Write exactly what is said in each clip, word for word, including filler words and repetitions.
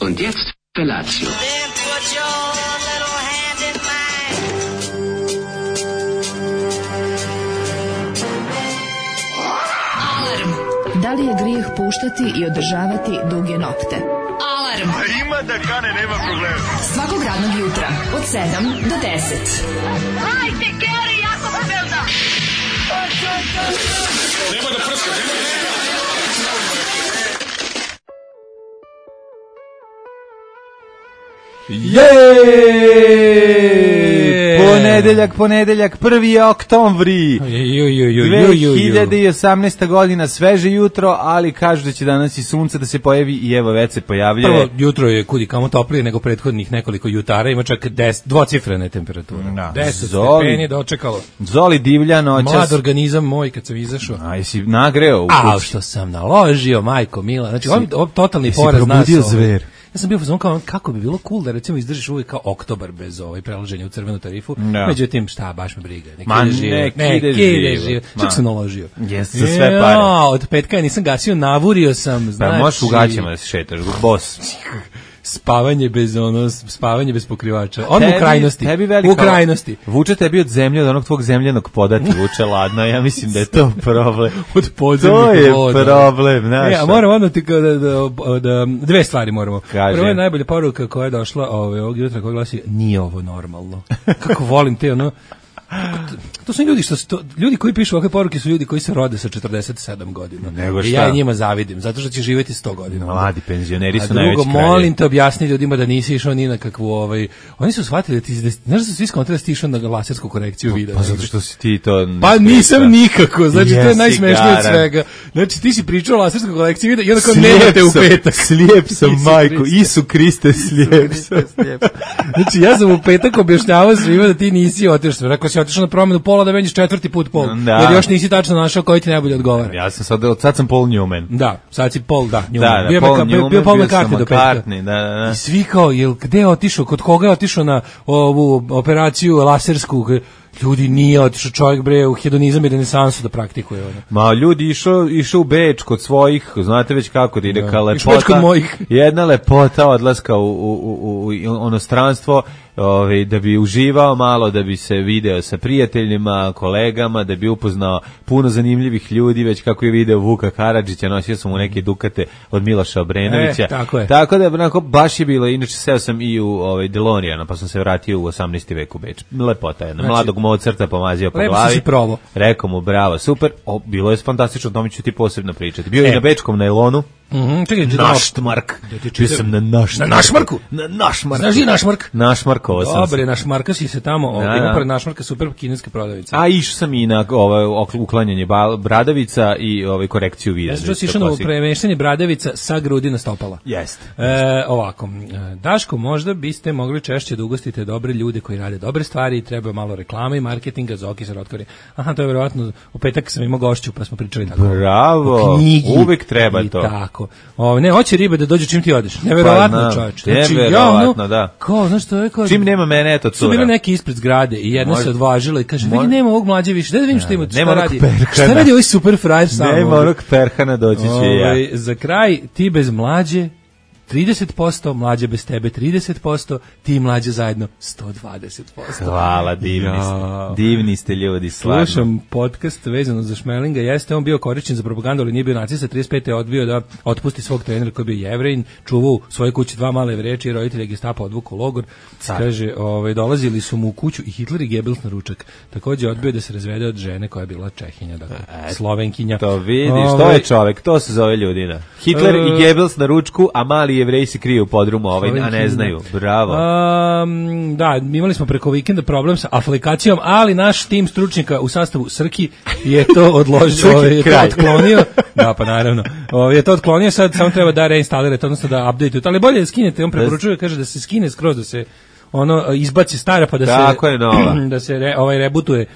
Und jetzt Felatio. Da li je grijeh puštati i održavati duge nokte? Alarm! A ima da kane, nema problema. Svakog radnog jutra, od sedam do deset. Hajde, Geri, jako se velda! Nema da prska, nema da prska. Jeeeej! Ponedeljak, ponedeljak, prvi oktobri, dve hiljade osamnaesta godina, sveže jutro, ali kažu da će danas i sunce da se pojavi i evo već se pojavljuje. Prvo jutro je kudi kamo toplije nego prethodnih nekoliko jutara, ima čak deset, dvocifrene temperature. Da. deset Zoli, stepeni dočekalo. Zoli divlja noćas. Mlad organizam moj kad sam izašao. A jesi nagreo u kući? A što sam naložio, majko mila. Znači, ovo je totalni jesi poraz nas. probudio zver. Ja sam bio fazon kao kako bi bilo cool da recimo izdržiš uvijek kao oktobar bez ovaj prelaženja u crvenu tarifu. Da. Međutim, šta, baš me briga. Nek Ma, ide živo. nek Nek ide ide živo. živo. Čak sam naložio. Jeste za sve pare. Ja, od petka ja nisam gasio, navurio sam. Znači, Pa možeš u gaćama da se šetaš, bos. Spavanje bez ono, spavanje bez pokrivača. On u krajnosti. Tebi velika, u krajnosti. Vuče tebi od zemlje, od onog tvog zemljanog poda ti vuče ladno. Ja mislim da je to problem. Od podzemnih To je voda. problem, znaš. Ja, moram odmah ti da, da, da, dve stvari moramo. Kaže. Prvo je najbolja poruka koja je došla ove, ovog jutra koja glasi, nije ovo normalno. Kako volim te, ono, to su ljudi što su to, ljudi koji pišu ovakve poruke su ljudi koji se rode sa četrdeset sedam godina. Nego I šta? ja njima zavidim, zato što će živjeti sto godina. Mladi penzioneri su A najveći drugo, kraljevi. molim te objasni ljudima da nisi išao ni na kakvu ovaj, oni su shvatili da ti, da, znaš da su svi skontali da si išao na lasersku korekciju videa. Pa zato što si ti to... Pa nisam nikako, znači to je Jesi najsmešnije od garan. svega. Znači ti si pričao o laserskoj kolekciji videa i onda kao nemate u petak. Slijep sam, Isu majko, Kriste. Isu Kriste, slijep sam. Znači ja sam u petak objašnjavao svima da ti nisi otišao. Rekao si otišao na promenu pola da menjaš četvrti put pol. Da. Jer još nisi tačno našao koji ti najbolje odgovara. Ja sam sad, od sad sam Paul Newman. Da, sad si Paul, da, Newman. Da, da, bio, Paul Paul bio, Newman, bio Paul bio sam McCartney do petka. McCartney, da, da, da. I svi kao, jel, gde je otišao, kod koga je otišao na ovu operaciju lasersku? Ljudi, nije otišao čovjek bre u hedonizam i renesansu da praktikuje ono. Ma ljudi išao išao u Beč kod svojih, znate već kako da ide Da. ka Išao već lepota. kod mojih. Jedna lepota odlaska u, u, u, u onostranstvo, ovaj, da bi uživao malo, da bi se video sa prijateljima, kolegama, da bi upoznao puno zanimljivih ljudi, već kako je video Vuka Karadžića, nosio sam mu neke dukate od Miloša Obrenovića. E, tako je. Tako da onako, baš je bilo, inače seo sam i u ovaj, Delorijana, pa sam se vratio u osamnaesti vek u Beč. Lepota jedna, Znači, mladog Mozarta pomazio po lepo glavi. si probao. Rekao mu, bravo, super, o, bilo je fantastično, o tome ću ti posebno pričati. Bio je E. na bečkom najlonu, Mhm, čekaj, da Naštmark, bio sam na Naštmarku. Na Našmarku? Na Našmarku. Znaš gdje je Našmark? Našmarkovo sam se. Dobre, Našmarka si se tamo, Da, ovaj, da. ima pored Našmarka super kineska prodavnica. A išao sam i na ovaj, okl- uklanjanje ba- bradavica i ovaj, korekciju videa. Ja sam čuo si išao na premeštanje bradavica sa grudi na stopala. Jeste. E, ovako, e, Daško, možda biste mogli češće da ugostite dobre ljude koji rade dobre stvari i treba malo reklame i marketinga, Zoki se rotkvari. Aha, to je verovatno, u petak sam imao gošću pa smo pričali tako. Bravo, O knjigi uvek treba i to. tako. O, ne, hoće ribe da dođe čim ti odeš. Neverovatno, Pa, čoveče. neverovatno, da. Kao, znaš što je? Kao, Čim nema mene, eto su bile cura. neki ispred zgrade i jedna Može- se odvažila i kaže, vidi, Može- nema ovog mlađe više, da vidim što ima, šta nema onog radi. Perhana. Šta radi ovaj super frajer sam? Nema ovdje? onog Perhana, doći će Ovaj, ja. za kraj, ti bez mlađe trideset posto, mlađe bez tebe trideset posto, ti i mlađe zajedno sto dvadeset posto. Hvala, divni Ja. ste. Divni ste ljudi, stvarno. Slušam podcast vezano za Šmelinga, jeste on bio korišćen za propagandu, ali nije bio nacista, trideset pete je odbio da otpusti svog trenera koji je bio Jevrejin, čuvao u svojoj kući dva male Jevreje i roditelje Gestapa odvuku u logor. Kaže, ovaj, dolazili su mu u kuću i Hitler i Goebbels na ručak. Takođe odbio da se razvede od žene koja je bila Čehinja, dakle, Slovenkinja. To vidiš, to Ovaj, je čovek, to se zove ljudina. Hitler E, i Goebbels na ručku, a mali Jevreji se kriju u podrumu, ovaj, a ne Slovenkinja. znaju. Bravo. Um, da, imali smo preko vikenda problem sa aplikacijom, ali naš tim stručnjaka u sastavu Srki je to odložio, ovaj, je to kraj. otklonio. Da, pa naravno. Ovaj, je to otklonio, sad samo treba da reinstalirate, odnosno da update-ujete, ali bolje da skinete, on preporučuje, kaže da se skine skroz, da se ono izbaci stara pa da Tako se je, nova. da se re, ovaj rebutuje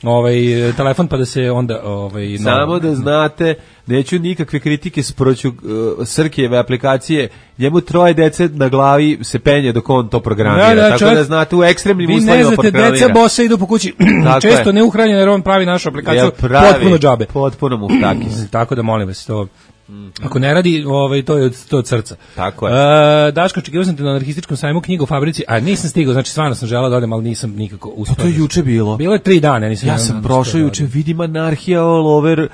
ovaj telefon pa da se onda ovaj Samo da znate, neću nikakve kritike sproću uh, Srkijeve aplikacije, njemu troje dece na glavi se penje dok on to programira, Da, da, tako čovjek- da znate u ekstremnim vi uslovima ne znate, programira. deca bosa idu po kući Tako često je. neuhranjene jer on pravi našu aplikaciju Jel pravi, potpuno džabe. Potpuno muftakis. Tako da molim vas to Ako ne radi, ovaj, to je od, to od srca. Tako je. E, Daško, očekivao sam te na anarhističkom sajmu knjigu u fabrici, a nisam stigao, znači stvarno sam želeo da odem, ali nisam nikako uspeo. Pa to je juče bilo. Bilo je tri dana, nisam. Ja sam prošao juče, vidim anarhija all over e,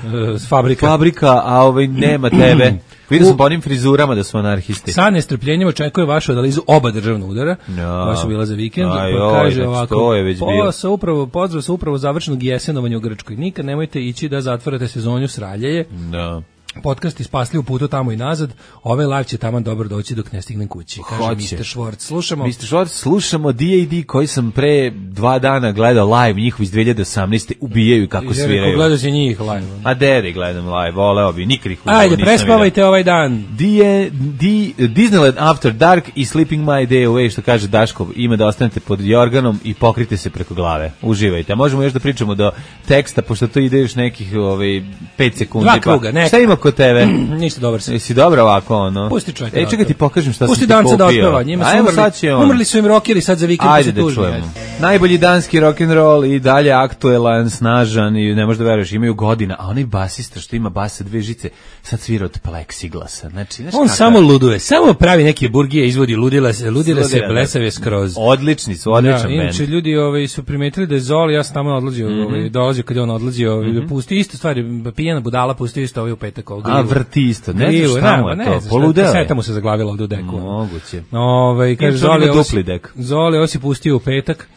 fabrika. fabrika, a ovaj nema tebe. Vidio sam po onim frizurama da su anarhisti. Sa nestrpljenjem očekuje vašu analizu oba državna udara, no. koja su bila za vikend. Aj, Pa oj, kaže znači, ovako, to je već bilo. Sa upravo, pozdrav sa upravo završenog jesenovanja u Grčkoj. Nikad nemojte ići da zatvarate sezonju sraljeje. Da. Podcast ispasli u putu tamo i nazad. Ovaj live će taman dobro doći dok ne stignem kući. Kaže Hoće. mister Švorc. Slušamo. mister Švorc, slušamo D A D koji sam pre dva dana gledao live, njihov iz dve hiljade osamnaeste ubijaju kako sviraju. Gledao si njih live. A deri gledam live, voleo bi, nikad ih Ajde, prespavajte ovaj dan. D, D, Disneyland After Dark i Sleeping My Day Away, što kaže Daškov, ima da ostanete pod jorganom i pokrite se preko glave. Uživajte. A možemo još da pričamo do teksta, pošto to ide još nekih ovaj, pet sekundi. Dva kruga, pa, šta ima kod tebe? Nisi dobar si. Jesi dobro ovako, ono? Pusti čovjek. Ej, čekaj ti pokažem šta Pusti sam ti danca kupio. da otpeva, njima su Ajmo, umrli, sad će on. umrli su im rockeri sad za vikend. Ajde da čujemo. Najbolji danski rock'n'roll i dalje aktuelan, snažan i ne možeš da veruješ, imaju godina, a onaj basista što ima basa dve žice, sad svira od pleksiglasa. Znači, znaš on kakav... samo luduje, samo pravi neke burgije, izvodi ludila se, ludila se, blesave skroz. Odlični su, odličan bend. Inače, ljudi ovaj, su primetili da je Zoli, ja sam tamo odlazio, mm-hmm. ovaj, dolazio kad je on odlazio, ovaj, mm-hmm. pusti isto stvari, pijena budala, pusti isto ovaj u petak. Ovaj, a, vrti isto, ne znaš šta mu je to, poludeo. Seta mu se zaglavila ovde u deku. Moguće. Ovaj, kaže, Zoli, dupli dek. Zoli, ovo si pustio u petak.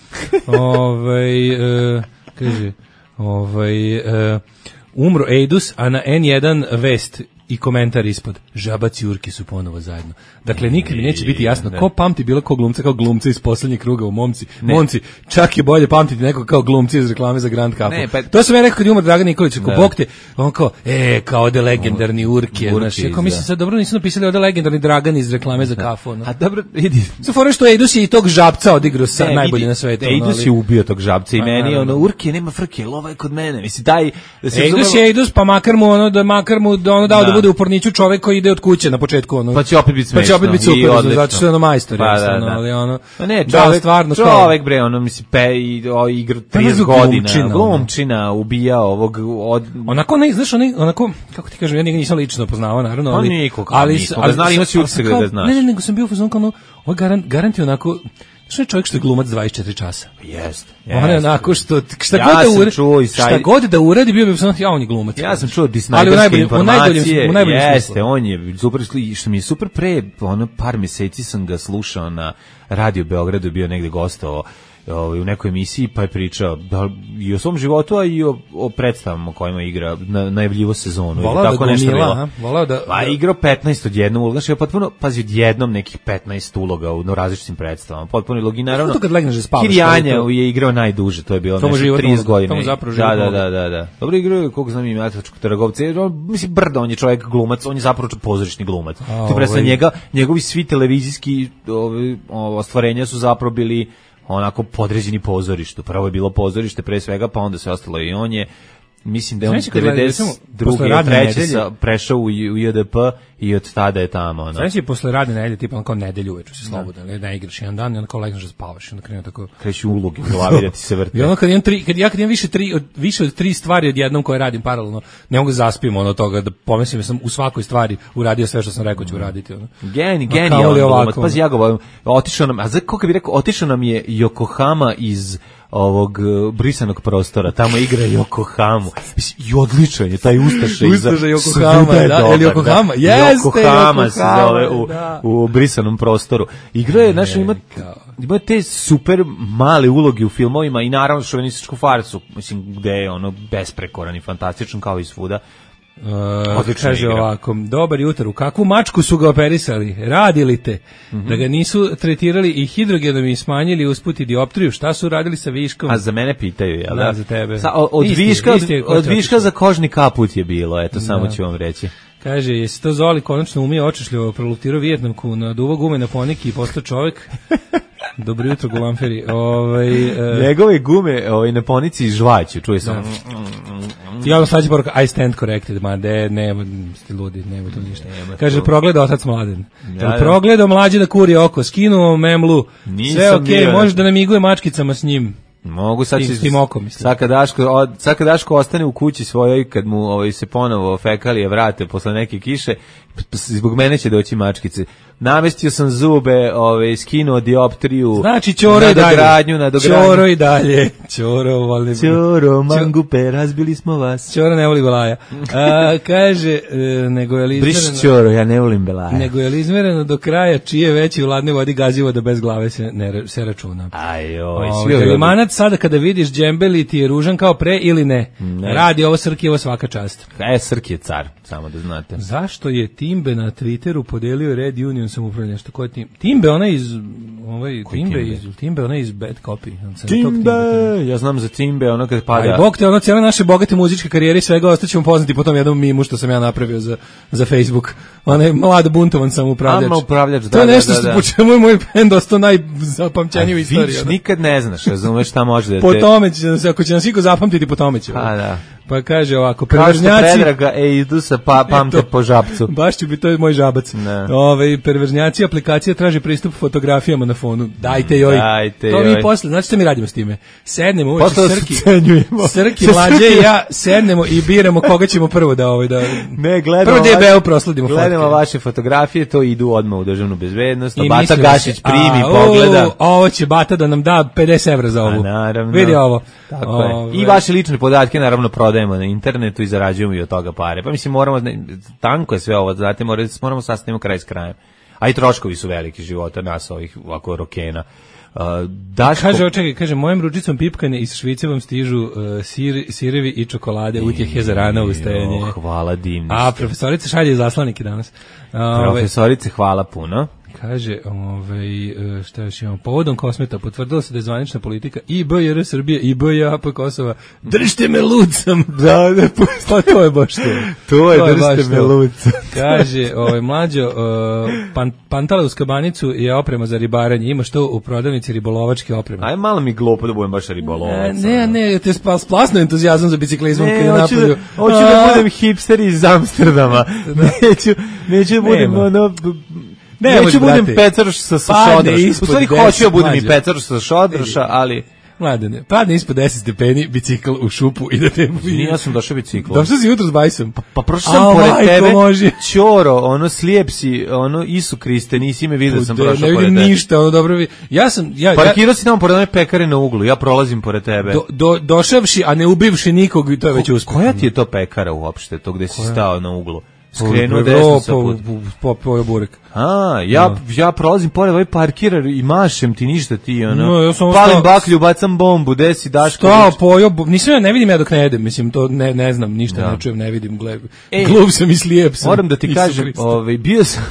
ovaj, uh, kaže, ovaj, uh, umro Ejdus, a na en jedan vest i komentar ispod. Žabac i Urki su ponovo zajedno. Dakle, nikad mi neće biti jasno ko pamti bilo ko glumca kao glumca iz poslednjeg kruga u Momci. Ne. Momci, čak je bolje pamtiti nekog kao glumci iz reklame za Grand Cup. Pa... To sam ja rekao kad je umar Dragan Nikolić, ako Bog te, on kao, e, kao ode legendarni Urki. Urki znači, mislim sad, dobro nisu napisali ode legendarni Dragan iz reklame za kafu. No. A dobro, vidi. Sa fora što Ejdus je i tog žabca odigrao sa ne, najbolje na svetu. Ejdus ali... je ubio tog žabca i a, meni, ono, Urki nema frke, lova je kod mene. Mislim, daj... Ejdus je Ejdus, pa makar mu ono, da makar mu da ono dao da bude u porniću čovek koji ide od kuće na početku ono. Pa će opet biti smešno. Pa će opet biti super, zato što je ono majstor, pa, da, da. Ali ono. Pa ne, čovek, da, stvarno čovek bre, ono misli pe i o igra trideset godina, glumčina ubija ovog od onako ne, znaš, onaj onako kako ti kažem, ja njega nisam lično poznavao naravno, ali pa nikog, ali ali znali ima se da znaš. Ne, ne, nego sam bio fazon kao ovaj garant garanti onako što je čovjek što je glumac dvadeset četiri časa. Jeste. On je onako što šta ja god da uradi, šta god da uradi bio bi sam ja on je glumac. Ja sam čuo disnajderske informacije. U najboljem jeste, on je super, što mi je super pre ono par meseci sam ga slušao na Radio Beogradu, bio negde gostovao u nekoj emisiji, pa je pričao da, i o svom životu, a i o, o predstavama kojima igra, na, najavljivo sezonu. Volao tako da gomila, volao da... Pa igrao petnaest odjednom uloga, znači je potpuno, pazi, odjednom nekih petnaest uloga u no, različitim predstavama, potpuno ulogi, i naravno, Kirjanja je igrao najduže, to je bilo nešto trideset godina. Da, da, da, da, da. Dobro igrao, koliko znam ima Atačkog Trgovca, mislim, brda, on je čovjek glumac, on je zapravo pozorišni glumac. Ti predstavlja njega, njegovi svi televizijski ostvarenja su zapravo bili onako podređeni pozorištu. Prvo je bilo pozorište pre svega, pa onda se ostalo i on je, mislim da je on devedeset druge i treće sa prešao u, u J D P i od tada je tamo. Ono. Znači je posle radne nedelje, tipa on kao nedelju uveče se slobodno, ne, ne igraš jedan dan i onda kao legneš da spavaš i onda krenu tako... Kreću ulogi u glavi da ti se vrte. I ono kad imam, tri, kad ja kad imam više, tri, od, više od tri stvari odjednom koje radim paralelno, ne mogu da zaspim ono toga, da pomislim da sam u svakoj stvari uradio sve što sam rekao ću uraditi. Ono. Geni, genijalan glumac, pazi ja ga otišao nam, a za kako bi rekao, otišao nam je Yokohama iz ovog uh, brisanog prostora, tamo igra Yokohamu. Mislim, i odličan je taj Ustaša iza. Ustaša Yokohama, da, ili Yokohama? Jeste, Yokohama se zove u, da. u brisanom prostoru. Igra je, znaš, ima, ima te super male uloge u filmovima i naravno šovinističku farsu, mislim, gde je ono besprekoran i fantastičan kao i svuda. Uh, kaže igra. Ovako, dobar jutro, u kakvu mačku su ga operisali, radili te, mm-hmm. da ga nisu tretirali i hidrogenom i smanjili usput i dioptriju, šta su radili sa viškom? A za mene pitaju, jel da? Da, za tebe. Sa, od isti, viška, isti, od, od viška za kožni kaput je bilo, eto, samo da. Ću vam reći. Kaže, jesi to Zoli konačno umio očešljivo, proluptirao Vijetnamku na duvo gume na poniki i postao čovjek? Dobro jutro, Gulamferi. Ovaj, uh, njegove gume ovaj, na ponici žvaću, čuje sam. Da. I onda slađe poruka, I stand corrected, ma de, nema, ste ludi, nema to ništa. Nema kaže, to. Progleda otac Mladen. Ja, ja. Progledao mlađe da kuri oko, skinuo memlu, nisam sve okej, okay, može da namiguje mačkicama s njim. Mogu sad Tim- tim okom, mislim. Sad kad Daško, od, sad kad Daško ostane u kući svojoj, kad mu ovaj, se ponovo fekalije vrate posle neke kiše, p- p- zbog mene će doći mačkice. Namestio sam zube, ovaj, skinuo dioptriju. Znači, Ćoro i dalje. Nadogradnju, nadogradnju. Ćoro i dalje. Ćoro, volim. Ćoro, mangupe, razbili smo vas. Ćoro ne voli belaja. A, kaže, e, nego je li Briši izmereno, Ćoro, ja ne volim belaja. nego je li izmereno do kraja čije veći u ladnoj vodi gazivo da bez glave se, ne, ra- se računa. Aj, oj, Ovaj, svi je li ovi- manac sada kada vidiš džembeli ti je ružan kao pre ili ne? Ne. Radi ovo Srkijevo svaka čast. E, Srki je car, samo da znate. Zašto je Timbe na Twitteru podelio Red Union samoupravljanje? Što ko je Tim? Timbe, ona iz ovaj Timbe, Timbe? iz Timbe, ona iz Bad Copy. On se na tog Timbe, Timbe- ja znam za Timbe, ono kad pada. Aj, bog te, ono, cijele naše bogate muzičke karijere i svega ostaćemo poznati po tom jednom mimu što sam ja napravio za, za Facebook. Onaj mlad buntovan samoupravljač. Ama upravljač, To da, je da, nešto da, što da. po čemu je moj band ostao najzapamćeniji u istoriji. Vidiš, ono. nikad ne znaš, razumeš šta može da te... Po tome će nas, ako će nas iko zapamtiti, po tome će. Pa da. Pa kaže ovako, Kao što perverznjaci... Predraga, e, idu sa pa, pamte Eto. po žabcu. Baš ću bi, to je moj žabac. Ne. Ove, perverznjaci aplikacija traži pristup fotografijama na fonu. Dajte joj. Dajte to joj. mi posle, znači što mi radimo s time? Sednemo uveče, Posle vas Srki, ucenjujemo. Srki, Sa mlađe Srki. i ja sednemo i biramo koga ćemo prvo da ovaj da Ne, gledamo, prvo D B U vaše- prosledimo gledamo fotke. vaše fotografije, to idu odmah u državnu bezbednost. I Bata mislimo Gašić se, primi, a, pogleda. o, ovo će Bata da nam da pedeset evra za A, ovu. naravno. Vidi ovo. Tako je. Ove, I vaše lične podatke naravno prodajemo na internetu i zarađujemo i od toga pare. Pa mislim, moramo, ne, tanko je sve ovo, znate, moramo, moramo sastavimo kraj s krajem. A i troškovi su veliki života nas, ovih ovako rokena. Uh, Daško, Kaže, čekaj, kaže, mojim ručicom pipkane iz Švice vam stižu uh, sir, sirevi i čokolade, utjehe za rano ustajanje. Oh, hvala divni. A, profesorica šalje zaslanike danas. Ove, Profesorice, hvala puno. kaže, ovaj, e, šta još imamo, povodom Kosmeta potvrdilo se da je zvanična politika I B R Srbije i B J A P Kosova. Držite me lucam. Da, da, pa to je baš to. To je, baš držite me to. lucam. Kaže, ovaj, mlađo, uh, pan, pantala uz kabanicu je oprema za ribaranje. Imaš to u prodavnici ribolovačke opreme. Aj malo mi glupo da budem baš ribolovac. Ne, ne, ne, te spa, splasno entuzijazam za biciklizmom kad Ne, je hoću da, napolju. hoću da A, budem hipster iz Amsterdama. Neću, neću da budem Nema. ono... b- Ne neću možeš, budem brate. pecaroš sa, sa Padne šodroša. U ispod stvari deset, hoću da budem i mlađe. pecaroš sa šodroša, ali... Mladene, padne ispod deset stepeni, bicikl u šupu i da te... Nije, ja sam došao biciklom. Došao si jutro s bajsom. Pa prošao A, sam pored majko tebe, Božja. Ćoro, ono slijep si, ono Isu Kriste, nisi me vidio da sam Bude, prošao ne pored vidim tebe. ništa, ono dobro vi. Ja sam, ja, ja Parkirao si tamo pored one pekare na uglu, ja prolazim pored tebe. do, do, došavši, a ne ubivši nikog, i to je već uspeh. Koja ti je to pekara uopšte, to gde si stao na uglu? Skrenuo Po- desno sa po- put. po- po- po burek. A, ja, ja prolazim pored ovaj parkirar i mašem ti ništa ti, ono. No, ja sam Palim stao- baklju, bacam bombu, desi Daško. Stao, viče. pojao, bu- nisam ja, ne vidim ja dok ne jedem, mislim, to ne, ne znam, ništa Da. ne čujem, ne vidim, gled, Ej, glup sam i slijep sam. Moram da ti Isu kažem, Hriste. ovaj, bio sam,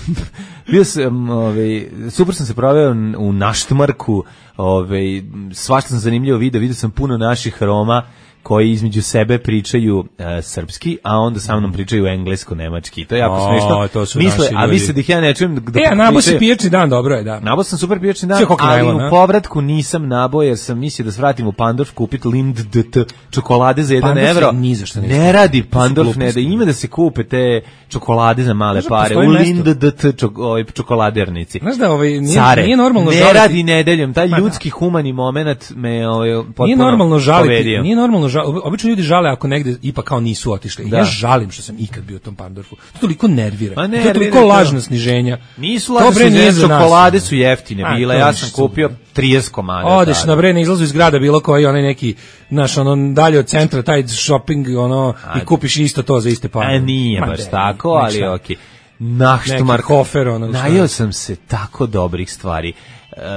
bio sam, ovaj, super sam se proveo u Naštmarku, ovaj, svašta sam zanimljivo video, vidio sam puno naših Roma koji između sebe pričaju e, srpski, a onda sa mnom pričaju englesko-nemački. To je jako O, smešno. to su Misle, naši a ljudi. misle da ih ja ne čujem da E, a nabo si pričaju- pijačni dan, dobro je, da. Nabao sam super pijačni dan, Sve koliko ali najlon, a? u povratku nisam nabao jer sam mislio da svratim u Pandorf kupiti Lind D T čokolade za jedan Pandorf se evro. ni za šta ne Ne isplati. radi To su Pandorf, ne gluposti. da ima da se kupe te čokolade za male Znaš da pare. postoji U mesto? Lind D T čok, ovaj, čokoladernici. Znaš da ovaj, nije, Care, nije normalno ne žaliti. radi nedeljom, taj Ma da. ljudski humani moment me ovaj, potpuno Nije normalno žaliti, povedio. nije normalno žaliti. Obično ljudi žale ako negde ipak kao nisu otišli. Da. Ja žalim što sam ikad bio u tom Pandorfu. To toliko nervira. Ma to je nervira toliko to. lažna sniženja. Nisu To, lažne bre, nije su za nas. čokolade su jeftine A, bile, to ja ništa sam kupio trideset komada. Odeš tada. na bre na izlazu iz grada bilo koji onaj neki naš ono dalje od centra taj shopping ono i kupiš isto to za iste pare. A nije Ma baš de, tako, nek ali šta. okej. Naštmark. Neki hofer, ono, šta? Najeo sam se tako dobrih stvari.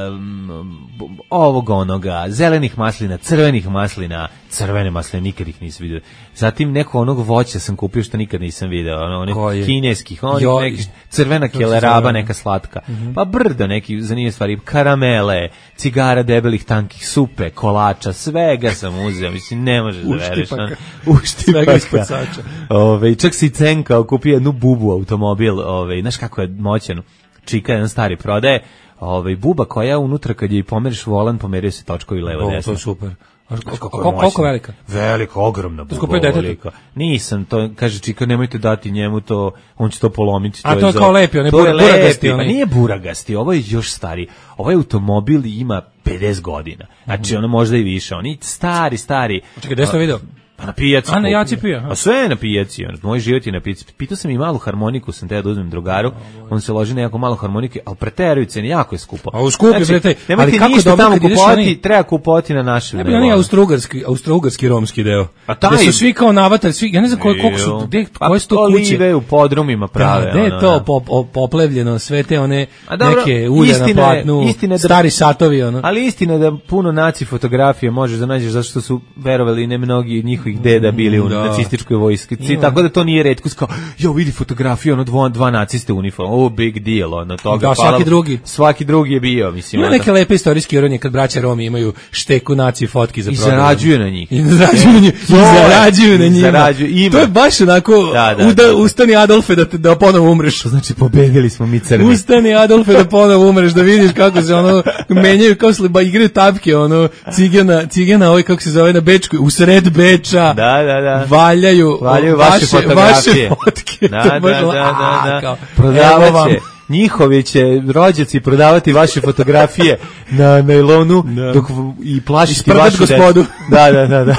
Um, ovog onoga, zelenih maslina, crvenih maslina, crvene masline, nikad ih nisam vidio. Zatim neko onog voća sam kupio što nikad nisam video, ono, onih Koje? kineskih, onih Jo, nekih, crvena kako se keleraba, zove? neka slatka. Pa brdo neki zanimljive stvari, karamele, cigara debelih tankih, supe, kolača, svega sam uzeo, mislim, ne možeš da veruješ. Uštipaka. ono, Uštipaka. Svega ispod sača. Ove, čak si cenkao, kupio jednu bubu automobil, ove, znaš kako je moćan, čika jedan stari prodaje, ove, buba koja unutra kad je i pomeriš volan, pomerio se točkovi levo O, to desno. je super. Koliko velika? Velika, ogromna bubova velika. Nisam, to kaže čika, nemojte dati njemu to, on će to polomiti. A to je kao lepi, on je buragasti. Pa nije buragasti, ovo je još stari. Ovaj automobil ima pedeset godina. Znači, ono možda i više. Oni stari, stari. Čekaj, gde sam video? Pa na pijaci. A na jaci pija. A sve je na pijaci. Moj život je na pijaci. Pitao sam i malu harmoniku, sam te da uzmem drugaru. On se loži na jako malu harmonike, ali preteruju cene, jako je skupo. A u skupi, znači, bre, ali kako ništa tamo kupovati, treba kupovati na našem. Ne bi oni austrougarski, austrougarski romski deo. A taj da su svi kao navatali, svi, ja ne znam koliko, koliko su, gde, koje su to kuće. Olive u podrumima prave. Da, gde je to pop, poplevljeno, sve te one dobro, neke ulje na platnu, istina, stari satovi. Ono. Ali istina da puno naci fotografije možeš da nađeš zato što su verovali ne mnogi njihovih deda bili u da. nacističkoj vojski. Tako da to nije retkost kao, jo, vidi fotografiju, ono dva, dva naciste uniform, oh, big deal, ono toga. Da, svaki drugi. Svaki drugi je bio, mislim. Ima neke lepe istorijske ironije kad braća Romi imaju šteku naci fotki za prodaju. I zarađuju na njih. I zarađuju na njih. I zarađuju na njih. To je baš onako, da, da, uda, da, da. Ustani Adolfe da, da ponovo umreš. To znači pobedili smo mi crni. Ustani Adolfe da ponovo umreš, da vidiš kako se ono menjaju, kao se igraju tapke, ono, cigana, cigana, ovaj kako se zove na Bečku, u sred Beča. Da, da, da. Valjaju, valjaju vaše, vaše fotografije. Vaše fotke. Da, da, da, da, da. Prodavaće. Njihovi će rođaci prodavati vaše fotografije na nailonu da. dok i plašiti vašu gospodu. Da, da, da, da.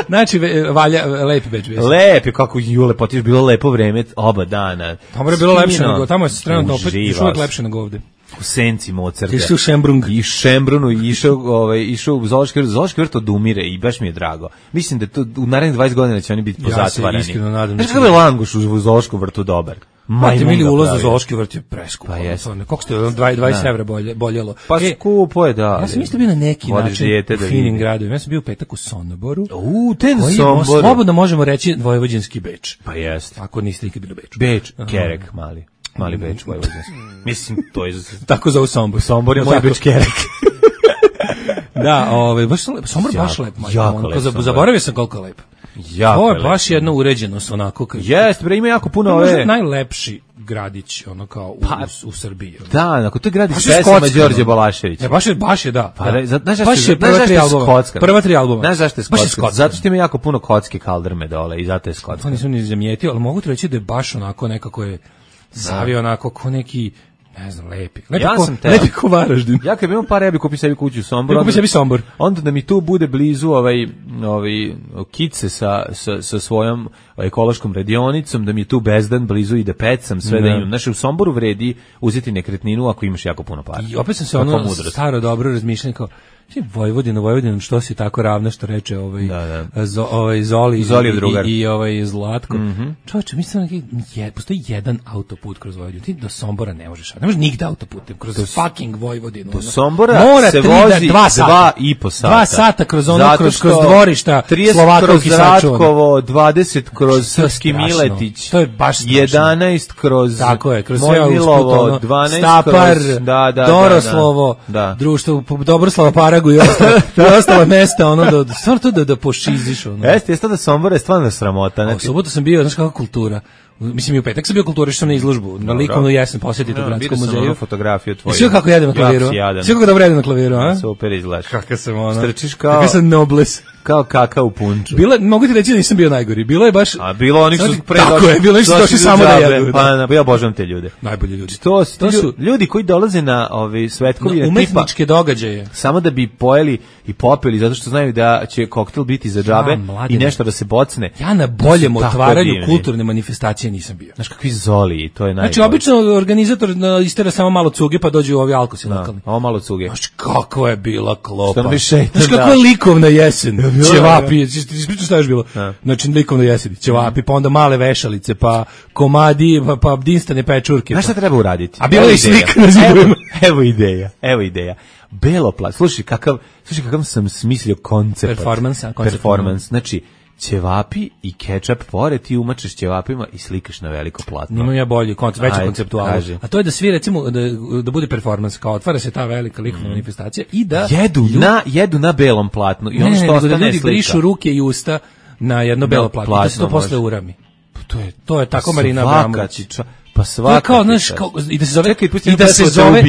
Znači valja lepi Beč bio. Lepi kako ju lepotiš, bilo lepo vreme oba dana. Tamo je bilo lepše nego, tamo je trenutno opet još lepše nego ovde. U senci Mozarta. Išao u Šembrung. I Šembrunu i išao, ovaj, išao u Zoološki vrt. Zoološki vrt odumire i baš mi je drago. Mislim da to u narednih dvadeset godina će oni biti pozatvarani. Ja se iskreno nadam. Znaš kako je Languš u Zoološkom vrtu dobar? Majte mili ulaz u Zoološki vrt je preskupo. Pa jes. Koliko ste, dvadeset evra bolje, boljelo. Pa e, skupo je, da. Ja sam isto bio na neki način u finim gradovima. Ja sam bio u petak u Somboru. U, ten Somboru. Slobodno možemo reći vojvođanski Beč. Pa jest. Ako niste nikad bili u Beču. Beč, Kerek mali. Mali Beč, vojvođanski. Mislim, to je... Tako zove Sombor. Sombor je moj Beč Kerek. Da, ovaj, baš Sombor baš lep. Jako lep. Zaboravio sam koliko je lep. Jako Ovo je baš jedno uređenost onako. Jeste, bre, ima jako puno ove... Možda najlepši gradić, ono kao u, pa, u, u Srbiji. Ono. Da, ako to je gradić pesama Đorđe Balaševića. E, baš je, baš je, da. Pa, da. Znaš baš je prva tri albuma. Prva tri albuma. Znaš zašto je skotska? Zato što ima jako puno kocke kaldrme dole i zato je skotska. To nisam ni zamijetio, ali mogu ti reći da je baš onako nekako je zavio onako ko neki... Ne znam, lepi. Lepi, ja ko, sam te, lepi ko Varaždin. Ja kad imam par, ja bi kupio sebi kuću u Somboru. Ja kupio sebi Sombor. Onda da mi tu bude blizu ovaj, ovaj kice sa, sa, sa svojom ekološkom radionicom, da mi je tu bezdan blizu i da pecam sve ne. Da imam. Znači, u Somboru vredi uzeti nekretninu ako imaš jako puno para. I opet sam se ono staro dobro razmišljao kao, Vojvodina, Vojvodina, što si tako ravna, što reče ovaj, da, da. Zo, ovaj Zoli, Zoli i, i, i ovaj Zlatko. Mm -hmm. Čovječe, mislim da je, postoji jedan autoput kroz Vojvodinu. Ti do Sombora ne možeš, ne možeš nigde autoputem, kroz do, fucking Vojvodinu. Do Sombora mora se tri, vozi dva, sata. dva i po sata. Dva sata kroz ono, kroz, kroz dvorišta Slovakovki Ratkovo, dvadeset kroz Srpski Miletić, to je baš strašno. jedanaest kroz tako je, kroz Mojmilovo, dvanaest Stapar, kroz da, da, Doroslovo, da, da. društvo, Dobroslava Paragu i ostalo. I ostala mesta, ono, da, stvarno to da, da pošiziš, ono. Jeste, jeste da Sombor je stvarno sramota. U subotu sam bio, znaš kakva kultura. Mislim, i u petak sam bio kultura, što sam na izložbu. Na likovnu jesen posjetite u Gradskom muzeju. Vidio sam fotografiju tvoju. Sve kako jedem na klaviru. Sve kako dobro jedem na klaviru, a? Super izgledaš. Kakav sam, ono. Strčiš kao... Kakav sam nobles. Kao kaka u punču. Bilo, mogu ti reći da nisam bio najgori. Bilo je baš... A bilo onih su pre tako došli... Tako je, bilo onih su došli samo da jedu. Pa, pa ja obožavam te ljude. Najbolji ljudi. To, to su ljudi koji dolaze na ovi svetkovi na umetničke tipa, događaje. Samo da bi pojeli i popili, zato što znaju da će koktel biti za džabe ja, i nešto da se bocne. Ja na boljem otvaranju kulturne manifestacije nisam bio. Znaš kakvi Zoli, to je najbolje. Znači, obično organizator istera samo malo cuge, pa dođu ovi alkosi lokalni. Ovo malo cuge. Znaš, kakva je bila klopa. Što mi šeitan, znaš, kakva je likovna jesen. Ćevapi, ispričam šta je još bilo. Znači, likovna jesen, ćevapi, pa onda male vešalice, pa komadi, pa, pa dinstane pečurke. Znaš šta treba uraditi? A bilo je i slika na zidovima. Evo ideja, evo ideja. Beloplat, slušaj kakav, slušaj kakav sam smislio koncept. Performance, koncept. Performance, znači, ćevapi i kečap pored, ti umačeš ćevapima i slikaš na veliko platno. Imam ja bolji koncept, veći konceptualno. A to je da svi recimo da, da bude performans, kao otvara se ta velika likovna mm. manifestacija i da jedu ljudi, na jedu na belom platnu i ono što ostane da ljudi brišu ruke i usta na jedno belo platno, platno da se to posle urami. To je to je tako Marina Abramović. Pa svaka. Kao, znaš, kao, i da se zove, Čekaj, i da se zove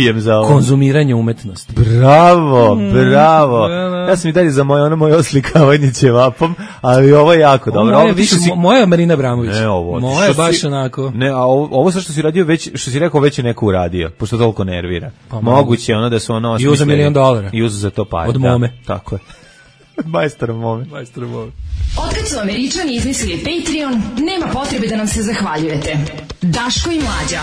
konzumiranje umetnosti. Bravo, Mm, bravo. da, da. Ja sam i dalje za moje, ono moje oslikavanje ćevapom, ali ovo je jako dobro. Moje, Ovo više, si... moja je Marina Abramović. Ne, ovo. Moja je što baš si- onako. Ne, a ovo, ovo sa što si radio, već, što si rekao, već je neko uradio, pošto toliko nervira. Pa Moguće je ono da su ono I osmislili. uza milion dolara. I uza za to pare. Od da, Mome. Tako je. Od majstora Mome. Majstor Mome. Otkad su Američani izmislili Patreon, nema potrebe da nam se zahvaljujete. Daško i Mlađa.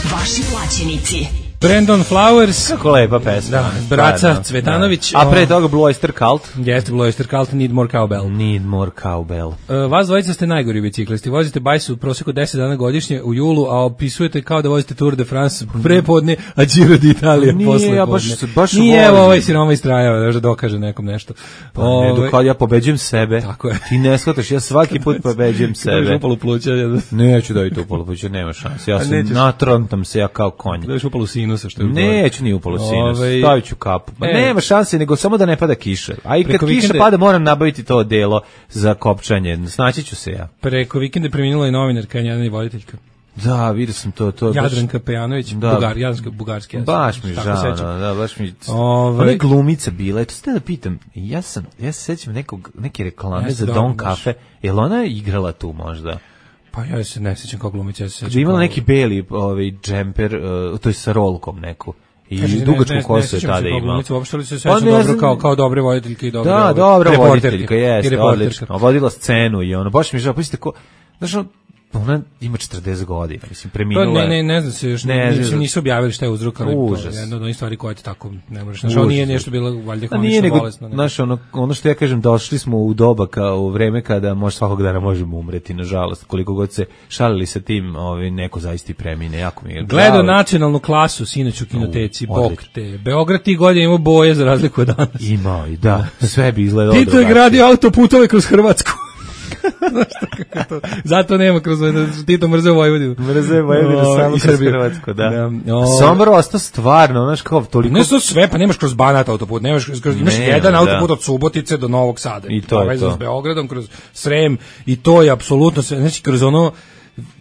Vaši plaćenici. Brandon Flowers. Kako lepa pesma. Da, braca Stvarno, Cvetanović. da. A pre toga Blue Oyster Cult. Jeste Blue Oyster Cult, Need More Cowbell. Need more cowbell. Uh, vas dvojica ste najgori biciklisti. Vozite bajsu u proseku deset dana godišnje u julu, a opisujete kao da vozite Tour de France prepodne, a Giro d'Italia Nije, posle ja podne. baš se- baš Nije, volim. evo ovaj siroma istrajava da dokaže nekom nešto. Pa ne, Ovaj, dok kad ja pobeđujem sebe. Tako je. Ti ne shvataš, ja svaki put pobeđujem Sebe. sebe. Upalu pluća, ja da Neću da i to polupuću, nema šanse. Ja A sam nećeš? natrontam se ja kao konj. daš upalu sinusa, što je gore. Neću ni upalo sinus, Ovaj, stavit ću kapu. Pa e. nema šanse, nego samo da ne pada kiša. A i kad Preko kiša vikenda- pada, moram nabaviti to delo za kopčanje. Snaći ću se ja. Preko vikenda je preminula i novinarka, njena i voditeljka. Da, vidio sam to. to je baš- Jadranka Pejanović, Da. Bugar, Jadranka Bugarski. ja se Baš mi tako žao, sećam. no, da, baš mi... Ovaj- Ona je glumica bila, eto ste da pitam, ja sam, ja se sećam nekog, neke reklame Jeste, za dobro, Don baš. Cafe, je li ona igrala tu možda? Pa ja se ne sjećam kao glumica, ja se Da sjećam. je imala kao- neki beli ovaj, džemper, uh, to je sa rolkom neku. I Kaže, ne- dugačku ne- ne kosu je sjećam se tada kao imala. glumica, uopšte li se Pa sećam ne dobro znam- kao, kao dobre voditeljke i dobre Da, ove- dobra reporterke. voditeljka, I jeste, reporterka. odlično. Vodila scenu i ono, baš mi je žao, pa ko, znaš, ono, ona ima četrdeset godina, mislim, To preminula ne, ne, je. ne znam se još, Ne, ne, ne nisu, znam. nisu objavili šta je uzrok, ali to Užas. je jedna od onih stvari koje ti tako ne možeš. Znaš, ovo nije Užas. nešto bilo valjda A hronično nije nego, bolesno. nego- znaš, ono, ono što ja kažem, došli smo u doba, kao u vreme kada može svakog dana možemo umreti, nažalost, koliko god se šalili sa tim, ovaj, neko zaista i premine, jako mi je Gledao žao. nacionalnu klasu sinoć u kinoteci, U, bok odlično. te. Beograd tih godina imao boje za razliku od danas. Imao i da, sve bi izgledalo Tito je drugačije. gradio autoputove kroz Hrvatsku. Znaš šta, kako to? Zato nema kroz Tito mrzeo Vojvodinu. Mrze Vojvodinu O, samo i kroz Srbiju. Hrvatsku, da. Da, o, Sombor ostao stvarno, znaš, kao toliko... Ne su sve, pa nemaš kroz Banat autoput, nemaš kroz, imaš Nema, jedan da. autoput od Subotice do Novog Sada. I to je povezan to. s Beogradom, kroz Srem, i to je apsolutno sve, znači kroz ono,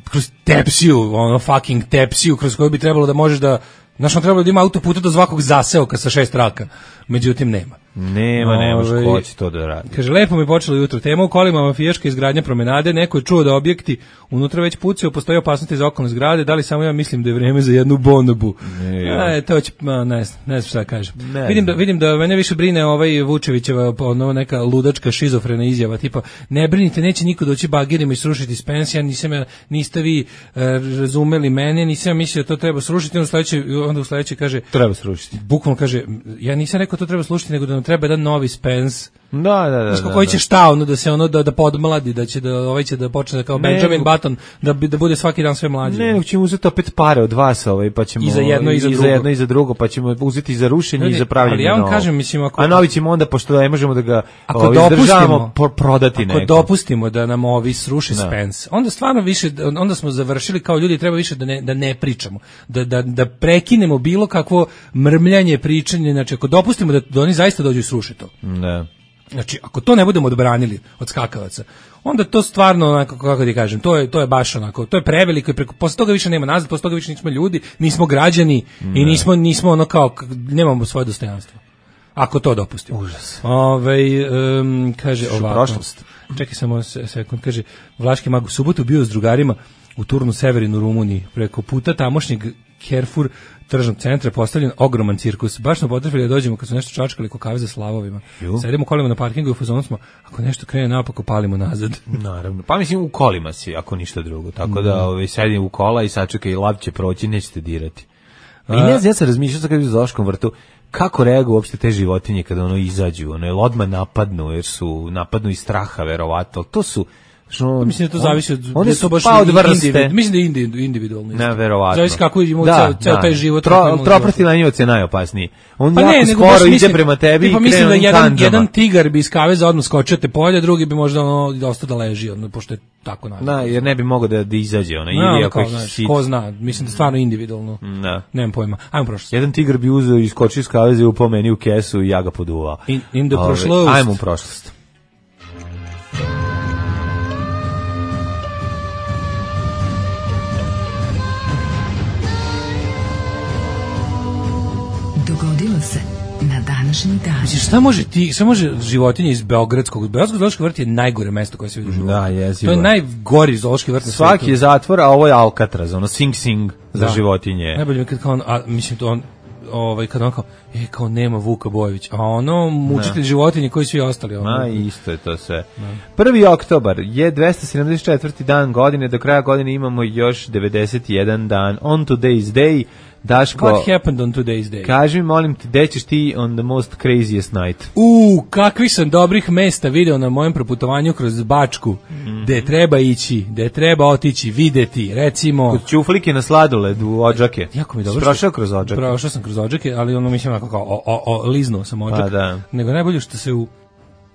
kroz Tepsiju, ono fucking Tepsiju, kroz koju bi trebalo da možeš da, znaš, on trebalo da ima autoputa do svakog zaseoka sa šest traka, međutim nema. Nema, nemaš Ovaj, ko će to da radi. Kaže, lepo mi je počelo jutro. Tema u kolima, mafijaška izgradnja promenade. Neko je čuo da objekti unutra već pucaju, postoji opasnosti za okolne zgrade. Da li samo ja mislim da je vreme za jednu bonobu? Ne, ja. E, to će, ma, ne znam, ne znam šta da kažem. Ne vidim, da, znam. vidim da mene više brine ovaj Vučevićeva ono, neka ludačka šizofrena izjava, tipa, ne brinite, neće niko doći bagirima i srušiti s pensija, nisam ja, niste vi e, razumeli mene, nisam ja mislio da to treba srušiti, onda u sledećoj, onda u sledećoj kaže, Treba srušiti. bukvalno kaže, ja nisam rekao to treba slušati, nego da nam treba jedan novi Spence. Da, da, da. Znaš, da, koji da. će šta, ono, da se ono, da, da podmladi, da će da, ovaj će da počne kao Ne, Benjamin nego- Button, da, bi, da bude svaki dan sve mlađi. Ne, nego ćemo uzeti opet pare od vas, ovaj, pa ćemo I za jedno i za i za drugo. jedno i za drugo, pa ćemo uzeti i za rušenje Ljudi, i za pravljenje ali ja vam novog. kažem, mislim, ako- A novi ćemo onda, pošto ne možemo da ga Ako ovaj, dopustimo, izdržavamo, po- prodati ako nekom. dopustimo da nam ovi sruši Da. Spence, onda stvarno više, onda smo završili kao ljudi, treba više da ne, da ne pričamo, da, da, da prekinemo bilo kakvo mrmljanje, pričanje, znači ako dopustimo da, da oni zaista dođu i sruše to. Da. Znači, ako to ne budemo odbranili od skakavaca, onda to stvarno, onako, kako ti kažem, to je, to je baš onako, to je preveliko i preko, posle toga više nema nazad, posle toga više nismo ljudi, nismo građani i nismo, nismo ono kao, k- nemamo svoje dostojanstvo. Ako to dopustimo. Užas. Ovaj um, kaže Što ovako. prošlost. Čekaj samo se- sekund, kaže, Vlaški mag u subotu bio s drugarima u Turnu Severin u Rumuniji. Preko puta tamošnjeg Carrefour tržnog centra postavljen ogroman cirkus. Baš smo potrefili da dođemo kad su nešto čačkali ko kave za slavovima. Ju. Sedimo kolima na parkingu i u fazonu smo, ako nešto krene napako, palimo nazad. Naravno. Pa mislim u kolima si, ako ništa drugo. Tako da ovaj, sedim u kola i sačekaj, lav će proći, nećete dirati. I ne znam, ja sam razmišljao kad bi u zoološkom vrtu, kako reaguju uopšte te životinje kada ono izađu, ono, jel odmah napadnu, jer su napadnu iz straha, verovatno. To su, što, Mislim da to zavisi od, oni da je su to baš pa od vrste. individu- mislim da je indi- individualno. isto. Ne, verovatno. Zavisi kako imamo ceo, ceo taj život. kako Tro, imamo troprti život. lanjivac je najopasniji. On Pa jako ne, nego skoro baš ide mislim, prema tebi tipa i mislim krene da onim jedan, kandžama. jedan tigar bi iz kaveza odmah skočio te polje, drugi bi možda ono dosta da leži, ono, pošto je tako navikao. Da, jer ne bi mogao da, da izađe, ona, No, ili ono ako kao, ih znaš, sit. ko zna, mislim da je stvarno individualno. Da. Nemam pojma. Ajmo prošlost. Jedan tigar bi uzeo i skočio iz kaveze i upao meni u kesu i ja ga poduvao. In- in the Ove, prošlost. Ajmo u prošlost. se na današnji dan. Mislim, šta može ti, šta može životinje iz Beogradskog, Beogradski zoološki vrt je najgore mesto koje se vidi u životu. Da, jezivo. To je najgori zoološki vrt na svijetu. Svaki je zatvor, a ovo je Alcatraz, ono Sing Sing za Da. životinje. Najbolje mi je kad kao on, a, mislim to on, ovaj, kad on kao, e, kao nema Vuka Bojević, a ono, mučitelj životinje koji svi ostali. Ono. Ma, isto je to sve. prvi oktobar je dvesta sedamdeset četvrti dan godine, do kraja godine imamo još devedeset jedan dan. On today's day, Daško, What happened on today's day? kaži mi, molim te, gde ćeš ti on the most craziest night? U, kakvi sam dobrih mesta video na mojem proputovanju kroz Bačku, Mm. gde treba ići, gde treba otići, videti, recimo... Kod Ćuflike na sladoled u Odžake. Jako mi je dobro. Si prošao što- kroz Odžake? Prošao sam kroz Odžake, ali ono mislim onako kao o, o, o, liznuo sam Odžak. Pa da. Nego najbolje što se u, u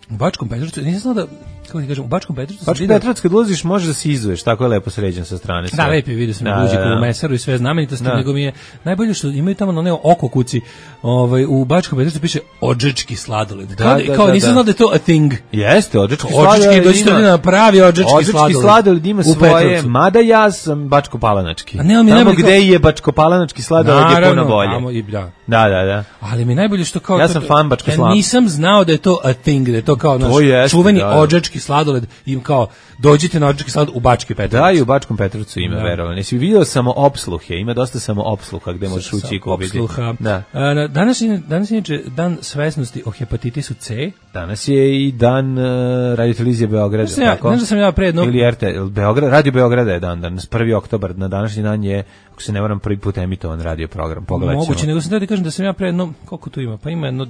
Bačkom Petrovcu, nisam znao da, kako ti kažem, u Bačkom Petrovcu sam Bački video- Petrovac kad ulaziš možeš da se izuješ, tako je lepo sređen sa strane. sve. Da, lepi vidio sam Da, da, da, da. u Mesaru i sve znamenitosti, Da. nego mi je najbolje što imaju tamo na one oko kuci, ovaj, u Bačkom Petrovcu piše odžački sladoled. Da, Kao, da, kao da, nisam da. znao da je to a thing. Jeste, Odžački Odžački, sladoled dođite ima- ljudi na pravi odžački Odžački sladoled. sladoled ima U svoje, Petrovcu. mada ja sam bačko-palanački. A ne, ali mi Tamo najbolje gde kao- je bačko-palanački sladoled je puno Naravno, bolje. tamo i- da. Da, da, da. Ali mi je najbolje što kao Ja to- sam fan bačke ja slame. nisam znao da je to a thing, da je to kao naš To jeste, čuveni da, da. odžački sladoled, im kao dođite na odžački sladoled u Bački Petrovac. Da, i u Bačkom Petrovcu ima, Da. verovali. Nisi vidio samo opsluhe, ima dosta samo opsluha gde možeš ući i kupiti. Opsluha. Da. A, na- danas je danas je inače dan svesnosti o hepatitisu C. Danas je i dan uh, radiotelevizije Beograda, Znaš da ja- tako? znaš da sam ja pre jedno- Ili R T L, Beograd, Radio Beograda je dan, danas prvi oktobar, na današnji dan je, ako se ne varam, prvi put emitovan radio program, pogledat ćemo. Moguće, nego sam teo ti kažem da sam ja pre jedno, koliko tu ima, pa ima jedno,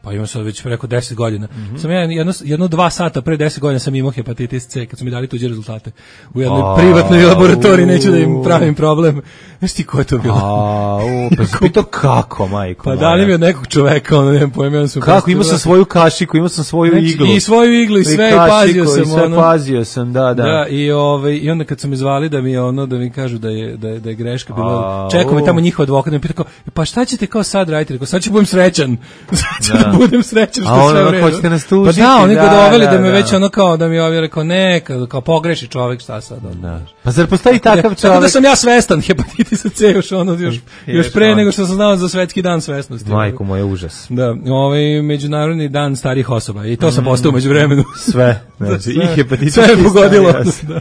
pa ima sad već preko deset godina. Mhm. Sam ja jedno, jedno dva sata pre deset godina sam imao hepatitis C, kad su mi dali tuđe rezultate. U jednoj A, privatnoj laboratoriji, u. neću da im pravim problem. Znaš ti ko je to bilo? A, u, pa si pitao kako, majko Pa moja? dali mi od nekog čoveka, ono, nemam pojma, ja sam Kako, prosto- imao sam svoju kašiku, imao sam svoju Znači, iglu. i svoju iglu i sve, i pazio kašiku, sam, i sve ono. pazio sam, da, da. Da, i ovaj i onda kad su me zvali da mi je ono da mi kažu da je da je, da je greška bilo. A, Čekao me u. tamo njihov advokat da me pita kao, pa šta ćete kao sad raditi? Rekao, sad ću budem srećan. Sad ću da, Da. budem srećan što A je ono, sve u redu. hoćete nas Pa tužiti? da, oni ga Da, doveli da, da, me da. već ono kao da mi ovaj rekao ne, kao, kao pogreši čovjek, šta sad? ono. Da. Pa zar postoji takav Tako da čovjek? sam ja svestan hepatitisa C još ono još, još pre ono. nego što sam znao za svetski dan svesnosti. Majko moje, užas. Da, ovaj međunarodni dan starih osoba i to sam postao među vremenu. Sve, znači, Sve. i hepatitis. Sve je i pogodilo. starijos. Da.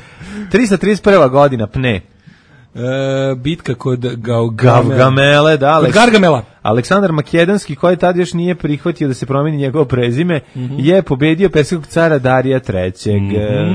trista trideset prva godina, pne. E, bitka kod Gaugamela. Gavgamele, da, Kod Aleks- Gargamela. Aleksandar Makedonski, koji tad još nije prihvatio da se promeni njegovo prezime, Mhm. je pobedio perskog cara Darija trećeg.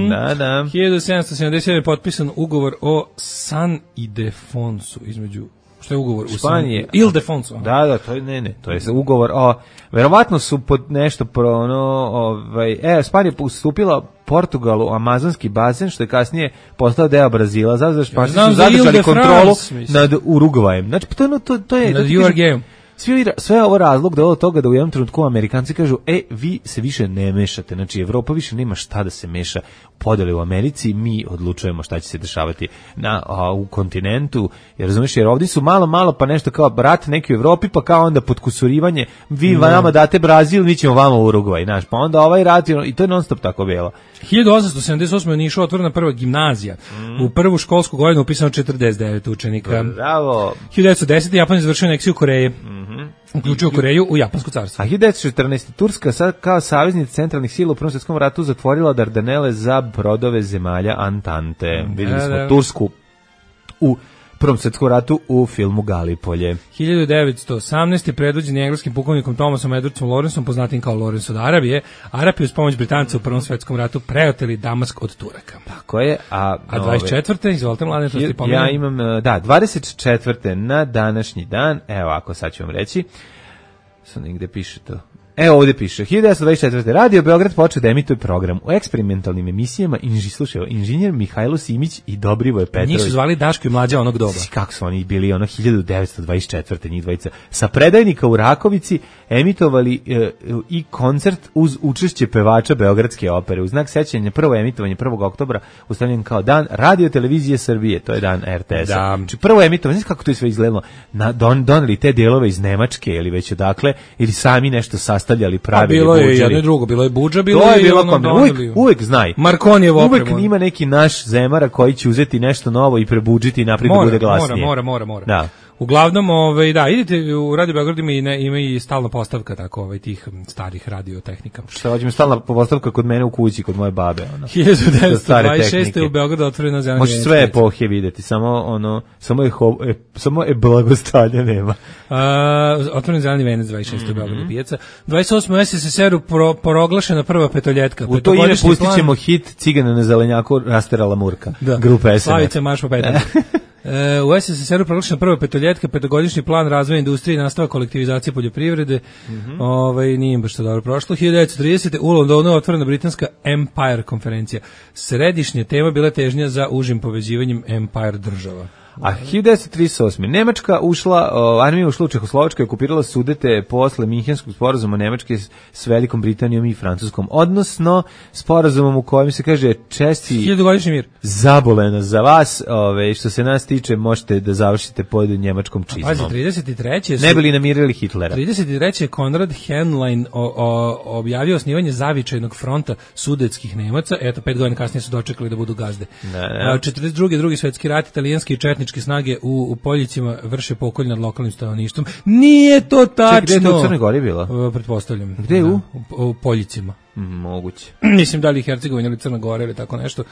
Da, da. hiljadu sedamsto sedamdeset sedam je potpisan ugovor o San Ildefonsu između šta je ugovor u Španije. San Ildefonsu. aha. Da, da, to je, ne, ne, to je ugovor o, verovatno su pod nešto pro, ono, ovaj, e, Španija ustupila Portugalu amazonski bazen, što je kasnije postao deo Brazila, zato da Španci znam su za Ile zadržali de kontrolu France, mislim. nad Urugvajem. Znači, to, je ono, to, to je... Nad to ti kažem, Uruguayom. Svi, sve je ovo razlog da od toga da u jednom trenutku Amerikanci kažu, e, vi se više ne mešate, znači Evropa više nema šta da se meša u podeli u Americi, mi odlučujemo šta će se dešavati na, a, u kontinentu, jer razumiješ, jer ovdje su malo, malo pa nešto kao rat neki u Evropi, pa kao onda podkusurivanje, vi nama date Brazil, mi ćemo vama Urugvaj, znaš, pa onda ovaj rat, i to je non stop tako bilo. hiljadu osamsto sedamdeset osme u Nišu otvorena prva gimnazija. U prvu školsku godinu upisano četrdeset devet učenika. Bravo. hiljadu devetsto desete Japan izvršio aneksiju Koreje. Uključio Koreju u Japansko carstvo. A hiljadu devetsto četrnaeste. Turska sad kao saveznica centralnih sila u Prvom svjetskom ratu zatvorila Dardanele za brodove zemalja Antante. Vidjeli Da, smo da. Tursku u Prvom svjetskom ratu u filmu Galipolje. hiljadu devetsto osamnaeste. predvođen je engleskim pukovnikom Thomasom Edwardsom Lawrenceom, poznatim kao Lawrence od Arabije. Arapi uz pomoć Britanca u Prvom svjetskom ratu preoteli Damask od Turaka. Tako je. A, A dvadeset četvrte. izvolite mladen, to ste ja imam, da, dvadeset četvrte na današnji dan, evo ako sad ću vam reći, sad negde piše to. Evo ovdje piše, hiljadu devetsto dvadeset četvrte. Radio Beograd počeo da emituje program u eksperimentalnim emisijama inži, slušaj, inženjer Mihajlo Simić i Dobrivoje Petrović. Njih su zvali Daško i Mlađa onog doba. Kako su oni bili, ono, hiljadu devetsto dvadeset četvrte. njih dvojica. Sa predajnika u Rakovici emitovali e, i koncert uz učešće pevača Beogradske opere. U znak sećanja prvo emitovanje prvog oktobra ustavljen kao dan Radio Televizije Srbije, to je dan R T S-a. Da. Znači prvo emitovanje, znaš kako to je sve izgledalo? Na, don, doneli te delove iz Nemačke ili već odakle, ili sami nešto sastavljali, Pa pravili, bilo je buđili. jedno i drugo, bilo je budža, bilo To je i bilo ono kombina. doneli. Uvijek, uvijek znaj. Markonijev Uvijek opremu. ima neki naš zemara koji će uzeti nešto novo i prebuđiti i napraviti da Mora, bude glasnije. mora, mora, mora, mora. Da. Uglavnom, ovaj, da, idite u Radio Beograd ima i, ne, ima i stalna postavka tako, ovaj, tih starih radiotehnika. Šta hoćemo stalna postavka kod mene u kući, kod moje babe. Ono. hiljadu devetsto dvadeset šeste u Beogradu otvorena zelena. Može sve epohe videti, samo ono, samo je, ho, e, samo je blagostanja nema. Uh, otvoren zeleni venac dvadeset šeste mm-hmm. u Beogradu pijaca. dvadeset osme u es es es er u pro, proglašena prva petoljetka. U to ime pustit ćemo plan... hit Cigana na zelenjaku rasterala Murka. Da. Grupa es en es. Slavice marš po petama. E, u es es es er u proglašena prva petoljetka, petogodišnji plan razvoja industrije i nastava kolektivizacije poljoprivrede. Mm-hmm. Ovaj, nije im baš to dobro prošlo. hiljadu devetsto tridesete u Londonu je otvorena britanska Empire konferencija. Središnja tema bila težnja za užim povezivanjem Empire država. A hiljadu devetsto trideset osme Nemačka ušla, o, armija ušla u Čehoslovačku i okupirala Sudete posle Minhenskog sporazuma Nemačke s, s Velikom Britanijom i Francuskom, odnosno sporazumom u kojem se kaže česti hiljadugodišnji mir. Zaboleno za vas, ove, što se nas tiče, možete da završite pod njemačkom čizmom. Pazi, trideset treće su, ne bili namirili Hitlera. trideset treće Konrad Henlein o, o, objavio osnivanje zavičajnog fronta sudetskih Nemaca, eto, pet godina kasnije su dočekali da budu gazde. Ne, ne. četrdeset druge drugi svetski rat, italijanski i četničke snage u, u Poljicima vrše pokolj nad lokalnim stanovništvom. Nije to tačno. Ček, gde je to u Crnoj Gori bilo? Pretpostavljam. Gde je u? U, u Poljicima. Mm, moguće. Mislim da li Hercegovina ili Crna Gora ili tako nešto.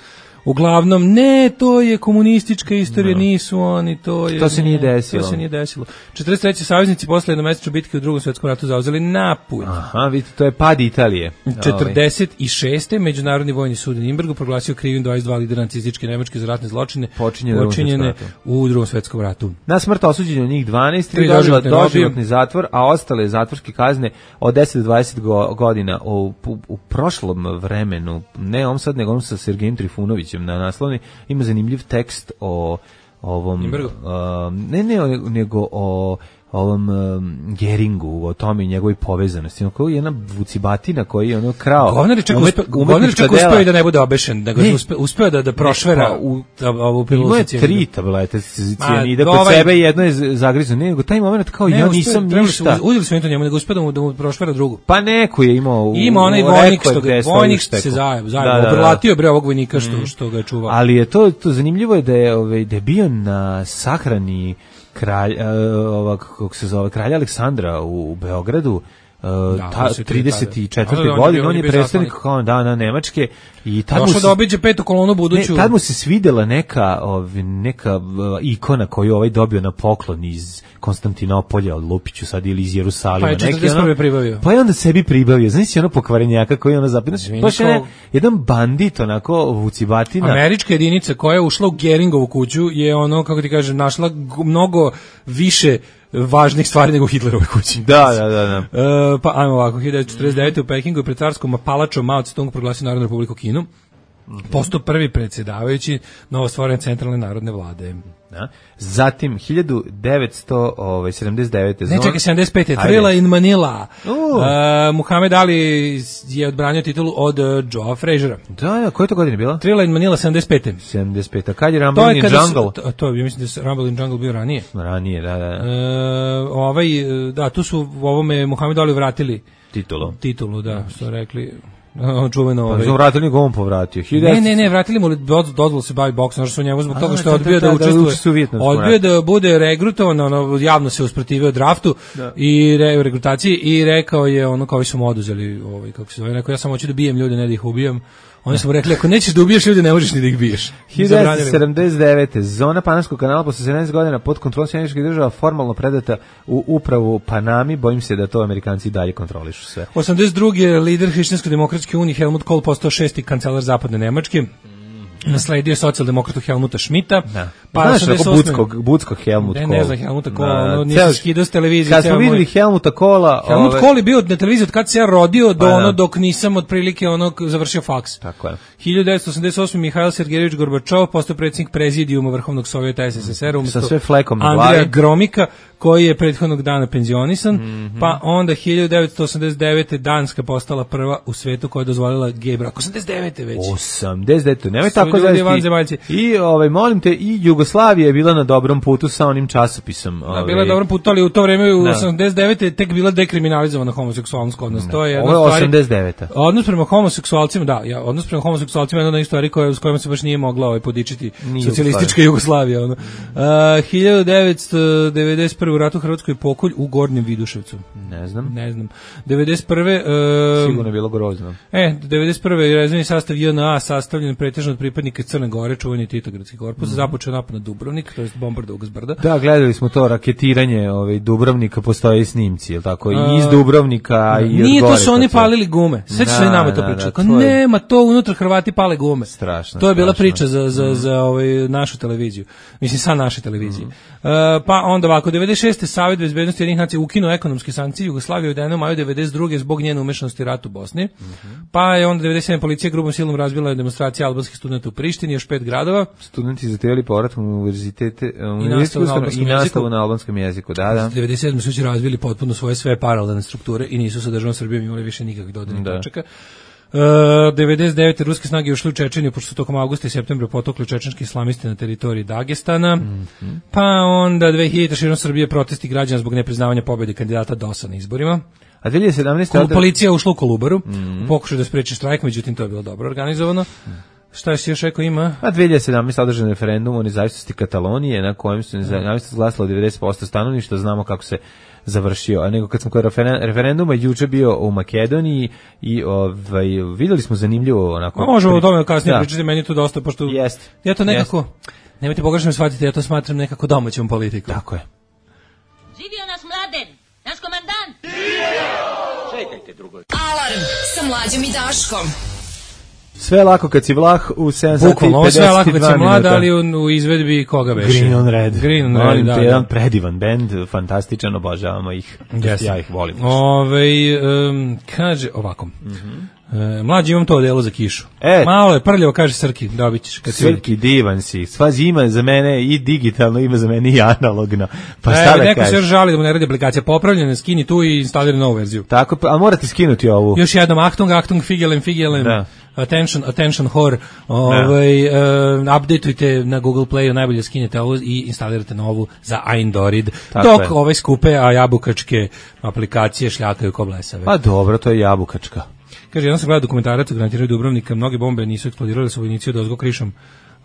Uglavnom, ne, to je komunistička istorija, no. Nisu oni, to je... To se nije desilo. To se nije desilo. četrdeset treće saveznici posle jednomesečne bitke u Drugom svetskom ratu zauzeli Napulj. Aha, vidite, to je pad Italije. četrdeset šeste Međunarodni vojni sud u Nirnbergu proglasio krivim dvadeset dva lidera nacističke Nemačke za ratne zločine počinjene u Drugom svetskom ratu. Na smrt osuđeno njih dvanaest, tri doživotni, doživotni zatvor, a ostale zatvorske kazne od deset do dvadeset godina. U, u, u prošlom vremenu, ne on sad, nego on sa Sergejem Trifunovićem na naslovni, ima zanimljiv tekst o ovom uh, ne ne nego o ovom um, Geringu, o tome i njegovoj povezanosti. Ono kao jedna vucibatina koji je ono krao. Govnar čak uspe, Govnar čak uspeo da ne bude obešen, da ga uspe, uspeo da da prošvera u ovu pilu. Ima tri tablete cijanida kod ovaj, sebe, jedno je zagrizno, nego taj moment kao ne, ja nisam uspeo, ništa. Uzeli su mi to njemu, nego uspeo da mu, da mu prošvera drugu. Pa neko je imao u, ima onaj vojnik što ga vojnik se zajeb, zajeb, obrlatio bre ovog vojnika što što ga je čuvao. Ali je to to zanimljivo je da je ovaj da je bio na sahrani kralj, uh, ovak, kako se zove, kralja Aleksandra u, u Beogradu, uh, da, ta, trideset četvrte Da, godine, on je, je predstavnik kao da, na Nemačke i tad došao da obiđe petu kolonu buduću. Ne, tad mu se svidela neka, ov, neka uh, ikona koju ovaj dobio na poklon iz Konstantinopolja od Lupiću sad ili iz Jerusalima. Pa je četrdeset prve pribavio. Pa je onda sebi pribavio. Znači ono pokvarenjaka koji je ono zapinaš. Baš je jedan bandit, onako, vucibatina. Američka jedinica koja je ušla u Geringovu kuću je ono, kako ti kažem, našla mnogo više važnih stvari nego Hitlerove kući. Da, da, da. da. E, pa ajmo ovako, hiljadu devetsto četrdeset devete u Pekingu je pred carskom palačom Mao Tse-tung proglasio Narodnu republiku Kinu. Postao prvi predsjedavajući novostvorene centralne narodne vlade. Da. Zatim hiljadu devetsto sedamdeset devete Ne, čekaj, sedamdeset pete Thrilla in Manila. Uh. Uh, Muhammed Ali je odbranio titulu od uh, Joea Frazera. Da, da, koje to godine bila? Thrilla in Manila sedamdeset pete sedamdeset pete Kad je Rumble in Jungle? To, to je, mislim da je Rumble in Jungle bio ranije. Ranije, da, da. Uh, ovaj, da, tu su u ovome Muhammed Ali vratili titulu. Titulu, da, što rekli... čuveno ovaj. Pa vratili nego on povratio. Ne, ne, ne, vratili mu dozvolu se bavi boksom, što su njemu zbog toga što je odbio da učestvuje. Odbio da bude regrutovan, ono javno se usprotivio draftu i re, regrutaciji i rekao je ono kao su mu oduzeli, ovaj kako se zove, rekao ja samo hoću da bijem ljude, ne da ih ubijam. Oni su mu rekli, ako nećeš da ubiješ ljude, ne možeš ni da ih biješ. hiljadu devetsto sedamdeset devete Zona Panamskog kanala posle sedamnaest godina pod kontrolom Sjedinjenih Američkih Država formalno predata u upravu Panami. Bojim se da to Amerikanci dalje kontrolišu sve. osamdeset druge lider Hrišćansko-demokratske unije Helmut Kohl postao šesti kancelar zapadne Nemačke. Nasledio socijaldemokratu Helmuta Schmidta. Da. Pa znaš, budskog, budskog Helmut Kohl. Ne, ne znam Helmuta Kohla, ono nisi skidao s televizije. Kad smo vidjeli Helmuta Kohla... Helmut ove... Kohl je bio na televiziji od kad se ja rodio do pa, ono dok nisam otprilike ono završio faks. Tako je. hiljadu devetsto osamdeset osme Mihail Sergejević Gorbačov postao predsjednik prezidijuma Vrhovnog sovjeta es es es er umjesto sa sve flekom na Andreja Gromika, koji je prethodnog dana penzionisan, mm-hmm. pa onda hiljadu devetsto osamdeset devete. Danska postala prva u svetu koja je dozvolila gej brak. osamdeset devete već. osamdeset devete Nemoj Sve tako ljudi vanzemaljci. I ovaj molim te, i Jugoslavija je bila na dobrom putu sa onim časopisom. Da, bila je na dobrom putu, ali u to vreme u osamdeset devete je tek bila dekriminalizovana homoseksualnost kod nas. To je jedna Ovo je stvari. osamdeset deveta Odnos prema homoseksualcima, da, ja, odnos prema homoseksualcima je jedna od stvari koja s kojima se baš nije mogla ovaj podičiti Nije socijalistička Jugoslavija, ono. Uh, hiljadu devetsto devedeset prve. u ratu u Hrvatskoj pokolj u Gornjem Viduševcu. Ne znam. Ne znam. devedeset prve. Uh, Sigurno je bilo grozno. E, devedeset prve. je rezervni sastav J N A sastavljen pretežno od pripadnika Crne Gore, čuveni Titogradski korpus, mm. započeo napad na Dubrovnik, to jest bombardovao ga s brda. Da, gledali smo to raketiranje, ovaj Dubrovnika, postoje snimci, je tako? I iz Dubrovnika i od Nije gore, to su oni to palili gume. Sećaš se nama to da, priča. da, Kao, to je- nema to unutra Hrvati pale gume. Strašno, To je bila strašno. priča za za za ovaj našu televiziju. Mislim sa naše televizije. Mhm. E, pa onda ovako devedeset šeste. Savet bezbednosti Ujedinjenih nacija ukinuo ekonomske sankcije Jugoslavije u maju devedeset druge. zbog njene umešanosti u rat u Bosni. Mhm. Pa je onda devedeset sedme. policija grubom silom razbila demonstracije albanskih studenata u Prištini, još pet gradova. Studenti zahtevali povrat u univerzitete I nastavu na albanskom i nastavu jeziku. na albanskom jeziku. Da, da. devedeset sedme. su će razvili potpuno svoje sve paralelne strukture i nisu sa državom Srbijom imali više nikakvih dodirnih Da. tačaka. Uh, devedeset devete. ruske snage ušle u Čečeniju pošto su tokom avgusta i septembra potukli čečenski islamisti na teritoriji Dagestana. Mm-hmm. Pa onda dve hiljadite. širom Srbije protesti građana zbog nepriznavanja pobjede kandidata D O S A na izborima. A dve hiljade sedamnaeste. Kol- odre- Policija ušla u Kolubaru Mhm. u pokušaju da spreči štrajk, međutim to je bilo dobro organizovano. Šta je si još rekao ima? A dve hiljade sedamnaeste. održan referendum o nezavisnosti Katalonije na kojem su nezavisnost glasalo devedeset posto stanovništva, znamo kako se završio. A nego kad smo kod referen- referenduma juče bio u Makedoniji i ovaj videli smo zanimljivo onako. Ma, možemo o tome kasnije Da. pričati, meni je to dosta, pošto Jeste. ja to nekako, nemojte pogrešno me shvatiti, ja to smatram nekako domaćom politikom. Tako je. Živio nas Mladen, naš komandant. Alarm sa Mlađom i Daškom. Sve je lako kad si vlah u sedam sati i Bukvalno, ovo pedeset sve lako kad dva si mlad, minuta. ali u, u izvedbi koga beše? Green on Red. Green on Molim Red, te, da, jedan da. predivan bend, fantastičan, obožavamo ih. Jeste. Ja ih volim. Ove, um, kaže ovako. Mm-hmm. E, mlađi imam to odelo za kišu. E. Malo je prljavo, kaže Srki, dobit ćeš. Kad si vidi. Srki, divan si. Svazi ima za mene i digitalno, ima za mene i analogno. Pa šta E, da neko se još kažeš? žali da mu ne radi aplikacija popravljena, skini tu i instalira novu verziju. Tako, a morate skinuti ovu. Još jednom, Achtung, Achtung, Figelen, Figelen, Da. attention, attention, whore, ovaj, uh, updateujte na Google Playu, najbolje skinete ovo i instalirate novu za Android, Tako dok je. ove skupe, a jabukačke aplikacije šljakaju ko blesave. Pa dobro, to je jabukačka. Kaže, jednom sam gledao dokumentarac o granatiranju Dubrovnika, mnoge bombe nisu eksplodirale, su vojnici od ozgo krišom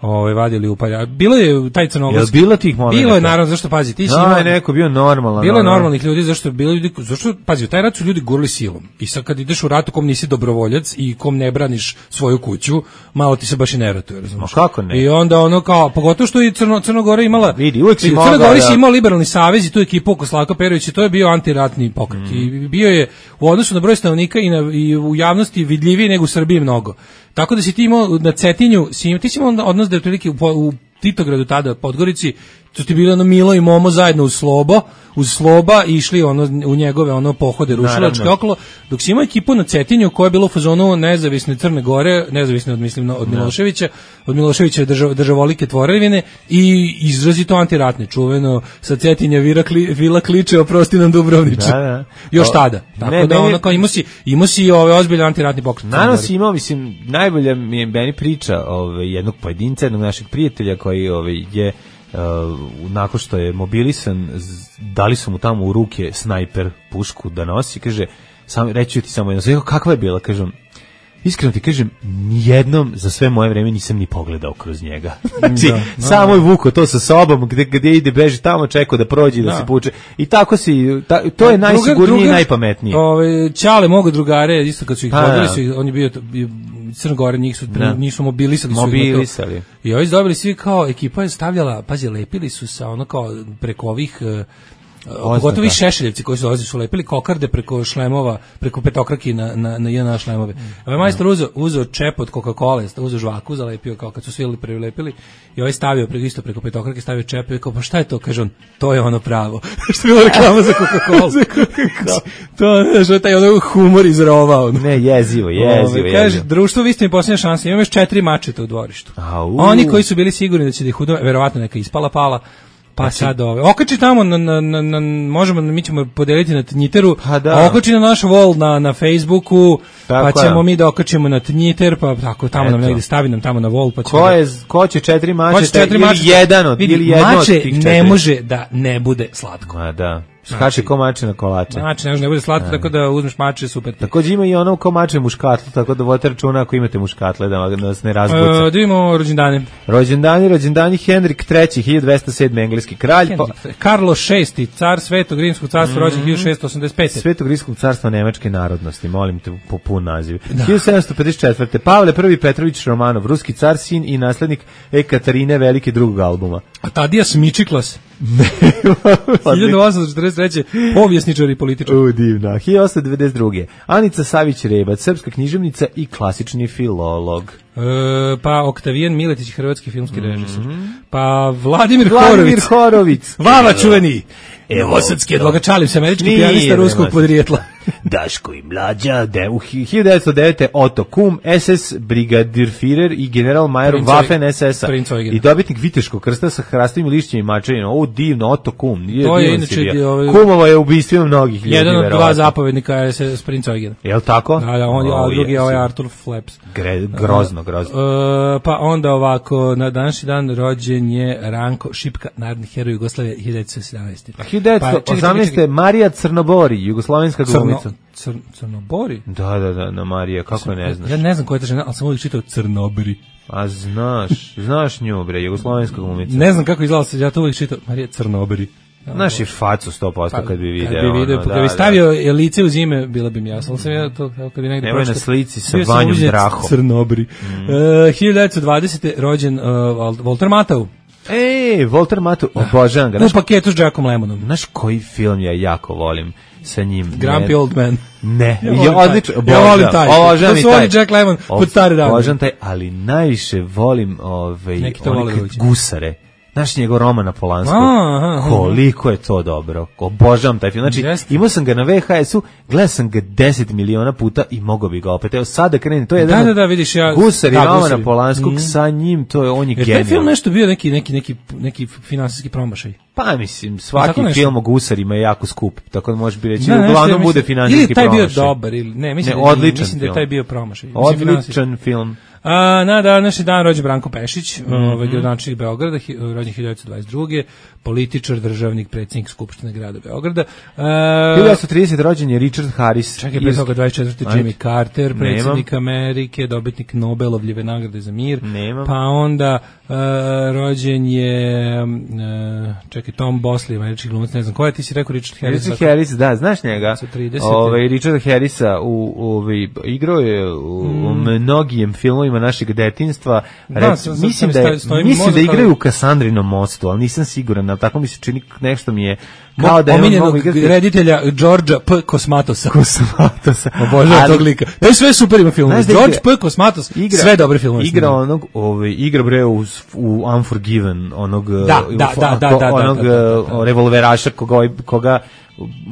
ovaj vadili u palja. Bilo je taj crnogorski. Jel bilo tih momenata? Bilo je, naravno, zašto pazi, ti si No, imao- je neko bio normalan. Bilo je ono. normalnih ljudi, zašto bilo ljudi, zašto pazi, u taj rat su ljudi gurali silom. I sad kad ideš u rat u kom nisi dobrovoljac i kom ne braniš svoju kuću, malo ti se baš i ne ratuje, razumiješ? Ma kako ne? I onda ono kao, pogotovo što i Crno, Crnogora imala, Vidi, uvek si i u mogao Crnoj Gori da- si imao liberalni savez i tu ekipu oko Slavka Perovića, to je bio antiratni pokret. Mm. I bio je u odnosu na broj stanovnika i, na, i u javnosti vidljiviji nego u Srbiji mnogo. Tako da si ti imao na Cetinju, si imao, ti si imao odnos da je otprilike u, u Titogradu tada, Podgorici, to ti bilo ono Milo i Momo zajedno uz Slobo, uz Sloba i išli ono u njegove ono pohode rušilačke Naravno. okolo, dok si imao ekipu na Cetinju koja je bila u fazonu nezavisne Crne Gore, nezavisne od mislim od Miloševića, od Miloševića držav, državolike tvorevine i izrazito antiratne, čuveno sa Cetinja vira, kli, vila kliče oprosti nam Dubrovniče. Da, da. Još O, tada. Tako ne, da meni- ono kao imao si, imao si ove ozbiljan antiratni pokret. u Crnoj Naravno Gori. si imao, mislim, najbolja mi je meni priča ovaj, jednog pojedinca, jednog našeg prijatelja koji ovaj, je uh, nakon što je mobilisan, z- dali su mu tamo u ruke snajper pušku da nosi, kaže, sam, reću ti samo jedno, sve, kakva je bila, kažem, iskreno ti kažem, nijednom za sve moje vreme nisam ni pogledao kroz njega. Znači, Da, da, samo je vuko to sa sobom, gde, gde ide, beži tamo, čekao da prođe, da, Da. se puče. I tako si, ta, to je najsigurnije i najpametnije. Ove, Ćale mogu drugare, isto kad su ih Pa, vodili da. su ih, on je bio, bio Crna Gora, njih su, Da. njih su mobilisali. su ih na to. Mobilisali. I ovi su dobili svi kao, ekipa je stavljala, pazi, lepili su sa ono kao preko ovih, eh, pogotovo ovi šešeljevci koji su dolazili su lepili kokarde preko šlemova, preko petokraki na, na, na J N A šlemove. Ovaj majstor uzeo, uzeo čep od Coca-Cola, uzeo žvaku, zalepio kao kad su svi prelepili i ovaj stavio preko, isto preko petokrake, stavio čep i kao, pa šta je to? Kaže on, to je ono pravo. Što je bilo reklama za Coca-Cola. za Coca-Cola. To, znaš, je taj ono humor izrovao. Ne, jezivo, jezivo, Ove, kaže, jezivo. društvo, vi ste mi posljednja šansa, imam još četiri mačeta u dvorištu. Au. Oni koji su bili sigurni da će da ih udove, verovatno neka ispala pala, Pa sad ove. Okači tamo, na, na, na, na, možemo, mi ćemo podeliti na Tnjiteru, Pa da. a okači na naš wall na, na Facebooku, Tako pa ćemo je. mi da okačimo na Tnjiter, pa tako tamo nam Eto. negde stavi nam tamo na wall, pa ćemo Ko, da- je, ko će četiri Ko mačeta će četiri ili mačeta? jedan od, Vidi, ili jedno od mače tih ne četiri? može da ne bude slatko. Ma da. Znači- Skače ko mače na kolače. Mače ne može da ne bude slatko, tako da uzmeš mače, super. Takođe ima i ono ko mače muškatlu, tako da vodite računa ako imate muškatle da vas ne razbuca. E, da vidimo rođendane. Rođendani, rođendani Henrik treći, hiljadu dvesta sedme engleski kralj, pa, Karlo šesti, car Svetog Rimskog carstva, rođen hiljadu šessto osamdeset pete. Svetog Rimskog carstva nemačke narodnosti, molim te po pun naziv. hiljadu sedamsto pedeset četvrte Pavle prvi Petrović Romanov, ruski car, sin i naslednik Ekaterine Velike drugog albuma. A Tadijas Mičiklas, hiljadu osamsto četrdeset treće povjesničar i političar. U, divna. hiljadu osamsto devedeset druge Anica Savić Rebac, srpska književnica i klasični filolog. E, pa Oktavijan Miletić, hrvatski filmski režisar. Pa Vladimir, Vladimir Horović, Horovic. Vava čuveni. Evo, Novosadski advokat, šalim se, američki Nije, pijanista ruskog nema. podrijetla. Daško i mlađa, de, u hi- hiljadu devetsto devete Otto Kum, es es brigadirfirer i general Majer Princ Waffen es es a Princ Eugen. i dobitnik Viteškog krsta sa hrastovim lišćima i mačevima. O, divno, Otto Kum. Nije, To je divan inače si bio. di- ovaj- Kumovo je ubistvima mnogih ljudi. Jedan od dva verovatno. zapovednika je se Princ Eugen. Jel tako? Da, da, on je, a O, drugi je ovaj jesu. Artur Flaps. Gre, grozno, grozno. E, pa onda ovako, na današnji dan rođen je Ranko Šipka, narodni heroj Jugoslavije, hiljadu devetsto sedamnaeste. hiljadu devetsto osamnaeste Marija Crnobori, jugoslovenska Crno, glumica. cr, Crnobori? Da, da, da, na Marija, kako je ne znaš? Ja ne znam koja je ta žena, ali sam uvijek čitao Crnobri. A znaš, znaš nju, bre, jugoslovenska glumica. Ne znam kako izgleda se, ja to uvijek čitao, Marija Crnobri. Znaš i facu sto posto kad bi video. Pa, Kad bi video, ono, kad bi stavio lice uz ime, bilo bi mi jasno. Ali sam ja to, kao kad bi negdje Nemoj na pročitao- slici sa bio sam Vanjom uviđen Drahom. Crnobri. Mm. E, hiljadu devetsto dvadesete rođen uh, Walter Matthau. Ej, Walter Matthau, obožavam ga. U Znaš, paketu s Jackom Lemmonom. znaš koji film ja jako volim sa njim? Grumpy Ne- Old Man. Ne, Ja ja, volim taj. odlično, Ja volim taj. obožavam To i su taj. oni Jack Lemmon pod stare dane. Obožavam taj, ali najviše volim ovaj, Neki to one vole kad doći. gusare. Znaš njegov roman na Polansku? Aha, aha. Koliko je to dobro. Obožavam taj film. Znači, Jeste. imao sam ga na ve ha esu, gledao sam ga deset miliona puta i mogao bi ga opet. Evo sada krenem, to je jedan Da, od da, da, vidiš, ja- Gusari da, Romana Gusari. Polanskog, Mhm. sa njim, to je, on je Je taj genijalan. film nešto bio neki, neki, neki, neki finansijski promašaj? Pa mislim, Tako svaki nešto. film o gusarima je jako skup, tako da može bi reći, Ne, nešto uglavnom ja bude mislim- finansijski Ili je taj bio promašaj. dobar, ili ne, mislim, Ne, da, je- odličan mislim da je film. taj bio promašaj. Mislim, finansijski. Odličan film. A, na današnji dan rođen Branko Pešić, Mhm. ovaj gradonačelnik Beograda, hi- rođen hiljadu devetsto dvadeset druge političar, državnik, predsjednik Skupštine grada Beograda. A, hiljadu devetsto tridesete rođen je Richard Harris. Čekaj, pre Irski- toga dvadeset četvrte Ajde. Jimmy Carter, Nemam. predsjednik Amerike, dobitnik Nobelovljeve nagrade za mir. Nemam. Pa onda uh, rođen je uh, čekaj, Tom Bosley, američki glumac, ne znam ko je, ti si rekao Richard Harris. Richard Harris, da, znaš njega? Sa trideset. Ovaj Richard Harrisa u ovaj igrao je u, u mnogim filmovima našeg detinjstva. Da, Rec- sam- sam- mislim sam da je, stojim mislim da mozak, igraju ali- u Kasandrinom mostu, ali nisam siguran, ali tako mi se čini nešto mi je kao da je on omiljenog mogu igrati reditelja Đorđa P. Kosmatosa. Kosmatosa. Obožavam Ali- tog lika. To je sve super ima film. Znaš da George igra- P. Kosmatos, igra, sve dobre filmove. Igra snimio. onog, ovaj, igra bre u, u Unforgiven, onog, Da, uh, da, u- da, da, da, da, onog da, da, da, da. uh, revolveraša koga, ovaj- koga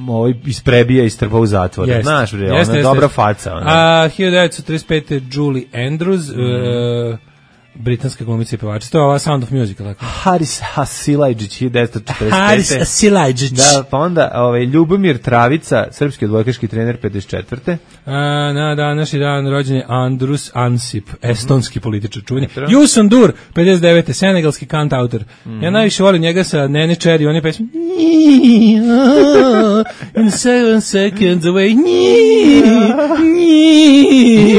ovaj isprebija i strpa u zatvor. Jeste. Znaš bre, Jeste, ona jeste, dobra jeste. faca. Ona. A hiljadu devetsto trideset pete Julie Andrews, Mhm. e, britanska glumica i pevačica. To je ova Sound of Music, tako? Haris Hasilajđić, hiljadu devetsto četrdeset pete. Haris Silajđić. Da, pa onda ovaj, Ljubomir Travica, srpski odbojkaški trener pedeset četvrte. A, na današnji dan rođen je Andrus Ansip, estonski političar čuveni. Eto. Yusun Dur, pedeset devete senegalski kantautor. Mhm. Ja najviše volim njega sa Nene Cherry, on je pesma In seven seconds away.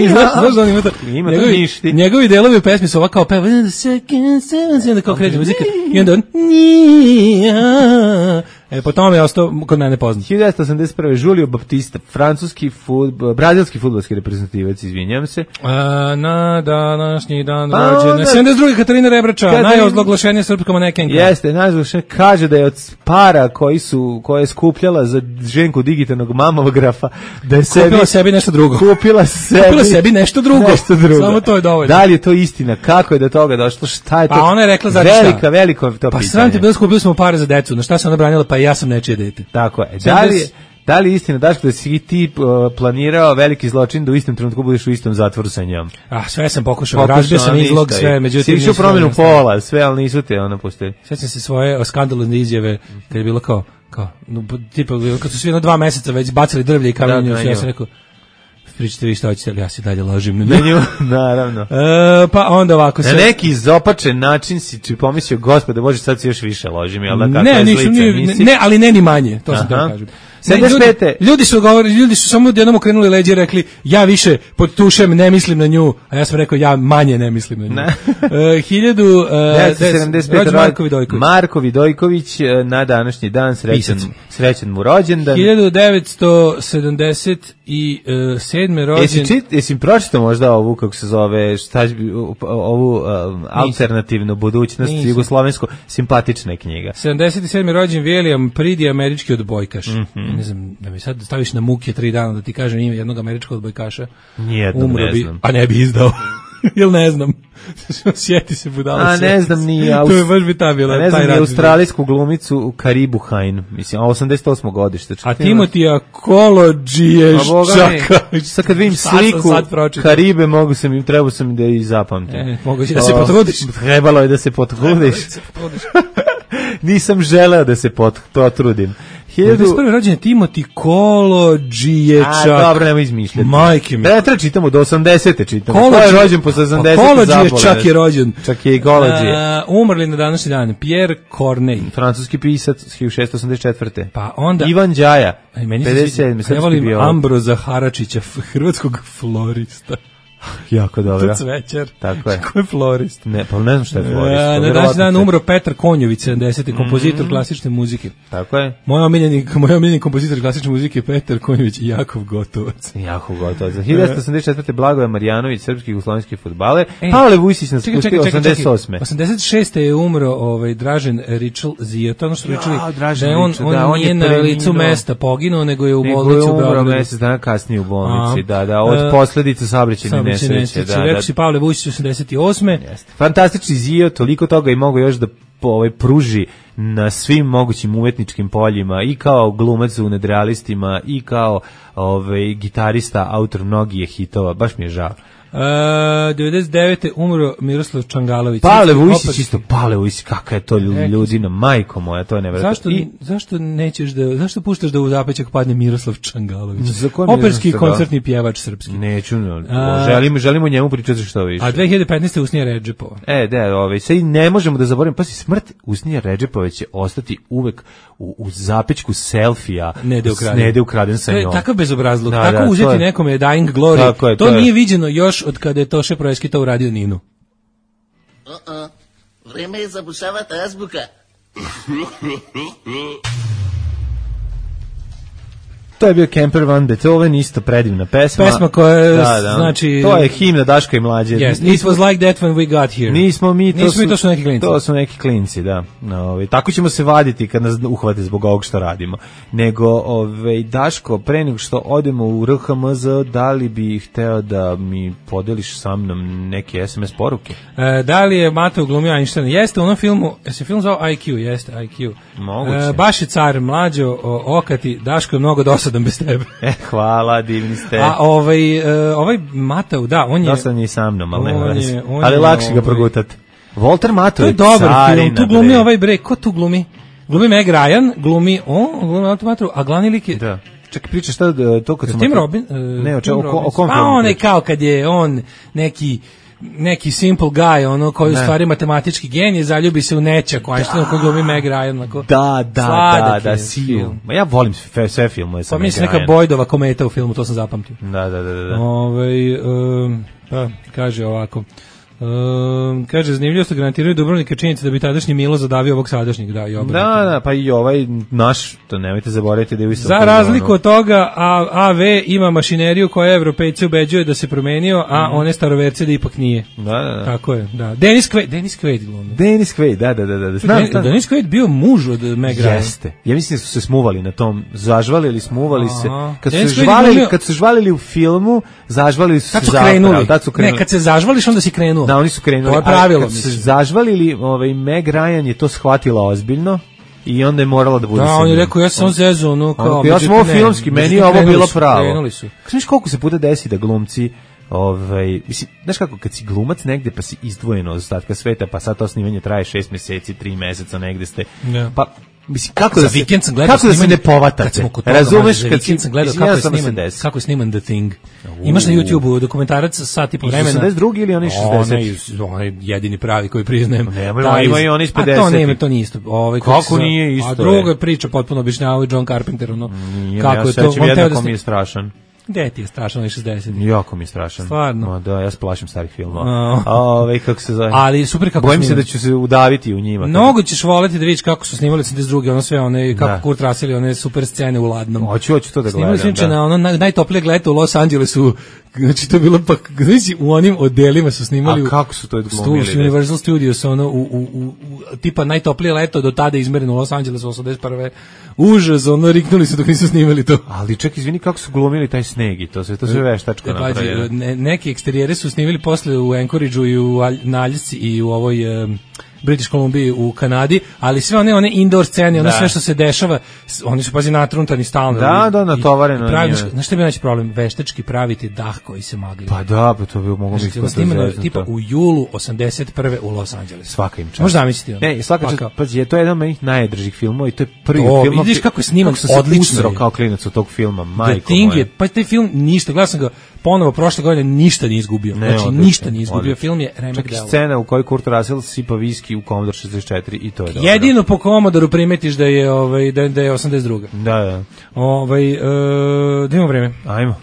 Znaš, znaš da on ima to? Ima to Njegovi- ništi. Njegovi delovi u pesmi su ovako kao peva In seconds, seconds, i onda kao kreće muzika i onda on E, po tome je ostao kod mene poznat. hiljadu devetsto osamdeset prve Julio Baptista, francuski fudb, brazilski fudbalski reprezentativac, izvinjam se. A, na današnji dan Pa rođena. onda- sedamdeset druge Katarina Rebrača, Katarina- najozloglašenija srpska manekenka. Jeste, najzvučne kaže da je od para koji su, koje je skupljala za ženku digitalnog mamografa, da je sebi, Kupila sebi nešto drugo. kupila sebi, Kupila sebi nešto drugo. nešto drugo. Samo to je dovoljno. Da li je to istina? Kako je do toga došlo? Šta je to? Pa ona je rekla, znači šta? Velika, veliko je to Pa pitanje. sram ti bilo, skupili smo pare za decu. Na šta se ona branila? Pa ja sam nečije dete. Tako je. Da li je, Da li je istina, Daško, da si ti uh, planirao veliki zločin da u istom trenutku budeš u istom zatvoru sa njom? Ah, sve sam pokušao, razbio sam izlog, sve, međutim... Si išao promjenu pola, sve, ali nisu te ono pustili. Sjećam se svoje skandalozne izjave, kad je bilo kao, kao, no, tipa, kad su svi jedno dva meseca već bacili drvlje i kamenju, ja sam rekao, pričate vi šta hoćete, ali ja se dalje ložim na nju. Naravno. E, pa onda ovako se... Na neki izopačen način si či pomislio, gospode, Bože, sad se još više ložim, jel da kako ne, je nisu, slica? Ne, nisi... ne, ali ne ni manje, to sam da kažem. sedamdeset pete Ljudi, ljudi su govorili, ljudi su samo jednom okrenuli leđe i rekli, ja više pod tušem ne mislim na nju, a ja sam rekao, ja manje ne mislim na nju. uh, hiljadu uh, sedamdeset pete Marko Vidojković. Marko Vidojković na današnji dan, srećan, srećan mu rođendan. hiljadu devetsto sedamdeset sedme rođen. Jesi, čit, jesi pročitao možda ovu, kako se zove, šta, ovu um, alternativnu budućnost jugoslovensku, simpatična knjiga. sedamdeset sedme rođen William Pridi, američki odbojkaš. Mm-hmm. Ne znam, da mi sad staviš na muke tri dana da ti kažem ime jednog američkog odbojkaša. Nijednom umro ne bi, znam. a ne bi izdao. Jel ne znam. Sjeti se budala. A ne znam ni ja. To je baš bi ta bila. Ne znam ni australijsku glumicu Karibu Hain. Mislim, a osamdeset osmo godište. A Timotija Kolodžije čaka. Sad kad vidim sliku Karibe, mogu sam im, trebao sam da i zapamtim. E, mogu da se potrudiš. Trebalo je da se potrudiš. Nisam želeo da se potrudim. hiljadu prvi rođen Timoti Kolodžiječak. A, dobro, nemoj izmišljati. Majke mi. Ne, treba čitamo, do osamdesete čitamo. Ko je rođen po sedamdesete Kolodžiječak je rođen. Čak je i Kolodžije. Uh, umrli na današnji dan. Pierre Corneille. Francuski pisac, hiljadu šessto osamdeset četvrte Pa onda... Ivan Đaja, pedeset sedme Ja volim Ambroza Haračića, hrvatskog florista. Jako dobro. To cvećar. Tako je. Ko je florist? Ne, pa ne znam šta je florist. Ja, na današnji dan umro Petar Konjović, sedamdeseti kompozitor mm-hmm. klasične muzike. Tako je. Moj omiljeni, moj omiljeni kompozitor klasične muzike je Petar Konjović i Jakov Gotovac. Jakov Gotovac. hiljadu devetsto osamdeset četvrte Blagoje Marjanović, srpski jugoslovenski fudbaler. Pavle Vujsić nas pustio osamdeset osme osamdeset šeste je umro ovaj Dražen Ričel Zio. To ono što pričali ja, da je on, Ričel, on, da, on nije na licu mesta poginuo, nego je u bolnici u Beogradu. Mesec dana kasnije u bolnici, da, da, od posledica saobraćajne nesreće, da. Rekao si Pavle Vujsić osamdeset osme Jeste. Fantastični Zio, toliko toga i mogu još da ovaj pruži na svim mogućim umetničkim poljima i kao glumac u Nadrealistima i kao ovaj gitarista, autor mnogih hitova, baš mi je žao. Uh, devedeset devete umro Miroslav Čangalović. Pavle Vujsić isto, Pavle Vujsić, kakva je to ljudina, majko moja, to je nevjerojatno. Zašto, I, zašto nećeš da, zašto puštaš da u zapećak padne Miroslav Čangalović? Za operski i koncertni pjevač srpski. Neću, no, želim, želimo njemu pričati što više. A dve hiljade petnaeste Usnija Redžepova. E, da, ovaj, sad ne možemo da zaboravimo, pa si smrt Usnija Redžepova će ostati uvek u, u zapećku selfija Nede ukraden, Nede ukraden sa njom. Takav bezobrazluk, da, tako da, uzeti je, nekome Dying Glory, to, je, to, to nije viđeno još od kada je Toše Proeski to uradio Ninu. Uh-uh. Vreme je zabušavati azbuka. To je bio Kemper van Beethoven, isto predivna pesma. Pesma koja je, da, da, znači... To je himna Daška i mlađe. Yes, it was like that when we got here. Nismo mi, to, Nismo su, mi, to su neki klinci. To su neki klinci, da. Ove, tako ćemo se vaditi kad nas uhvate zbog ovog što radimo. Nego, ove, Daško, pre nego što odemo u R H M Z, da li bi hteo da mi podeliš sa mnom neke es em es poruke? E, da li je Mateo glumio Einstein? Jeste u onom filmu, je se film zvao I Q, jeste I Q. Moguće. E, baš je car, mlađo, o, okati, Daško je mnogo dosadan bez tebe. E, hvala, divni ste. A ovaj, uh, ovaj Matau, da, on je... Dosadan je i sa mnom, ali ne je, ali lakše ovaj, ga progutati. Walter Matau je dobar film, tu glumi bre. Ovaj bre, ko tu glumi? Glumi Meg Ryan, glumi on, glumi Walter Matau, a glavni lik je... Da. Čekaj, pričaš šta to kad sam... Tim Robin? Uh, ne, o, Tim o, o, o kom pa on je kao kad je on neki... neki simple guy, ono koji u stvari matematički genije, zaljubi se u nečak, koji što koji glumi Meg Ryan, onako. Da, da, da, da, film. Ma ja volim sve, sve filmove sa Meg Ryan. Pa mislim neka Boydova kometa u filmu, to sam zapamtio. Da, da, da, da. Ovaj um, pa kaže ovako. Um, kaže, zanimljivo što garantiraju Dubrovnika činjenica da bi tadašnji Milo zadavio ovog sadašnjeg, da, i obrnuto. Da, da, pa i ovaj naš, to nemojte zaboraviti da je u istom. Za razliku od toga, A, AV ima mašineriju koja Evropejci ubeđuje da se promenio, a mm. one staroverce da ipak nije. Da, da, da. Tako je, da. Denis Quaid, Denis Quaid glumio. Denis Quaid, da, da, da, da. Znam, Den, znam. Denis Quaid bio muž od Meg Ryan. Jeste. Ja mislim da su se smuvali na tom, zažvalili, smuvali se. Kad su, se žvalili, glumio... kad su žvalili u filmu, zažvalili su kad se zapravo. Tad su krenuli. Ne, kad se zažvališ, onda si krenuo. Da, oni su krenuli. Pravilo, kad su zažvalili, ovaj, Meg Ryan je to shvatila ozbiljno i onda je morala da bude Da, sa on je njim. rekao, ja sam zezo, ono, kao... Ja sam ovo ne, filmski, meni međutim, je ovo krenuli bilo su, pravo. Krenuli su. Znaš koliko se puta desi da glumci, ovaj, mislim, znaš kako, kad si glumac negde pa si izdvojen od ostatka sveta, pa sad to snimanje traje šest meseci, tri meseca, negde ste, Ja. pa mislim, kako Za da se, vikend sam gledao kako da se snimanje- ne kad povatate? smo kod toga, Razumeš mlađe, za kad si, vikend sam gledao mislim, kako ja je sam sniman, osamdeset. kako je sniman The Thing. Imaš na YouTubeu dokumentarac sat i po Iz vremena. osamdeset drugi ili oni šezdeset? Onaj, iz- onaj jedini pravi koji priznajem. Nemoj, Taj ima iz- i oni iz A to pedesetih. nema, to nije isto. Ovaj, Kako se zove- nije isto, A je? druga je priča potpuno objašnjavao John Carpenter, ono, Nije, kako ja je to. sećam on teo jednako da mi sni- je strašan. Gde ti je strašno, onaj šezdeset? Jako mi je strašan. Stvarno? Ma da, ja se plašim starih filmova. A. A, ovaj, kako se zove? Ali super kako Bojim se snimam. da ću se udaviti u njima. Mnogo ćeš voleti da vidiš kako su snimali osamdeset druge, ono sve, one, kako Da. Kurt Russell, one super scene u Ladnom. Hoću, hoću to da Snimali su gledam. inače Da. na ono naj, najtoplijeg leta u Los Angelesu, znači to je bilo pa, znači u onim odelima su snimali A u- kako su to stu- glumili? u Universal Studios, ono, u, u, u, u- tipa najtoplije leto do tada izmereno u Los Angelesu, osamdeset prve Užas, ono, riknuli su dok nisu snimali to. Ali ček, izvini, kako su glumili taj sneg i to sve, to sve veštačko E, pazi, napravljeno. ne, neki eksterijere su snimili posle u Anchorageu i u Alj- na Aljasci i u ovoj um, British Columbiji u Kanadi, ali sve one one indoor scene, ono Da. sve što se dešava, s- oni su pazi natruntani stalno. Da, I- da, i- natovareno i pravi- njime. Znaš šta bi naći problem? Veštački praviti dah koji se magli. Pa da, pa to bi moglo Znači, biti ono to snimano zeznuto. tipa u julu osamdeset prve u Los Angelesu. Svaka im čast. Možeš zamisliti ono? Ne, svaka Pa čast, kao- pazi, je to jedan od mojih najdržih filmova i to je prvi To, film. vidiš kako je sniman, sam se odlično usrao je. kao klinac od tog filma, The majko Thing moja. je, pa taj film ništa, gledao sam ga ponovo prošle godine, ništa nije izgubio. Ne, Znači, odlično, ništa nije izgubio. odlično. Film je remek Čak i delo. scena u kojoj Kurt Russell sipa viski u Commodore šezdeset četiri i to je dobro. Jedino po Commodore primetiš da je ovaj da, da je osamdeset druga. Da, da. Ovaj e, da imamo vreme. Ajmo.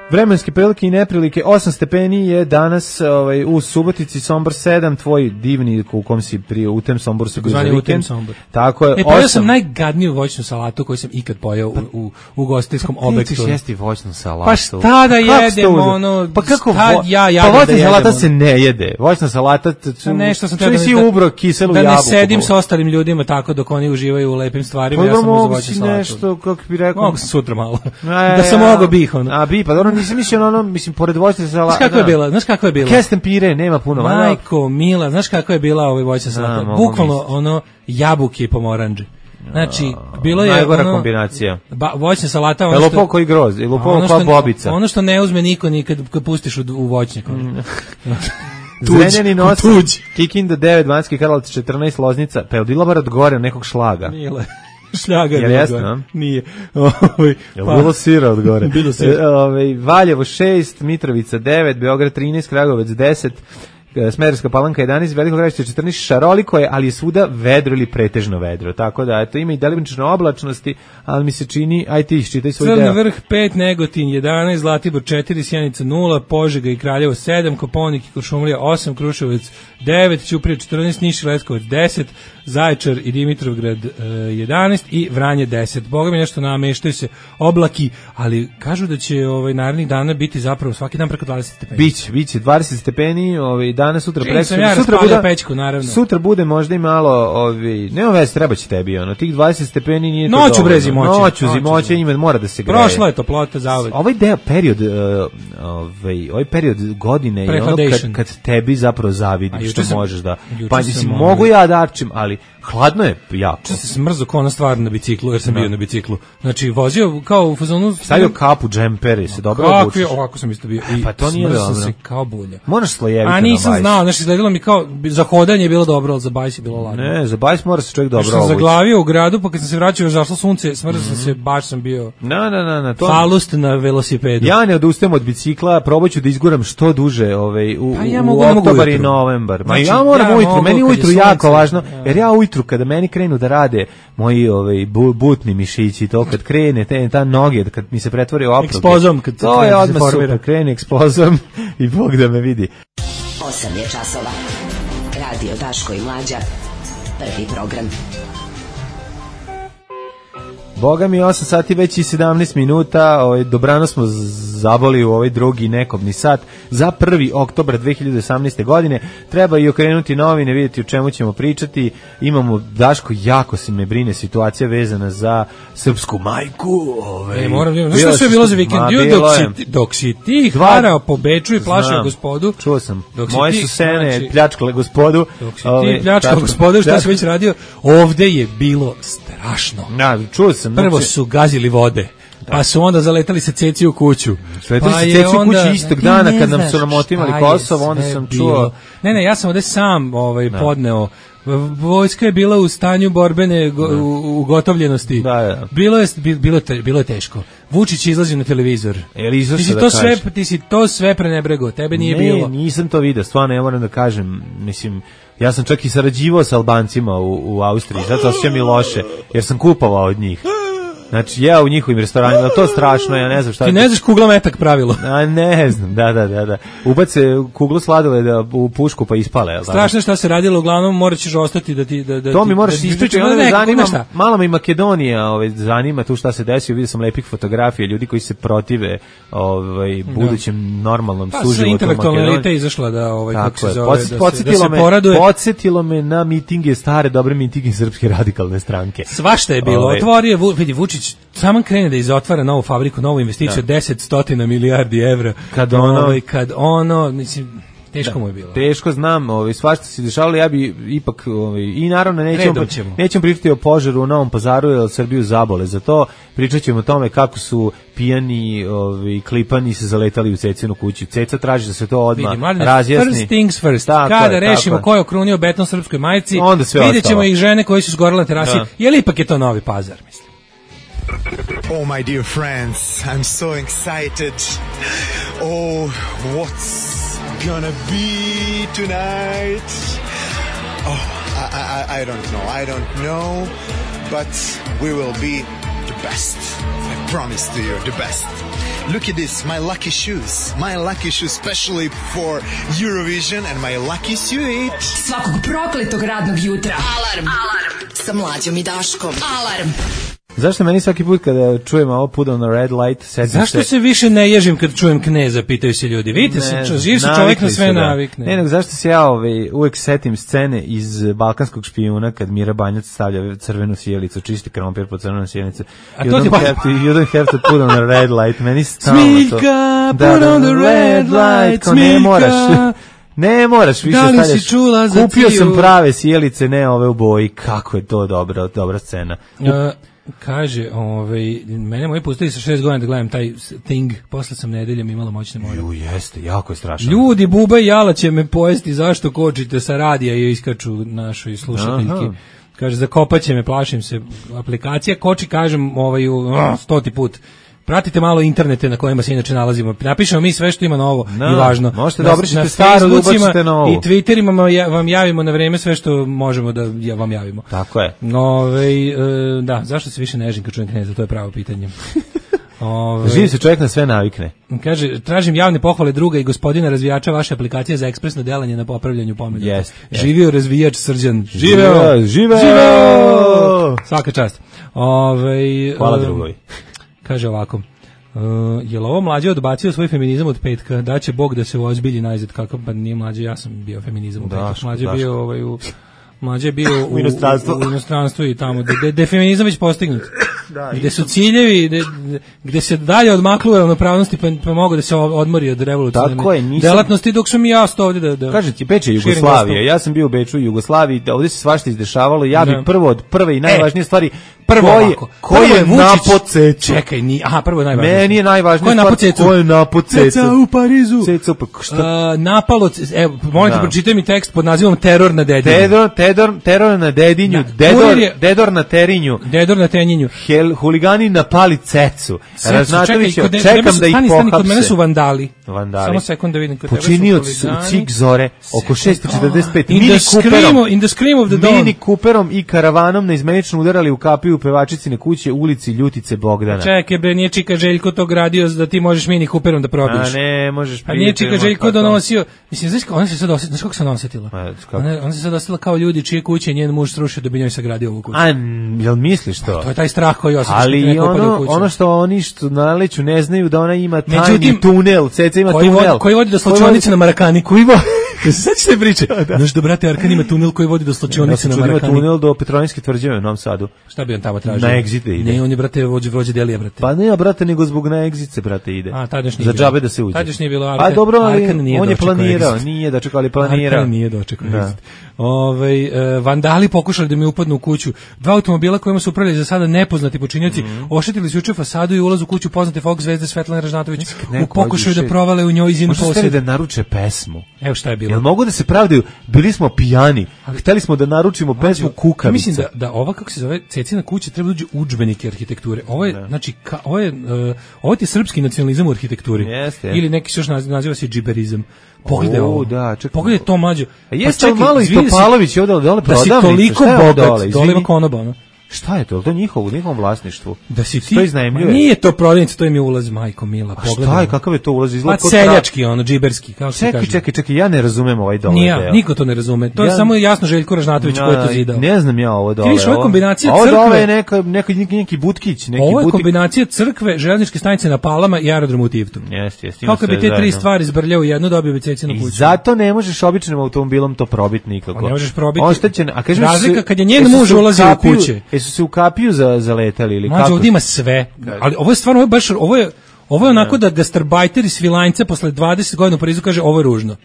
Vremenske prilike i neprilike, osam stepeni je danas ovaj, u Subotici, Sombor sedam, tvoj divni u kom si prije, u tem Somboru se bio za Zvani u tem vikend. Sombor. Tako je, E, pojeo osam. sam najgadniju voćnu salatu koju sam ikad pojeo u, u, u gostiteljskom Ti objektu. ćeš jesti voćnu salatu. Pa šta da Kako jedem, ste uzeli? ono, Pa kako šta vo... ja pa jadem voćna da jedem, salata ono? se ne jede. Voćna salata, t- Pa nešto sam što teo nisi da, ubro kiselu da ne jabuku. sedim sa ostalim ljudima tako dok oni uživaju u lepim stvarima, Pa ja dobro, sam uz mogu voćnu si salatu. nešto, kako bi rekao... Mogu sam sutra malo. E, da sam a- mogao bih, ono. A bi, pa dobro, nisam mislio na ono, mislim, pored voćne salate... Znaš kako je bila? Znaš kako je bila? Kesten pire, nema puno. valjda. Majko, mila, znaš kako je bila ovaj voćna salata? mogu Bukvalno misliti. ono jabuke i pomoranđe. Znači, bilo je Najgora ono, kombinacija. Ba, voćna salata, ono Je što... lupao koji groz, je lupao ono kao što- bobica. Ono što ne uzme niko ni kad, kad pustiš u, u voćnjak. ono. Zrenjanin tuđ. osam, Kikinda devet, Banjski Karlovac četrnaest, Loznica, pa je odila bar od gore nekog šlaga. Mile. Šljaga Jel je jeste, bilo, a? Nije. Ovaj, Jel pa- bilo sira od gore? Bilo sira. E, ovaj, Valjevo šest, Mitrovica devet, Beograd trinaest, Kragujevac deset, e, Smederevska Palanka jedanaest, Veliko Gradište četrnaest, šaroliko je, ali je svuda vedro ili pretežno vedro. Tako da, eto, ima i delimične oblačnosti, ali mi se čini, aj ti iščitaj svoj Crni deo. vrh pet, Negotin jedanaest, Zlatibor četiri, Sjenica nula, Požega i Kraljevo sedam, Koponik i Kuršumlija osam, Kruševac devet, Ćuprija četrnaest, Niš i Leskovac deset, Zaječar i Dimitrovgrad e, jedanaest i Vranje deset. Boga mi nešto nameštaju se oblaki, ali kažu da će ovaj narednih dana biti zapravo svaki dan preko dvadeset stepeni. Biće, biće dvadeset stepeni, ovaj danas sutra Čim preko. sam ja sutra raspalio pećku, naravno. Sutra bude možda i malo, ovaj, nema veze, treba će tebi ono. Tih dvadeset stepeni nije to Noću, dovoljno. bre, zimoće. Noću, Noću, zimoće, zimoće. ima mora da se greje. Prošla je toplota zauvek. Ovaj deo period uh, ovaj ovaj period godine je ono kad, Prehladation. kad tebi zapravo A zavidim juče što sam- možeš da. juče Pa sam, mislim ovaj, mogu ja da arčim, ali hladno je jako. Što se smrzo kao ona stvar na biciklu, jer sam bio na biciklu. Znači, vozio kao u fazonu... Stavio kapu, džemper i se dobro Kakvi, obučeš. ovako sam isto bio. I Pa to nije smrzao sam dobro. se kao bulja. Moraš slojevito A nisam na bajs. znao, znači izgledalo mi kao, za hodanje je bilo dobro, ali za bajs je bilo ladno. Ne, za bajs mora se čovjek Dobro, dobro sam obući. zaglavio u gradu, pa kad sam se vraćao, zašlo sunce, smrzao sam se, baš sam bio Na, na, na, na, to. falust na velosipedu. Ja ne odustajem od bicikla, probat ću da izguram što duže ovaj, u, Pa ja u mogu, ne mogu oktobar i ujutru. novembar. Ma Znači, ja moram ja ujutru, mogu meni kad je ujutru jako sunce, važno, ja. jer ja ujutru kada meni krenu da rade moji ovaj, bu- butni mišići, to kad krene, te, ta noge, kad mi se pretvori u opruge. Ekspozom, kad to krene je da se odmah formira. super, krene ekspozom i Bog da me vidi. osam je časova. Radio Daško i Mlađa. Prvi program. Boga mi osam sati već i sedamnaest minuta, ovaj, dobrano smo zaboli u ovaj drugi nekobni sat za prvi oktobar dve hiljade osamnaeste. godine. Treba i okrenuti novine, vidjeti o čemu ćemo pričati. Imamo, Daško, jako se me brine situacija vezana za srpsku majku. Ovaj, e, moram, znaš što sve bilo za vikend? Dok si, dok si ti harao po Beču i plašao gospodu. Čuo sam. Moje su sene znači, pljačkale gospodu. Dok si ovaj, ti pljačkao gospodu, šta si već radio? Ovde je bilo strašno. Na, čuo sam. Prvo su gazili vode. Da. Pa su onda zaletali se ceci u kuću. Sletali pa se ceci u kuću istog dana kad nam su nam otimali Kosovo, onda sam čuo. Bilo. Ne, ne, ja sam ovde sam ovaj, podneo. Vojska je bila u stanju borbene go, u, ugotovljenosti. Da, da. Bilo je bilo je bilo je teško. Vučić izlazi na televizor. Ti si da to sve ti si to sve prenebrego. Tebe nije ne, bilo. Ne, nisam to video. Stvarno ja moram da kažem, mislim, ja sam čak i sarađivao sa Albancima u, u Austriji. Zato osjećam i loše jer sam kupovao od njih. Znači, ja u njihovim restoranima, to je strašno, ja ne znam šta... Ti ne znaš kugla metak pravilo? A ne znam, da, da, da. da. Ubace kuglu sladoleda u pušku pa ispale. Strašno šta se radilo, uglavnom morat ćeš ostati da ti... Da, da to mi moraš da ispričati, onda me zanima, malo me i Makedonija ovaj, zanima tu šta se desio, vidio sam lepih fotografija, ljudi koji se protive ovaj, budućem normalnom pa, suživotu u Makedoniji. Pa intelektualna elita izašla da, ovaj, kako se zove, Podsjet, da, se, da se me, poraduje. Podsjetilo me na mitinge, stare, dobre mitinge Srpske radikalne stranke. Svašta je bilo, ovaj. Otvorio, vidi, Vučić samo krene da izotvara novu fabriku, novu investiciju od deset stotina milijardi evra. Kad ono, ovaj, kad ono, mislim, teško da, mu je bilo. Teško znam, ovaj, svašta se dešavalo, ja bi ipak, ovaj, i naravno nećemo, nećemo pričati o požaru u Novom Pazaru, jer Srbiju zabole za to, pričat ćemo o tome kako su pijani, ovaj, klipani se zaletali u Cecinu kuću. Ceca traži da se to odmah razjasni. First things first, tako kada je, rešimo ko je okrunio beton srpskoj majici, vidjet ćemo ih žene koji su zgorele na terasi, da. Jer ipak je to Novi Pazar, mislim. Oh, my dear friends, I'm so excited. Oh, what's gonna be tonight? Oh, I, I, I don't know, I don't know, but we will be the best. I promise to you, the best. Look at this, my lucky shoes. My lucky shoes specially for Eurovision and my lucky suit. Svakog prokletog radnog jutra. Alarm. Alarm. Sa Mlađom i Daškom. Alarm. Zašto meni svaki put kada čujem ovo put on the red light, setim se... Zašto se više ne ježim kad čujem Kneza, pitaju se ljudi. Vidite, ne, se, živ se čovjek na sve da. navikne. Ne, nego zašto se ja ovaj, uvek setim scene iz Balkanskog špijuna kad Mira Banjac stavlja crvenu sjelicu, čisti krompir po crvenu sjelicu. A to ti pa... You don't have to put on the red light. Meni stalno to... Smiljka, put da, on the red light, Smiljka. Ne moraš... Ne moraš više da stavljaš. Kupio sam prave sjelice, ne ove u boji. Kako je to dobra, dobra scena. Uh, Kaže, ovaj, mene moji pustili sa šest godina da gledam taj Thing, posle sam nedeljom imala moćne more. Ju, jeste, jako je strašno. Ljudi, Buba i Jala će me pojesti, zašto kočite sa radija i iskaču našoj slušateljki. Aha. Kaže, zakopaće me, plašim se. Aplikacija koči, kažem, ovaj, uh, stoti put. Pratite malo internete na kojima se inače nalazimo. Napišemo mi sve što ima novo no, i važno. Možete da obrišete staro, da ubacite novo. I Twitterima vam javimo na vreme sve što možemo da vam javimo. Tako je. Ove, da, zašto se više nežim kad čujem Kneza, to je pravo pitanje. Ove, Živi se čovjek na sve navikne. Kaže, tražim javne pohvale druga i gospodina razvijača vaše aplikacije za ekspresno delanje na popravljanju pomenuta. Yes, yes. Živio razvijač Srđan. Živeo! Živeo! Živeo! Svaka čast. Ove, Hvala drugovi. Kaže ovako, uh, je li ovo Mlađe odbacio svoj feminizam od petka, da će Bog da se ozbilji najzad, kako pa nije Mlađe, ja sam bio feminizam u petak, Mlađe je bio ovaj, u, Mlađe je bio u, u, inostranstvu. u, u inostranstvu i tamo, gde, gde feminizam već postignut, da, gde su ciljevi, gde, gde se dalje odmaklo ravnopravnosti, pa, pa mogu da se odmori od revolucionarne nisam... delatnosti, dok sam i ja ostao ovdje da... da Kažem ti, Beč je Jugoslavija, ja sam bio u Beču i Jugoslaviji, da ovdje se svašta izdešavalo, ja bih prvo od prve i najvažnije e. stvari... Prvo ko je, ovako, ko je, je napod cecu? Čekaj, ni, aha, prvo je najvažnije. Meni je najvažnije stvar, ko je napod cecu? Ceca u Parizu. Ceca u Parizu. Uh, napalo, evo, molim te, pročitaj mi tekst pod nazivom Teror na Dedinju. Teror, teror, teror na Dedinju, da. Dedor, je, dedor na Terinju. Dedor na Tenjinju. Hel, huligani napali cecu. Raznatović, čekam da ih pohapse. Stani, kod mene su vandali. Vandali. Samo sekund da vidim. Počinioci su u Cik Zore, oko šest četrdeset pet. In the scream, in the scream of the dawn. Mini Cooperom i karavanom na izmenično udarali u kapiju u pevačicine kuće ulici Ljutice Bogdana. Čekaj bre, nije Čika Željko to gradio da ti možeš Mini Cooperom da probiješ. A ne, možeš. A nije Čika Željko donosio. Mislim, znaš kako ona se sad osjetila, znaš kako se ona osjetila? Ona, ona se sad osjetila kao ljudi čije kuće njen muž srušio da bi njoj sagradio ovu kuću. A jel misliš to? To je taj strah koji osjećaš. Ali ono, ono što oni što na Naleću ne znaju da ona ima tajni Međutim, tunel, Ceca ima koji tunel. Vodi, koji vodi do slačionice na Marakani. Koji vodi Sad ćete priče. Znaš da, brate, Arkan ima tunel koji vodi do slačionice na Marakani. Ima tunel do Petrovinske tvrđave u Novom Sadu. Šta bi on tamo tražio? Na egzite ide. Ne, on je, brate, vođe vrođe Delija, brate. Pa ne, brate, nego zbog na egzice, brate, ide. A, tad još nije za bilo. džabe da se uđe. Tad još nije bilo Arkan. A dobro, ali Arkan nije on je planirao, exit. nije dočekao, ali planirao. Arkan nije dočekao. Ovaj e, vandali pokušali da mi upadnu u kuću. Dva automobila kojima su upravljali za sada nepoznati počinioci, mm. oštetili su juče fasadu i ulaz u kuću poznate folk zvezde Svetlane Ražnatović u pokušaju da provale u njoj izin posjed. Možda da naruče pesmu. Evo šta je bilo. Jel mogu da se pravdaju? Bili smo pijani. Hteli smo da naručimo pesmu Kukavica. Mislim da da ova kako se zove Cecina kuća treba da uđe udžbenike arhitekture. Ovo je, znači ka, ovo je uh, ovo je srpski nacionalizam u arhitekturi. Jeste. Ili neki se još naziva, naziva se džiberizam. Pogledaj o, ovo. Da, čekaj. Pogledaj to mlađe. A jeste pa malo i Topalović ovde dole da si toliko bogat, dole ima konoba, ono. Šta je to? To je njihovo, njihovom vlasništvu. Da si ti. To iznajmljuje. Nije to prodavnica, to im je ulaz, majko mila. Pogledaj. Šta je, kakav je to ulaz? Izgleda pa seljački, ono, džiberski, kako se kaže. Čekaj, čekaj, čekaj, ja ne razumem ovaj dole. Nije ja, niko to ne razume. To ja, je samo jasno Željko Ražnatović koji je to zidao. Ne znam ja ovo dole. Ti viš, ovo je kombinacija crkve. Ovo dole je neka, neka, neki, neki butkić. Neki ovo je butik. kombinacija crkve, željezničke stanice na Palama i aerodroma u Tivtu. Jeste, jeste. Kako bi te tri stvari zbrljao u jednu, dobio bi Cecinu kuću. I zato ne možeš običnim automobilom to probiti nikako. Ne možeš probiti. Oštećen, a kažem razlika kad je njen muž ulazio u kuće. Jesu se u kapiju za zaletali ili kako? Mađo, ovdje ima sve. Ali ovo je stvarno, ovo je baš, ovo je, ovo je onako da gastarbajter iz Svilajnca posle dvadeset godina u Parizu kaže ovo je ružno.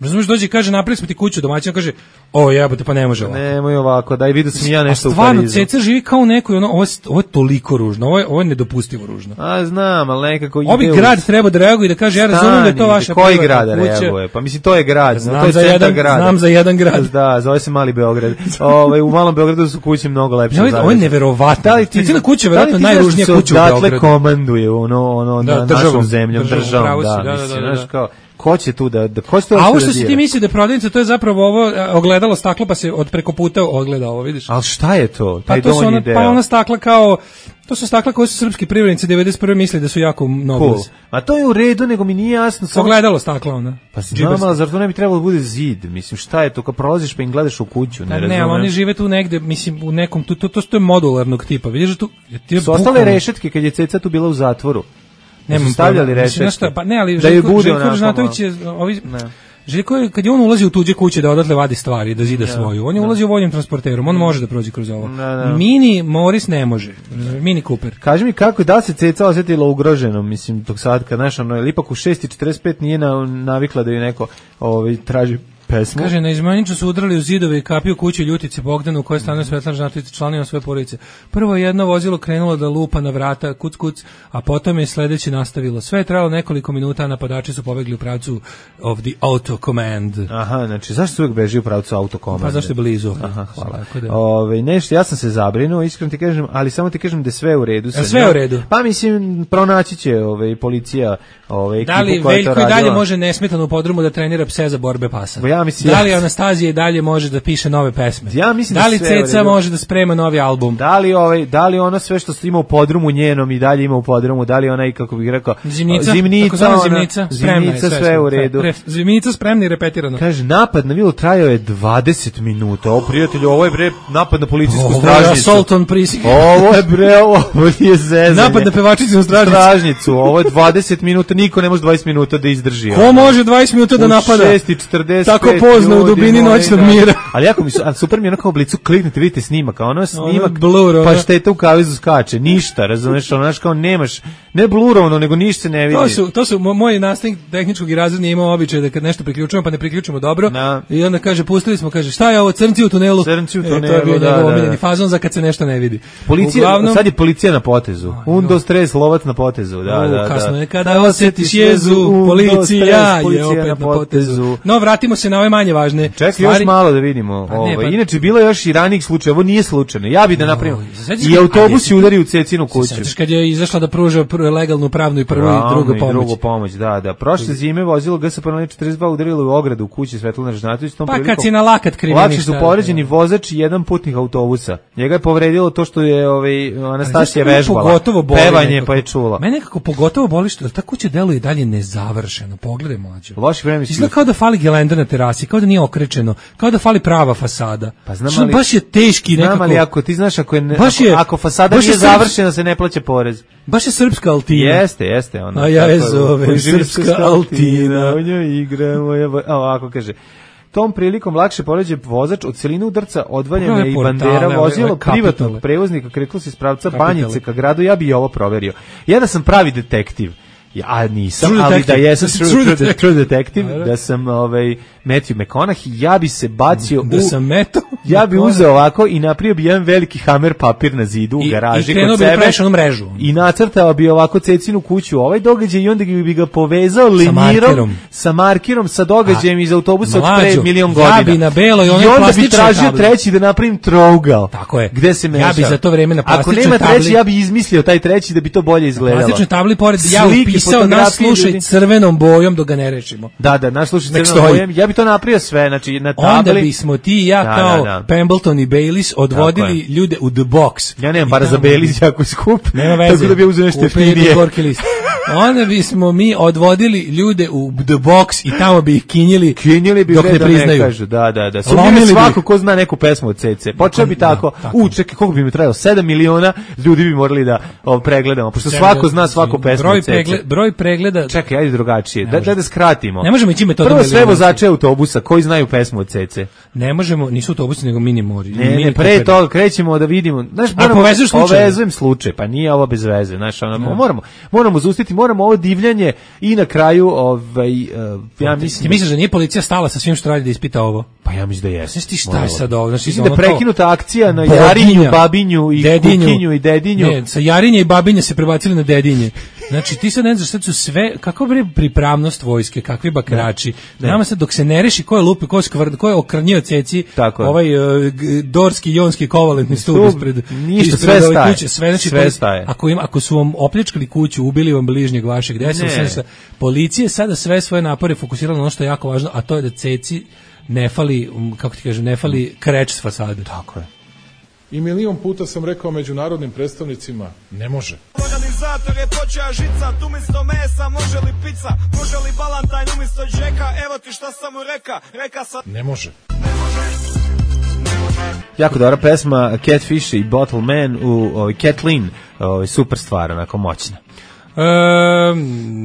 Razumiješ, dođe i kaže napravili smo ti kuću, domaćin kaže o jebote pa ne može ovako. Nemoj ovako, daj vidio sam ja nešto u Parizu. Stvarno, Ceca živi kao neko, ono, ovo, je, ovo je toliko ružno, ovo je, ovo je nedopustivo ružno. A znam, ali nekako ide. Ovi grad treba da reaguje i da kaže ja razumijem da je to vaša koji grad reaguje? Pa mislim to je grad, znam to je za jedan grad. Znam za jedan grad. Da, zove se Mali Beograd. Ovaj u Malom Beogradu su kuće mnogo lepše. Ja, ovo je neverovatno. Cecina kuća verovatno najružnija kuća u Beogradu. Dakle komanduje ono ono na našom zemljom, državom, da, mislim, kao ko će tu da, da ko će to a ovo što si ti misli da prodavnica, to je zapravo ovo ogledalo staklo, pa se od preko puta ogleda ovo, vidiš? Ali šta je to? Taj pa to su ona, pa ona stakla kao, to su stakla koje su srpski privrednici devedeset prve mislili da su jako mnogo. Cool. A to je u redu, nego mi nije jasno. Samo... Ogledalo stakla ona. Pa znam, ali zar to ne bi trebalo da bude zid? Mislim, šta je to? Kad prolaziš pa im gledaš u kuću, ne razumem. Ne, ali oni žive tu negde, mislim, u nekom, to, to, to, to je modularnog tipa. Vidiš da tu... Ti su ostale rešetke kad je Ceca tu bila u zatvoru. Nemam stavljali rešetke. Pa ne, ali Željko Ražnatović je ovi Željko je, kad je on ulazi u tuđe kuće da odatle vadi stvari, da zida svoju, on je ulazio vojnim transporterom, on može da prođe kroz ovo. Mini Morris ne može, Mini Cooper. Kaži mi kako, da se Ceca osjetila ugroženo, mislim, tog sad kad naš, ono, ili ipak u šest i četrdeset pet nije navikla da ju neko ovaj, traži pesmu. Kaže, na Izmanjiču su udrali u zidove i kapiju kuću Ljutice Bogdanu u kojoj stanuje Svetlana Ražnatović članovima svoje porodice. Prvo je jedno vozilo krenulo da lupa na vrata, kuc kuc, a potom je sledeće nastavilo. Sve je trajalo nekoliko minuta, a napadači su pobegli u pravcu of the auto command. Aha, znači zašto se uvijek beži u pravcu auto command? Pa zašto je blizu. Aha, hvala. Ove, nešto, ja sam se zabrinuo, iskreno ti kažem, ali samo ti kažem da je sve u redu. Je sve u redu? Pa mislim, pronaći će ove, policija ove, ekipu da li koja je to radila. Veljko i dalje može nesmetano u podrumu da trenira pse za borbe pasa? Ja mislim, da li Anastazija i dalje može da piše nove pesme? Ja mislim da li da Ceca može da sprema novi album? Da li ovaj da li ono sve što ima u podrumu njenom i dalje ima u podrumu, da li ona i kako bih rekao zimnica, zimnica, ona, zimnica, zimnica sve, sve u redu. Pre, zimnica spremna i repetirano. Kaže napad na vilu trajao je dvadeset minuta. O prijatelju, ovo je bre napad na policijsku ovo stražnicu. Ovo je assault on precinct. Ovo je bre ovo nije zezanje. Napad na pevačicu stražnicu. stražnicu. Ovo je dvadeset minuta, niko ne može dvadeset minuta da izdrži. Ko može dvadeset minuta da napada? U šest i četrdeset tako pozno u dubini noćnog mira. Ali jako mi su, super mi je ono kao u blicu, kliknete, vidite snimak, a ono snimak, blur, pa šteta u kavezu skače, ništa, razumeš, ono, znaš, kao nemaš, ne blurovno, nego ništa se ne vidi. To su, to su, moj nastavnik tehničkog i razredni imao običaj da kad nešto priključujemo, pa ne priključimo dobro, da. I onda kaže, pustili smo, kaže, šta je ovo, crnci u tunelu? Crnci u tunelu, e, to je bio da, njegov da, omiljeni fazon za kad se nešto ne vidi. Policija, uglavnom, sad je policija na potezu, undo stres, lovac na potezu, da, da, kasno da. je kada osjetiš jezu, policija je opet na potezu. No, vratimo se na ove manje važne Čekaj, stvari. još malo da vidimo. Pa ne, Ovo, pa- inače, bilo je još i ranijih slučaja, ovo nije slučajno. Ja bi da napravim. sećaš I kad- autobus a, je udari u Cecinu kuću. Sećaš kad je izašla da pruža pr- legalnu pravnu i prvu i drugu Pravno pomoć. drugu pomoć, da, da. Prošle zime vozilo G S P N četrdeset dva udarilo u ogradu u kući Svetlana Žnatović. Tom Pa prilikom kad si na lakat krivi lakše ništa. su povređeni vozač i jedan putnik autobusa. Njega je povredilo to što je ovaj Anastasija Znaš šta me vežbala. pogotovo boli Pevanje nekako? pa je čula. Mene nekako pogotovo boli što ta kuća deluje i dalje nezavršeno. Pogledaj mlađo. Loši vremenski Izgleda kao da fali gelenda na terasi, kao da nije okrečeno, kao da fali prava fasada. Pa znam, Što ali- baš je teški nekako. Znam, ali ako ti znaš, ako, je ne, Baš ako, je- ako fasada baš je nije srpski- završena, se ne plaća porez. Baš je srpska altina. Jeste, jeste. Ono, A ja je tako zovem koji živi srpska srpska altina. U njoj igra moja... vo- A ovako kaže... Tom prilikom lakše poređe vozač od celine udarca odvaljena Ove i portale, bandera ove- vozilo ove kapitale. privatnog prevoznika kretilo se iz pravca Kapitale. Banjice ka gradu, ja bi i ovo proverio. Ja da sam pravi detektiv, ja a nisam, True ali detective. da jesam true, True true, detective. true detective, da sam ovaj, Matthew McConaughey, ja bi se bacio Da u... sam meto. Ja bi uzeo ovako i napravio bi jedan veliki hamer papir na zidu u I- garaži i krenuo kod bi da sebe. praviš onu mrežu. I nacrtao bi ovako Cecinu kuću, ovaj događaj i onda bi ga povezao Sa linirom markerom. sa markerom, sa događajem iz autobusa od pre Mlađo, milion ja godina. bi na beloj I onoj onda bi plastičnoj tražio tabli. treći da napravim trougal. Tako je. Gde se meša. Ja bi za to vreme na Ako plastičnoj nema treći, tabli- ja bi izmislio taj treći da bi to bolje izgledalo. Plastičnoj tabli pored ja Slike, upisao nas fotografije slušaj ljudi. crvenom bojom dok ga ne rešimo. Da, da, naš slušaj Nek crvenom stoji. bojem. Ja bi to napravio sve, znači na tabli. Onda bismo ti i ja Da, kao da, da. Pemberton i Bayliss odvodili Tako ljude u The Box. Ja nemam I para za tamo- Beliz, jako je skup. Nema veze. Tako da bi ja uzeo nešto Kupi jeftinije. gorki list. Onda bismo mi odvodili ljude u The Box i tamo bi ih kinjili, Kinjili bi dok bre ne da ne priznaju. kažu, da, da, da. Lomili Sumnjaju bi svako ih. ko zna neku pesmu od C C. Počeo bi Da, tako, tako. u, čekaj, koliko bi mi trajalo? sedam miliona ljudi bi morali da o, pregledamo, pošto svako zna svaku pesmu broj od C C. pregled, broj pregleda. Čekaj, ajde drugačije, da, da, da skratimo. Ne možemo ići metodom Prvo sve eliminacije. vozače autobusa koji znaju pesmu od C C. Ne možemo, nisu autobusi nego mini mori. Ne, mini ne, pre koperi. toga krećemo da vidimo. Znaš, A povezuješ slučaj? Povezujem slučaj, pa nije ovo bez veze, znaš, ono, moramo, moramo zustiti, moramo ovo divljanje i na kraju, ovaj, uh, ja Ti mislim, misliš da nije policija stala sa svim što radi da ispita ovo? pa ja mislim da jeste. Znaš ti šta je sad ovo? Znači, Mislim da ono kao- prekinuta akcija na Boginja, Jarinju, Babinju i Dedinju. Kukinju i Dedinju. Ne, sa Jarinje i Babinje se prebacili na Dedinje. Znači ti sad ne znaš, sad su sve, kako bre pripravnost vojske, kakvi bakrači. Ne. Nama sad dok se ne reši ko je lupi, ko je skvrd, ko je okrnjio ceci, Tako je. ovaj uh, g- dorski, jonski, kovalentni stup Stup, ispred, ništa, ispred sve ove staje. kuće, sve, znači, Sve poli- staje. Ako, im, ako su vam opljačkali kuću, ubili vam bližnjeg vašeg, gde Ne. se sve, policija sada sve svoje napore fokusirala na ono što je jako važno, a to je da ceci ne fali, um, kako ti kažem, ne fali kreč s fasade. Tako je. I milion puta sam rekao međunarodnim predstavnicima, ne može. Organizator je počeo žicat, umjesto mesa može li pizza, može li balantajn umjesto džeka, evo ti šta sam mu reka, reka sam... Ne može. Jako dobra pesma Catfish i Bottle Man u ovaj, Kathleen, ovaj, super stvar, onako moćna. E,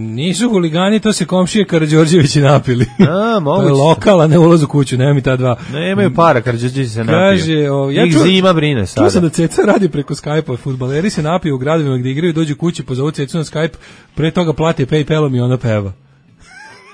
nisu huligani, to se komšije Karađorđevići napili. A, To moguće. je lokal, a ne ulaz u kuću, nema mi ta dva. Nemaju para, Karađorđević se napio. Kaže, o, ja Njih čuo- zima brine Čuo sam sada. da Ceca radi preko Skype-a, fudbaleri se napiju u gradovima gde igraju, dođu kući, pozovu Cecu na Skype, pre toga plate PayPalom i ona peva.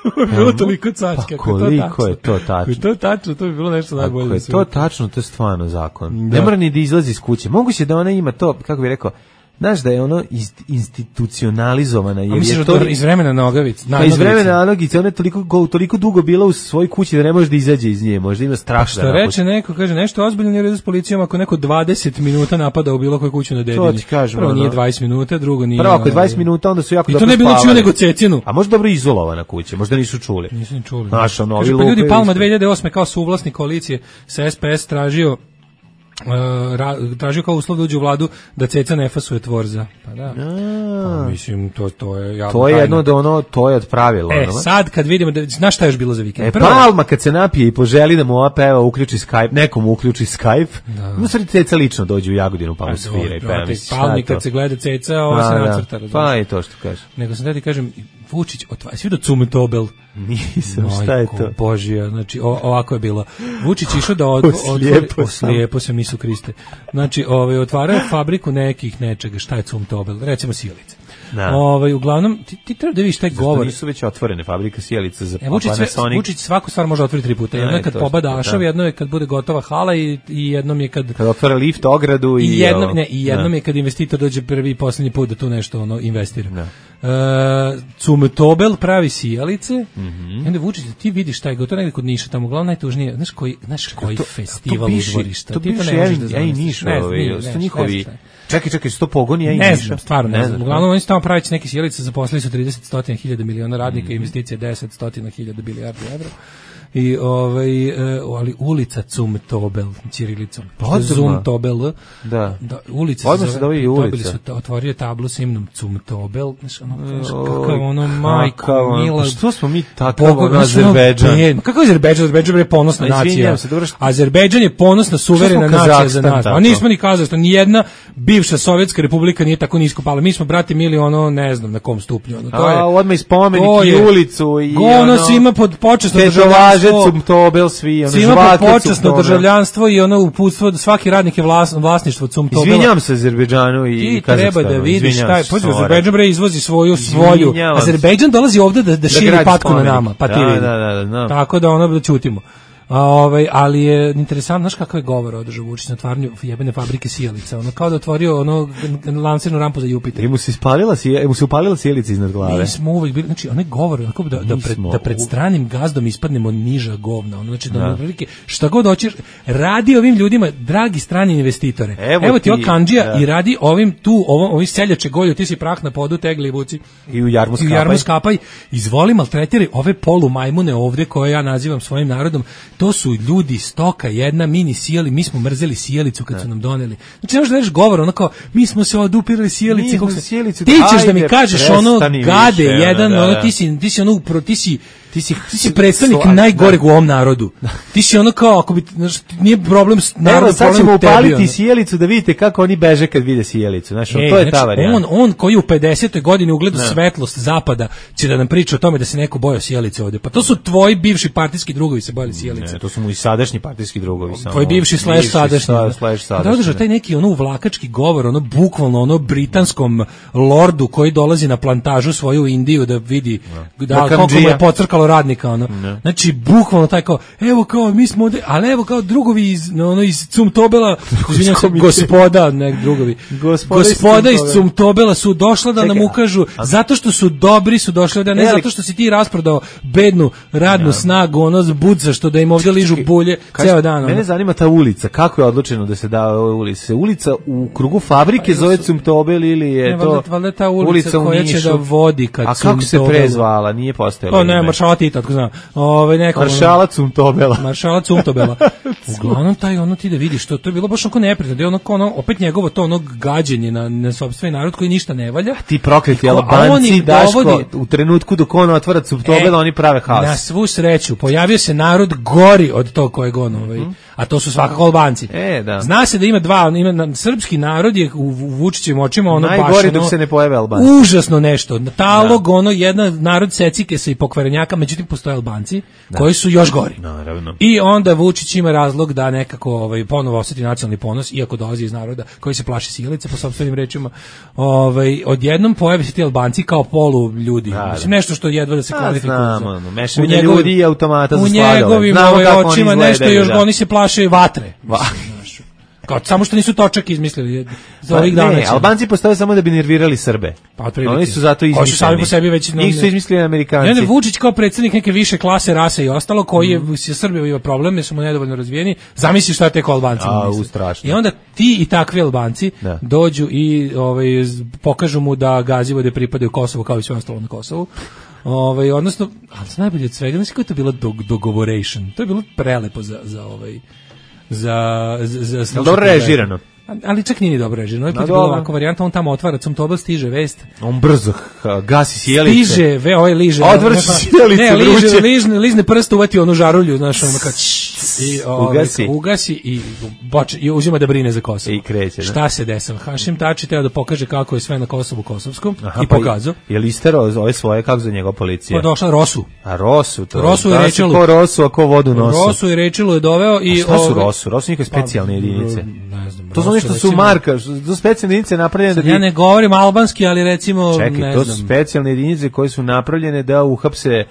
Ovo je bilo toliko cačke. Pa koliko je to tačno? Ako je to tačno, to bi bilo nešto najbolje. Ako na je svijetu. to tačno, to je stvarno zakon. Da. Ne mora ni da izlazi iz kuće. Moguće da ona ima to, kako bih rekao, znaš da je ono inst- institucionalizovana. A Jer misliš je da to iz vremena Nogavic? Pa iz vremena Anogice, ona je toliko, go- toliko dugo bila u svojoj kući da ne može da izađe iz nje. Možda ima strah Što da reče neko, kaže nešto ozbiljno nije u redu s policijom ako neko dvadeset minuta napada u bilo koju kuću na Dedinju. To ti kažem, Prvo ono. nije dvadeset minuta, drugo nije... Prvo, ako je dvadeset ovaj, minuta, onda su jako I to dobro ne bilo čuo spavali. nego Cecinu. A možda dobro izolovana kuća, možda nisu čuli. Nisu ni čuli. Znaš, ono, Kaže, ovi pa ljudi lupaju Palma isto. dve hiljade osme kao suvlasnik koalicije sa S P S tražio Uh, ra, tražio kao uslov da uđe u vladu da Ceca ne fasuje tvorza. Pa da. Pa, mislim, to, to je javna To je tajna. jedno od ono, to je od pravila. E, ono. sad kad vidimo, da, znaš šta je još bilo za vikend? E, Prvo- Palma kad se napije i poželi da mu ova peva uključi Skype, nekom uključi Skype, da. No, sad Ceca lično dođe u Jagodinu pa mu Pa, svira i dobro, peva. brate, Mislim, šta Palmi je to? kad se gleda Ceca, ovo se Pa, da. nacrta. razumiješ? Pa je to što kaže. Nego sam da ti kažem, Vučić, otvara, svi do Cumtobel. Nisam, šta je to? Božija, znači o, ovako je bilo. Vučić išao da od, Oslijepo otvori- sam. oslijepo sam, Isu Kriste. Znači, ovaj, otvarao fabriku nekih nečega, šta je Cumtobel, recimo sjelice. Da. Ovaj, uglavnom, ti, ti treba da vidiš taj Zašto govor. nisu već otvorene fabrika sjelica za E, Vučić, sve, Panasonic? Vučić svaku stvar može otvoriti tri puta. Jedno Da, je kad to pobada što- Ašov, da. jedno je kad bude gotova hala i, i jednom je kad... Kad otvara lift, ogradu i... I jednom, ovo. ne, i jednom Da. je kad investitor dođe prvi i poslednji put da tu nešto ono investira. Da. Uh, Cumtobel pravi sijalice Mhm. i onda Vučić, ti vidiš taj gotovo negde kod Niša, tamo uglavnom najtužnije, znaš koji, znaš koji To- festival to bivši- udvorišta, to ti to bivši ne možeš ja da i- zamisliš. ja i Niš, Ne znam, ovi, nije, su to ne znam, njihovi- ne znam šta je. Čekaj, čekaj, su to pogoni, ja i Ne Niša? znam, stvarno ne, Ne znam. znam, Uglavnom oni su tamo pravići neke sjelice, zaposlili su trideset stotina hiljada miliona radnika, investicije deset stotina hiljada bilijardi evra. I ovaj e, ali ulica Cumtobel ćirilicom. Odmah. Cumtobel. Da. Da, ulica Odmah se zove i ulica. Dobili su, otvorio tablu s imnom Cumtobel. Znaš, ono, znaš, Oj, kakav ono, majko, kakav ono, mila. pa što smo mi takav, Boga, ono, znaš, ono, Azerbejdžan? ben- Kakav je Azerbejdžan? Azerbejdžan je ponosna Ma, izvinjam nacija. se, dobro što- Azerbejdžan je ponosna, suverena Što smo nacija za Kazahstan nas. A tako? nismo ni Kazahstan, ni jedna bivša sovjetska republika nije tako nisko pala. Mi smo, brati mili, ono, ne znam na kom stupnju. Ono, to je, A, odmah i spomenik to i je- ulicu i ono, ono... svima pod počasno Težovaže, državljanstvo. Cumtobel, svi, ono, Svima žvake po počasno Cumtobel. državljanstvo i ono uputstvo da svaki radnik je vlas, vlasništvo Cumtobela. Izvinjam se Azerbejdžanu i Ti Kazahstanu. treba da vidiš izvinjam taj, se, pođe sorry. Azerbejdžan bre izvozi svoju svoju. Izvinjavam se. Azerbejdžan dolazi ovde da da širi gradi patku na spomenik. nama, pa ti Da, vidi. da, da, da, znam. Tako da ono da ćutimo. A, ovaj, ali je interesantno, znaš kakav je govor održao Vučić na otvaranju jebene fabrike sijalica, ono kao da otvorio ono lansirnu rampu za Jupiter. I mu se ispalila, sije- mu se upalila sjelica iznad glave. Mi smo uvek bili, znači onaj govor, onako da, da, Mi pred, smo da pred u- stranim gazdom ispadnemo niža govna, ono, znači da, Da. da. prilike, šta god hoćeš, radi ovim ljudima, dragi strani investitore, Evo evo, ti ti, ovo kandžija da. i radi ovim tu, ovom, ovim seljače golju, ti si prah na podu, tegli i vuci. I u jarmu I u skapaj. jarmu skapaj, izvoli maltretiraj ove polu majmune ovde koje ja nazivam svojim narodom, to su ljudi stoka, jedna mini sijeli, mi smo mrzeli sijelicu kad su nam doneli. Znači ne možeš da reš govor, ono kao, mi smo se odupirali sjelici. Mi smo kako se- sjelicu, ti ćeš da mi ajde, kažeš ono prestani gade, više, ono, jedan, da, ono, da. ti si, ti si ono, upro, ti si, ti si, ti si predstavnik Sla- najgoreg u ovom narodu. Ti si ono kao, ako bi, znaš, nije problem s Evo, narodom, sad problem ćemo u tebi, upaliti ono. sjelicu da vidite kako oni beže kad vide sjelicu. Znaš, Ej, to je ta znači, varijanta. on, on koji u pedesetoj godini ugleda svetlost zapada će da nam priča o tome da se neko bojao sjelice ovde. Pa to su tvoji bivši partijski drugovi se bojali sjelice. Ne, to su mu i sadašnji partijski drugovi. samo. Tvoj bivši slash sadašnji. sa- da. slash Da sadašnji. održao taj neki ono uvlakački govor, ono bukvalno ono britanskom lordu koji dolazi na plantažu svoju u Indiju da vidi da, Da koliko mu kandžija. je pocrkalo radnika ono. Znači bukvalno taj kao evo kao mi smo ovde, ali evo kao drugovi iz no, ono iz Cumtobela, izvinjavam se, gospoda, ne drugovi. Gospoda iz Gospoda iz Cumtobela. Cumtobela su došla da nam Čekaj, ukažu zato što su dobri su došli da ne E, ali- zato što si ti rasprodao bednu radnu snagu ono budza što da im ovde ližu bulje Kaži, ceo dan. ono. Mene zanima ta ulica, kako je odlučeno da se da ove ulice? Ulica u krugu fabrike zove Cumtobel ili je Ne, to valjda- valjda ta ulica u koja će Nišu? da vodi ka A kako se Cumtobelu? pre zvala? Nije postojalo. Pa ne, ime. maršala Tita, tako znam. Ove, neko, Maršala Cumtobela. Maršala Cumtobela. Uglavnom taj ono ti da vidiš to, to je bilo baš onako neprijatno, da je ono, kao ono opet njegovo to ono gađenje na, na sopstveni narod koji ništa ne valja. Ti prokleti Ko- a on Albanci, ih Daško, dovodi- u trenutku dok on otvara Cumtobela, E, oni prave haos. Na svu sreću, pojavio se narod gori od tog kojeg on, ovaj, a to su svakako Albanci. E, da. Zna se da ima dva, ima, na- srpski narod je u, u Vučićevim očima ono baš Najgori ono, dok se ne pojave Albanci. užasno nešto. Talog, ono, jedna narod secikesa i pokvarenjaka, međutim postoje Albanci koji su još gori. Naravno. I onda Vučić ima razlog da nekako ovaj ponovo osjeti nacionalni ponos, iako dolazi iz naroda koji se plaši sjelice po sopstvenim rečima. Ovaj odjednom pojave se ti Albanci kao polu ljudi. Da, Mislim da. nešto što jedva da se A, kvalifikuje. znam, za- ono, mešavina u njegovim- ljudi i automata za U sladoled. njegovim Znamo ovaj, kako oni očima izgledaju, nešto još, da. oni se plaše vatre. Va- Znaš, kao, samo što nisu točak izmislili za ovih Pa, dana. ne, će- Albanci postoje samo da bi nervirali Srbe. Pa, otprilike. Oni su zato Koji izmišljeni. su sami po sebi već- Njih su izmislili I Amerikanci. onda Vučić kao predsjednik neke više klase, rase i ostalo, koji je se Srbija ima problem, jer smo nedovoljno razvijeni, zamisli šta tek Albanci A, misle. u, strašno. I onda ti i takvi Albanci Da. dođu i ovaj, z- pokažu mu da Gazivode pripadaju Kosovu kao i sve ostalo na Kosovu. Ovaj, odnosno, ali najbolje od svega, znači kako je to bilo dog, dogovoration. To je bilo prelepo za, za ovaj za za, za slušati dobro ovaj- režirano? Ali čak nije ni dobro režirano. Ovo je No, put bila dobro. ovakva varijanta, on tamo otvara Cumtobel, stiže vest. On brzo ha, gasi sjelice. Stiže, ve, ovaj liže. Odvrći Znaš, sjelice Ne, liže, vruće. ližne, ližne prste, uvati onu žarulju, znaš, ono kad i, ovaj, Ugasi. ugasi i, poče, i uzima da brine za Kosovo. I kreće, da. Šta se desilo? Hašim Tači treba da pokaže kako je sve na Kosovu kosovskom Aha, i pa pokazao. Je li isterao ove svoje, kako za njegov policija? Pa došla Rosu. A Rosu to. Rosu i Danas Rečelu. Ko Rosu, a ko vodu nosu. Rosu i Rečelu je doveo i... A šta su ovaj, Rosu? Rosu njihove specijalne jedinice. Ne znam. To su Rosu, oni što su recimo- marka, što su specijalne jedinice napravljene da bi... Ja ne govorim albanski, ali recimo, Čekaj, ne to znam. su specijalne jedinice koje su napravljene da uhapse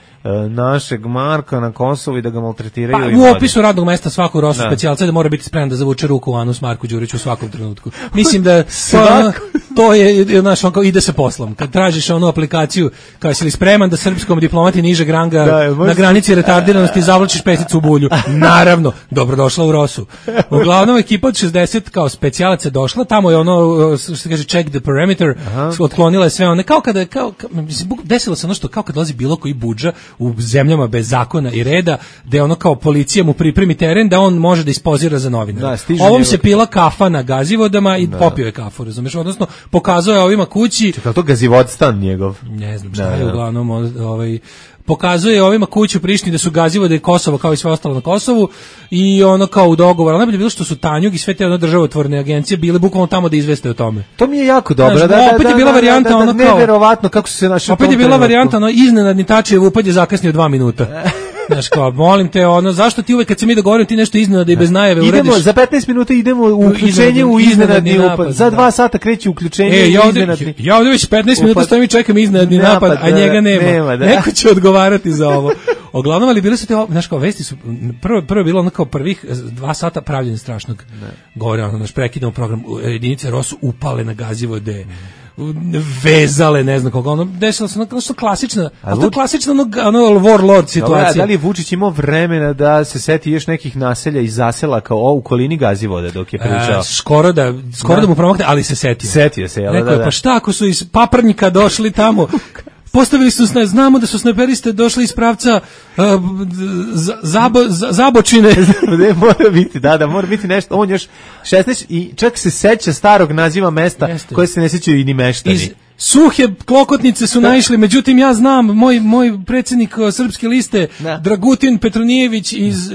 našeg Marka na Kosovu i da ga maltretiraju. Pa, i u vode. opisu radnog mesta svakog rosu Da. specijalca da mora biti spreman da zavuče ruku u anus Marku Đuriću u svakom trenutku. Mislim da to, Svako. to je, znaš, on kao ide se poslom. Kad tražiš onu aplikaciju, kao si li spreman da srpskom diplomati nižeg ranga Da, možda- na granici retardiranosti zavlačiš pesicu u bulju. Naravno, dobrodošla u Rosu. Uglavnom, ekipa od šezdeset kao specijalaca došla, tamo je ono, što se kaže, check the perimeter, otklonila je sve one, kao kada, kao, kao, mislim, desilo se ono što, kao kad dolazi bilo koji budža u zemljama bez zakona i reda, da je ono kao policija mu pripremi teren, da on može da ispozira za novinara. Da, stiže Ovom njegov- se pila kafa na Gazivodama i popio je kafu, razumeš? Odnosno, pokazao je ovima kući, Čekaj, to gazivodstan njegov. ne znam šta Da, je da. uglavnom, ovaj, pokazuje ovima kuću u Prištini da su Gazivode i Kosovo kao i sve ostalo na Kosovu i ono kao u dogovoru. Ali najbolje je bilo što su Tanjug i sve te ono državotvorne agencije bile bukvalno tamo da izveste o tome. To mi je jako dobro. Znaš, da, da, opet je da, bila da, varijanta da, da, ono kao- neverovatno kako su se našli u Opet tom je bila trenutku. varijanta, ono, iznenadni Tačijev upad je zakasnio dva minuta. Znaš, kao, molim te, ono, zašto ti uvek kad se mi dogovorimo ti nešto iznenada i bez najave uradiš? Idemo, za petnaest minuta idemo u uključenje iznenadni- u iznenadni iznenadni upad. napad, Za da. dva sata kreće uključenje E, ja u ovde, iznenadni. ja ovde već petnaest minuta Upad. stojim i čekam iznenadni napad, Napad, a da, njega nema. nema, da. Neko će odgovarati za ovo. Uglavnom, ali bile su te, znaš, kao vesti su, prvo, prvo je bilo ono kao prvih dva sata pravljenja strašnog. Govore, ono, naš prekidamo program, jedinice Rosu upale na Gazivode, vezale, ne znam koga, ono, desilo se ono, ono što klasična, ali to je Vuč- klasična ono, ono warlord Dobro, a situacija. da li je Vučić imao vremena da se seti još nekih naselja i zasela kao o, u kolini Gazivode dok je pričao? E, skoro da, skoro da. Da. mu promakne, ali se setio. Setio se, jel da, Rekao je, da. pa šta ako su iz Paprnjika došli tamo, postavili su sne, znamo da su snajperiste došli iz pravca uh, z- zabo, z- Zabočine. Ne, mora biti, da, da, mora biti nešto. On još šesnaest i čak se seća starog naziva mesta Jeste. koje se ne sećaju i ni meštani. Iz suhe klokotnice su naišli, međutim ja znam, moj, moj predsjednik uh, srpske liste, Da. Dragutin Petronijević iz uh,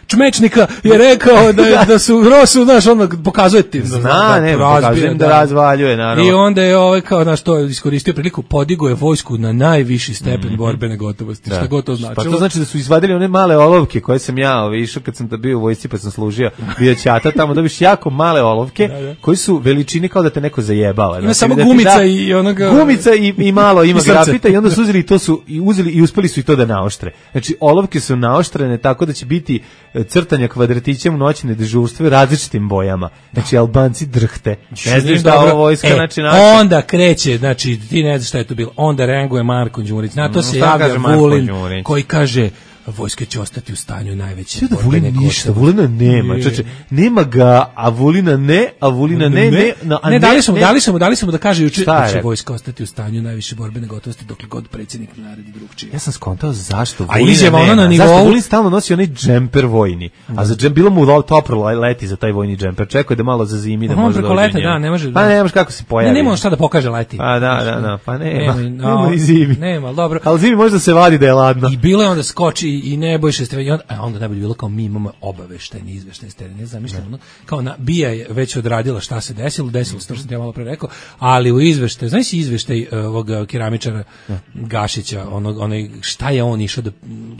Čmečnika je rekao da, je- da su Rosu, znaš, ono pokazuje ti. Zna, ne, razbija, pokazujem da razvaljuje, naravno. I onda je ovaj kao, znaš, to iskoristio priliku, podigao je vojsku na najviši stepen borbene gotovosti, šta god to značilo. Pa to znači da su izvadili one male olovke koje sam ja ovaj, išao kad sam da bio u vojsci pa sam služio bio ćata, tamo dobiš jako male olovke koji su veličine kao da te neko zajebava. Ima Znači, samo da ti gumica da- i onoga... Gumica i, i malo ima I srce. grafita i onda su uzeli i to su i uzeli i uspeli su i to da naoštre. Znači olovke su naoštrene tako da će biti e, crtanja kvadratićem u noćne dežurstve različitim bojama. Znači Albanci drhte. Ne znaš šta Dobro. ovo vojska, E, znači naša. onda kreće, znači ti ne znaš šta je to bilo. Onda reaguje Marko Đurić. Na to Mm, se šta javlja kaže Marko Vulin Đurić? koji kaže vojska će ostati u stanju najveće Sve da borbene Vulin ništa, gotovosti. Vulina nema, Je. čoče, nema ga, a Vulina ne, a Vulina ne, ne, no, a ne, dali smo, mu, dali smo, mu, dali smo mu da kaže juče Šta je da će rekao? vojska ostati u stanju najviše borbene gotovosti dokle god predsjednik ne naredi drugčije. Ja sam skontao zašto A Vulina izjava ona nema. na Zašto nivou- Vulin stalno nosi onaj džemper vojni, a za džem, bilo mu lo- toplo leti za taj vojni džemper, čekao je da malo zazimi, da Aha, može preko dođe leta, u njemu. da, ne može- Pa ne, nemaš kako se pojavi. Ne, nema on šta da pokaže leti. Pa da, da, da, pa nema, Nema, nema, no, ni zimi. nema, ali dobro. Ali zimi možda se vadi da je ladno. I bilo je onda skoči i Nebojša Stefanović, i onda, a onda najbolje bilo kao mi imamo obaveštajni izveštaj s terena, ne zamišljam, ono, kao na, Bija je već odradila šta se desilo, desilo se to što sam ti ja malo pre rekao, ali u izveštaju, znaš si izveštaj uh, ovog keramičara Gašića, onog, onaj, šta je on išao da,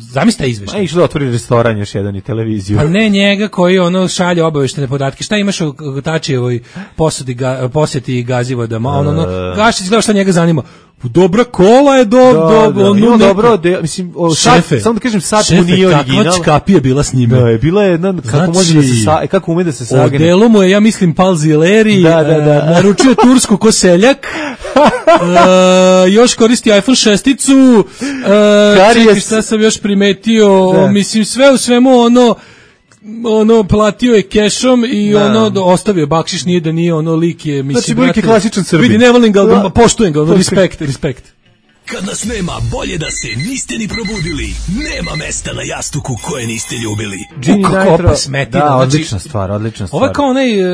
zamisli taj A izveštaj. išlo da otvori restoran još jedan i televiziju. Pa ne njega koji ono šalje obaveštene podatke. Šta imaš u Tačijevoj posudi ga, posjeti Gazivodama? Ono, ono, Gašić gleda šta njega zanima. Dobra kola je do, Da, do, da, ono, ima neko- dobro, de, mislim, o, sad, Šefe, samo da kažem, sad šefe, mu nije kakva original. čkapija bila s njime. Da, je bila jedna, kako Znači, može da se, sa, kako ume da se O sagne. delu mu je, ja mislim, Palzileri, Da, da, da. e, naručio tursku ko seljak, e, još koristi iPhone šesticu, e, Karijes. čekaj šta sam još primetio, Da. mislim, sve u svemu ono, ono platio je kešom i Da. ono do- ostavio bakšiš, nije da nije ono lik je, mislim, Znači, lik je brate, klasičan Srbin. vidi, ne volim ga, ali Da. poštujem ga, ono, respekt, respekt. Kad nas nema, bolje da se niste ni probudili. Nema mesta na jastuku koje niste ljubili. Gini kako Nitro- opa smetina, Da, znači- odlična stvar, odlična stvar. Ovo je kao onaj uh,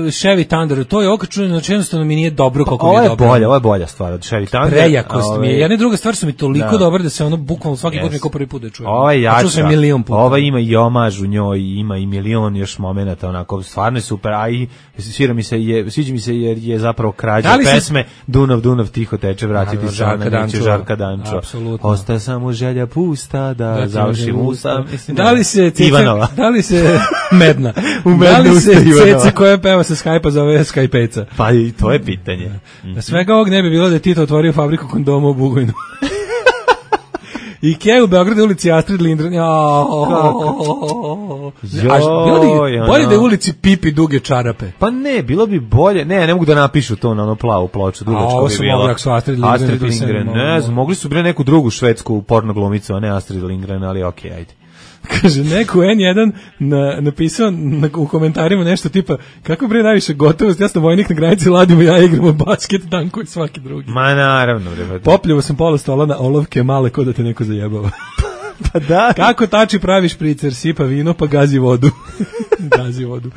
Chevy Thunder, to je okačeno, znači jednostavno mi nije dobro koliko mi Ovo je je dobro. bolja, ovo je bolja stvar od Chevy Thunder. Prejakost mi je. Ovaj, Jedna i druga stvar su mi toliko Da. dobre da se ono bukvalno svaki put Yes. mi kao prvi put da čujem. Ova je A čuo sam jača, je milion puta. ova ima i omaž u njoj, ima i milion još momenata, onako, stvarno je super, a i svira mi se, je, sviđa mi se jer je zapravo krađa Da li se- pesme Dunav, Dunav, tiho teče, vratiti Naravno, se Žarka na neće Dančova. Žarka Dančova. Apsolutno. Ostaje samo želja pusta da, Da ti završim uđem u usta. Mislim, Da li se Ceca, Ivanova. da li se Medna, U da Medne li usta se Ivanova. Ceca koja peva sa Skype-a zove Skypeca? Pa i to je pitanje. Da svega ovog ne bi bilo da je Tito otvorio fabriku kondoma u Bugojnu. Ikea u Beogradu ulici Astrid Lindgren. A bilo bi bolje da je ulici Pipi duge čarape. Pa ne, bilo bi bolje. Ne, ne mogu da napišu to na ono plavu ploču, dugačko bi bilo. Mogli, Astrid Lindgren, Astrid Lindgren, ne znam, mogli su bre neku drugu švedsku porno glumicu, a ne Astrid Lindgren, ali okej, okay, ajde. Kaže, neko en jedan na, napisao na, u komentarima nešto tipa, kako bre najviše gotovost, ja sam vojnik na granici, ladimo ja igramo basket, tanko i svaki drugi. Ma naravno, bre. Popljivo sam pola stola na olovke male, ko da te neko zajebava. Pa da. Kako tači pravi špricer, sipa vino pa gazi vodu. Gazi vodu.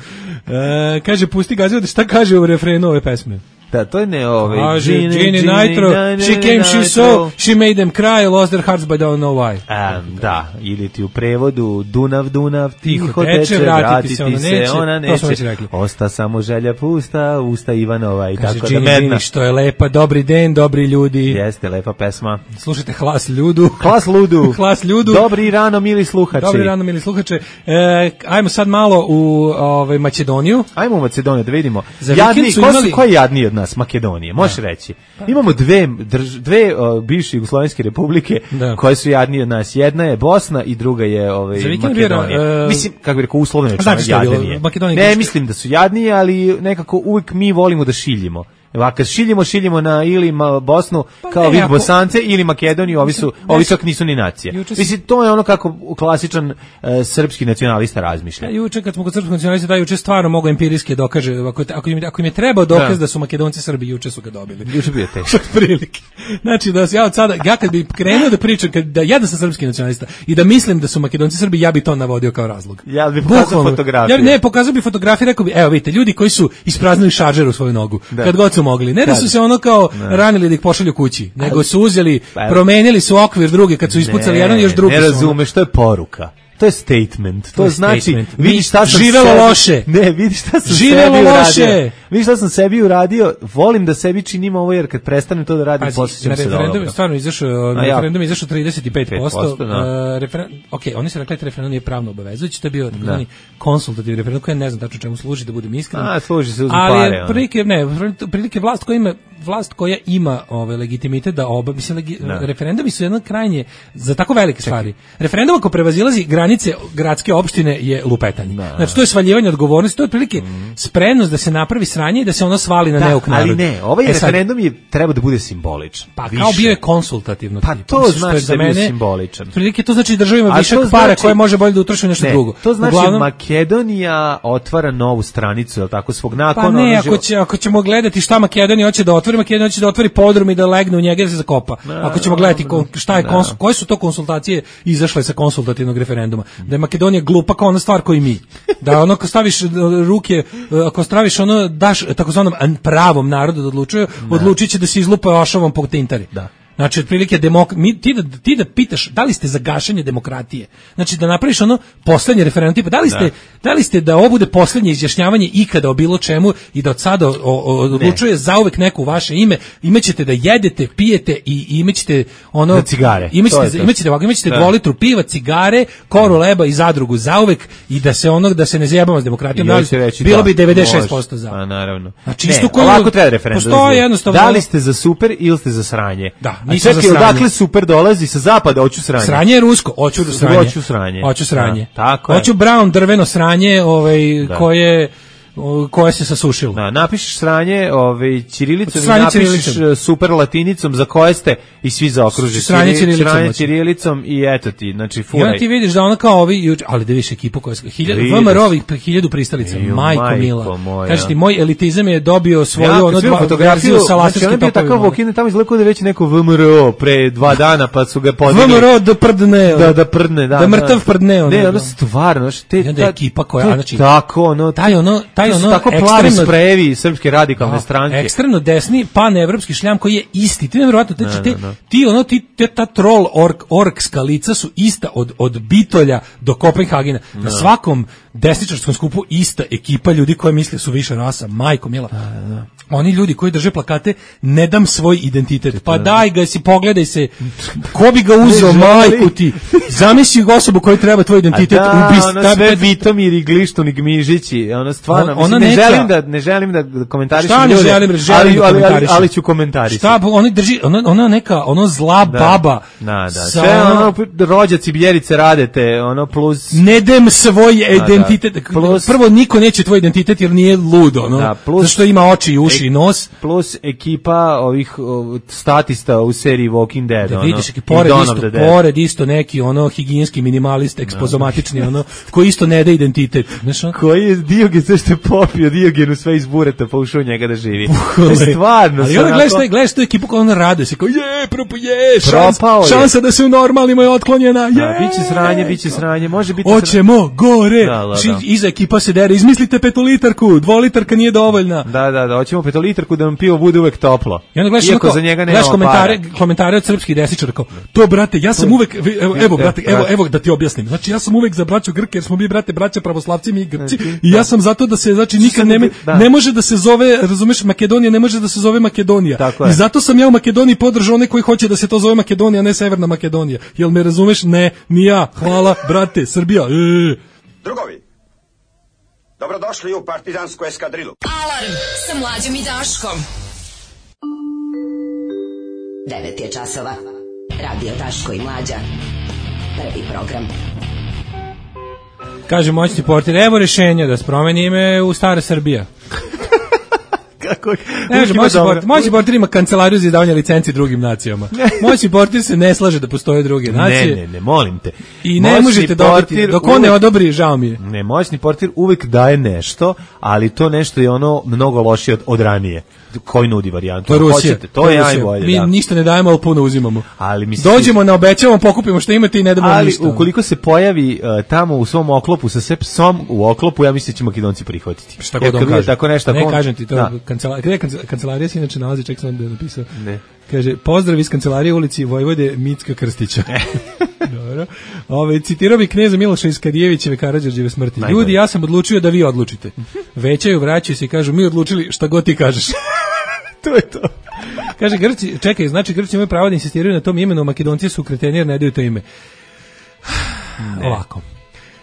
E, kaže, pusti gazi vodu, šta kaže u refrenu ove pesme? Da, to je ne ove. Kaže, Gini, Gini Nitro, Gini, she came, she saw, she made them cry, lost their hearts but don't know why. Um, da, ili ti u prevodu Dunav, Dunav, tiho, tiho teče, teče, vratiti se, ona neće, ona neće. Osta samo želja pusta, usta Ivanova i kaže, tako Gini, da medna. Gini, što je lepa, dobri den, dobri ljudi. Jeste, lepa pesma. Slušajte Hlas ljudu. Hlas ludu. Hlas ljudu. Dobri rano, mili sluhači. Dobri rano, mili sluhače. E, ajmo sad malo u ovaj, Makedoniju. Ajmo u Macedoniju da vidimo. Za Jadni, ko, imali... su, ko je jadniji od nas? Makedonije, možeš reći. Imamo dve, drž, dve uh, bivše jugoslovenske republike da. Koje su jadnije od nas. Jedna je Bosna i druga je ovaj, Makedonija. Bira, uh, mislim, kako bi rekao, uslovno je znači, jadnije. Ne, mislim da su jadnije, ali nekako uvijek mi volimo da šiljimo. A kad šiljimo, šiljimo na ili Bosnu pa kao vid Bosance ili Makedoniju, ovi su, ovi čak nisu ni nacije. Mislim, to je ono kako klasičan uh, srpski nacionalista razmišlja. Ja, juče kad smo kod srpskog nacionalista, da juče stvarno mogu empirijski dokaže, ako, ako, im, ako im je trebao dokaz da. da su Makedonci Srbi, juče su ga dobili. Juče bio teško. Prilike. Znači, da ja od sada, ja kad bi krenuo da pričam, kad, da ja da sam srpski nacionalista i da mislim da su Makedonci Srbi, ja bi to navodio kao razlog. Ja bih pokazao fotografiju. Ja ne, pokazao bih fotografiju, rekao bi, evo vidite, ljudi koji su ispraznili šaržer u svoju nogu, da. Kad god su mogli. Ne da su se ono kao ne. ranili da ih pošalju kući, nego su uzeli, promenili su okvir drugi kad su ispucali jedan još drugi. Ne razumeš, to je poruka. To je statement. To, to znači, statement. Vidiš šta sam živelo sebi, loše. Ne, vidiš šta sam živelo sebi loše. uradio. Vidiš šta sam sebi uradio. Volim da sebi činim ovo jer kad prestanem to da radim, posjećam se dobro. Referendum stvarno izašao, na referendum izašao trideset pet posto. pet posto da. uh, referendum, okej, oni su rekli da referendum nije pravno obavezujući, to je bio takozvani konsultativni referendum koji ne znam tačno čemu služi, da budem iskren. A, služi se uz pare. Ali prilike, ne, prilike vlast koja ima vlast koja ima ovaj legitimitet da oba, mislim legi, referendumi su jedno krajnje za tako velike stvari. Referendum ako prevazilazi granice gradske opštine je lupetanje. Da. Znači to je svaljivanje odgovornosti, to je otprilike mm. spremnost da se napravi sranje i da se ono svali na da, neuk narod. Ali ne, ovaj e referendum je treba da bude simboličan. Pa više. Kao bio je konsultativno. Pa to mislim, znači za da je bio simboličan. Otprilike to znači država ima višak para znači, koje može bolje da utroši nešto ne, drugo. To znači Uglavnom, Makedonija otvara novu stranicu, je tako, svog nakona. Pa ne, ako, će, ako ćemo gledati šta Makedonija hoće da otvori, Makedonija hoće da otvori podrum i da legne u njega da se zakopa. No, ako ćemo gledati šta je no. konsul, koje su to konsultacije izašle sa konsultativnog referenduma. Da je Makedonija glupa kao ona stvar koju mi. Da ono ako staviš ruke, ako staviš ono daš takozvanom pravom narodu da odlučuje, odlučiće da se izlupa ošavom po tintari. Da. Znači, otprilike, demok... Mi, ti, da, ti da pitaš da li ste za gašenje demokratije. Znači, da napraviš ono poslednje referendum, tipa, da li ste da, da, li ste da ovo bude poslednje izjašnjavanje ikada o bilo čemu i da od sada odlučuje ne. zauvek neko u vaše ime, imaćete da jedete, pijete i imaćete ono... Za cigare. Imaćete, imaćete, imaćete da. dvolitru piva, cigare, koru leba i zadrugu zauvek i da se ono, da se ne zajebamo s demokratijom. Da, reći, bilo da, bi devedeset šest posto za. A, naravno. Znači, ne, isto koji... ovako treba referendum. Postoje jednostavno... Da li ste za super ili ste za sranje? Da. A čekaj, odakle super dolazi sa zapada, hoću sranje. Sranje je rusko, hoću sranje. Hoću sranje. Hoću sranje. Da, tako je. Hoću brown drveno sranje, ovaj da. koje koje se sasušilo. Da, napišeš sranje, ovaj ćirilicom i napišeš ćirilicom. Super latinicom za koje ste i svi zaokruže sranje ćirilicom, sranje ćirilicom i eto ti, znači furaj. Ja ti vidiš da ona kao ovi, ali da više ekipu koja je hiljadu V M R-ovih hiljadu pristalica, majko, majko mila. Kažeš ti, moj elitizam je dobio svoju ja, ono dva fotografiju sa laserskim topovima. Takav Vokine tamo izgleda da već neko V M R O pre dva dana pa su ga podigli. V M R O da prdne. Da, da prdne, da. Da mrtav prdne. Ne, ono stvarno, te ta ekipa koja, znači tako, ono, taj ono, taj ono tako plavi sprejevi srpske radikalne stranke. Ekstremno desni panevropski šljam koji je isti. Ti nevjerovatno, znači ti, ti ono ti te, ta troll ork orkska lica su ista od od Bitolja do Kopenhagena. Na svakom desničarskom skupu ista ekipa ljudi koja misle su više rasa, majko mila. Da, da, da. Oni ljudi koji drže plakate ne dam svoj identitet. Pa daj ga si, pogledaj se. Ko bi ga uzeo, majku ti? Zamisli osobu koju treba tvoj identitet da, ubist. Ono sve Vitomir i Glištun i Gmižići, ono stvarno, On, ona mislim, ne neka, želim da ne želim da komentarišem šta ljude, ne želim, želim ali, da ali, ali, komentarišem. ali ću komentarisati. Šta, oni drži, ona, ona neka, ono zla da, baba. Da, da, sa, sve ono, rođaci Bljerice radete, ono, plus... Ne dem svoj identitet, da, plus, prvo niko neće tvoj identitet jer nije ludo, ono, da, plus, zašto ima oči i uši i nos. Plus ekipa ovih o, statista u seriji Walking Dead, da ono, vidiš, pored isto, pored isto neki ono higijenski minimalist, ekspozomatični, ono, koji isto ne da identitet. Znaš, on? Koji je Diogen, sve što je popio Diogenu sve iz bureta, pa ušao njega da živi. Stvarno. Ali onda gledaš, onako... gledaš tu ekipu kao ona raduje se, kao je, propo je, šans, je. šansa da se u normalnima je otklonjena, je. Da, biće sranje, biće sranje, može biti... Hoćemo gore, da, da, da. Iza ekipa se dere, izmislite petolitarku, dvolitarka nije dovoljna. Da, da, da, hoćemo petolitarku da nam pivo bude uvek toplo. I onda gledaš, iako onako, za njega nema gledaš komentare, para. komentare od srpskih desničara kao, to brate, ja sam uvek, evo, evo brate, evo, evo da ti objasnim. Znači ja sam uvek za braću Grke jer smo mi brate braća pravoslavci mi Grci i ja sam zato da se znači nikad ne, ne može da se zove, razumeš, Makedonija ne može da se zove Makedonija. I zato sam ja u Makedoniji podržao one koji hoće da se to zove Makedonija, a ne Severna Makedonija. Jel me razumeš? Ne, ni ja. Hvala, brate, Srbija. E. Drugovi, dobrodošli u partizansku eskadrilu. Alarm sa Mlađom i Daškom. devet je časova. Radio Daško i Mlađa. Prvi program. Kaže moćni portir, evo rešenja da se promeni ime u Stara Srbija. Kako? Ne, moćni portir, moćni portir ima kancelariju za izdavanje licenci drugim nacijama. Moćni portir se ne slaže da postoje druge nacije. Ne, ne, ne, molim te. I ne možete dobiti, dok on ne odobri, žao mi je. Ne, moćni portir uvek daje nešto, ali to nešto je ono mnogo lošije od, od ranije. Koji nudi varijantu? To je Rusija. Hoćete, to, to je najbolje. Mi da. ništa ne dajemo, ali puno uzimamo. Ali mislim, dođemo na obećavamo, pokupimo što imate i ne damo ali ništa. Ali ukoliko se pojavi uh, tamo u svom oklopu sa sve psom u oklopu, ja mislim da će Makedonci prihvatiti. Šta god on kaže. Tako nešto, ne on, kažem ti, to da. kancelarija, gde je kancelarija se inače nalazi, ček sam da je napisao. Ne. Kaže, pozdrav iz kancelarije ulici Vojvode Micka Krstića. Dobro. Ove, citirao bi kneza Miloša iz Kadijevićeve Karađorđeve smrti. Najbolje. Ljudi, ja sam odlučio da vi odlučite. Većaju, vraćaju se i kažu, mi odlučili šta god ti kažeš. To je to. Kaže, Grci, čekaj, znači Grci imaju pravo da insistiraju na tom imenu, Makedonci su kreteni jer ne daju to ime. Ne. Ovako.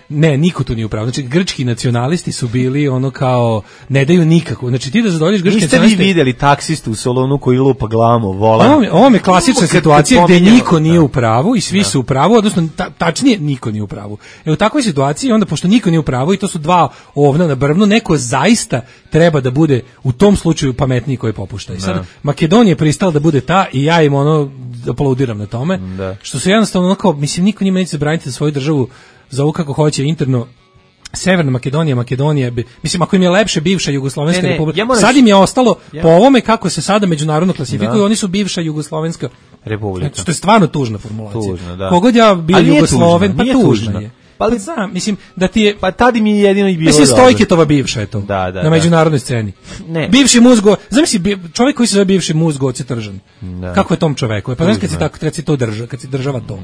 Ne, niko tu nije upravo. Znači, grčki nacionalisti su bili ono kao, ne daju nikako. Znači, ti da zadovoljiš grčki nacionalisti... Niste vi vidjeli taksistu u Solonu koji lupa glavom u volan? Ovo, ovo je klasična situacija gde niko nije u pravu i svi da. su u pravu, odnosno ta, tačnije niko nije u pravu. E u takvoj situaciji, onda pošto niko nije u pravu i to su dva ovna na brvnu, neko zaista treba da bude u tom slučaju pametniji koji popušta. I sad, da. Makedonija je pristala da bude ta i ja im ono aplaudiram na tome, da. Što su jednostavno onako, mislim, niko njima neće zabraniti za svoju državu za ovo kako hoće interno. Severna Makedonija, Makedonija, mislim, ako im je lepše bivša Jugoslovenska ne, ne, republika, ja sad im je ostalo, ja. po ovome kako se sada međunarodno klasifikuju, da. Oni su bivša Jugoslovenska republika. Znači, to je stvarno tužna formulacija. Tužna, da. Kogod ja bio Jugosloven, pa tužna je. Pa ali znam, mislim da ti je pa tad mi je jedino i bilo. Mislim Stojketova bivša je to. Da, da, na međunarodnoj sceni. Ne. Bivši muzgo, zamisli čovjek koji se zove bivši muzgo Oce Tržan. Da. Kako je tom čoveku? Pa znaš kad si tako kad si to drža, kad si država to.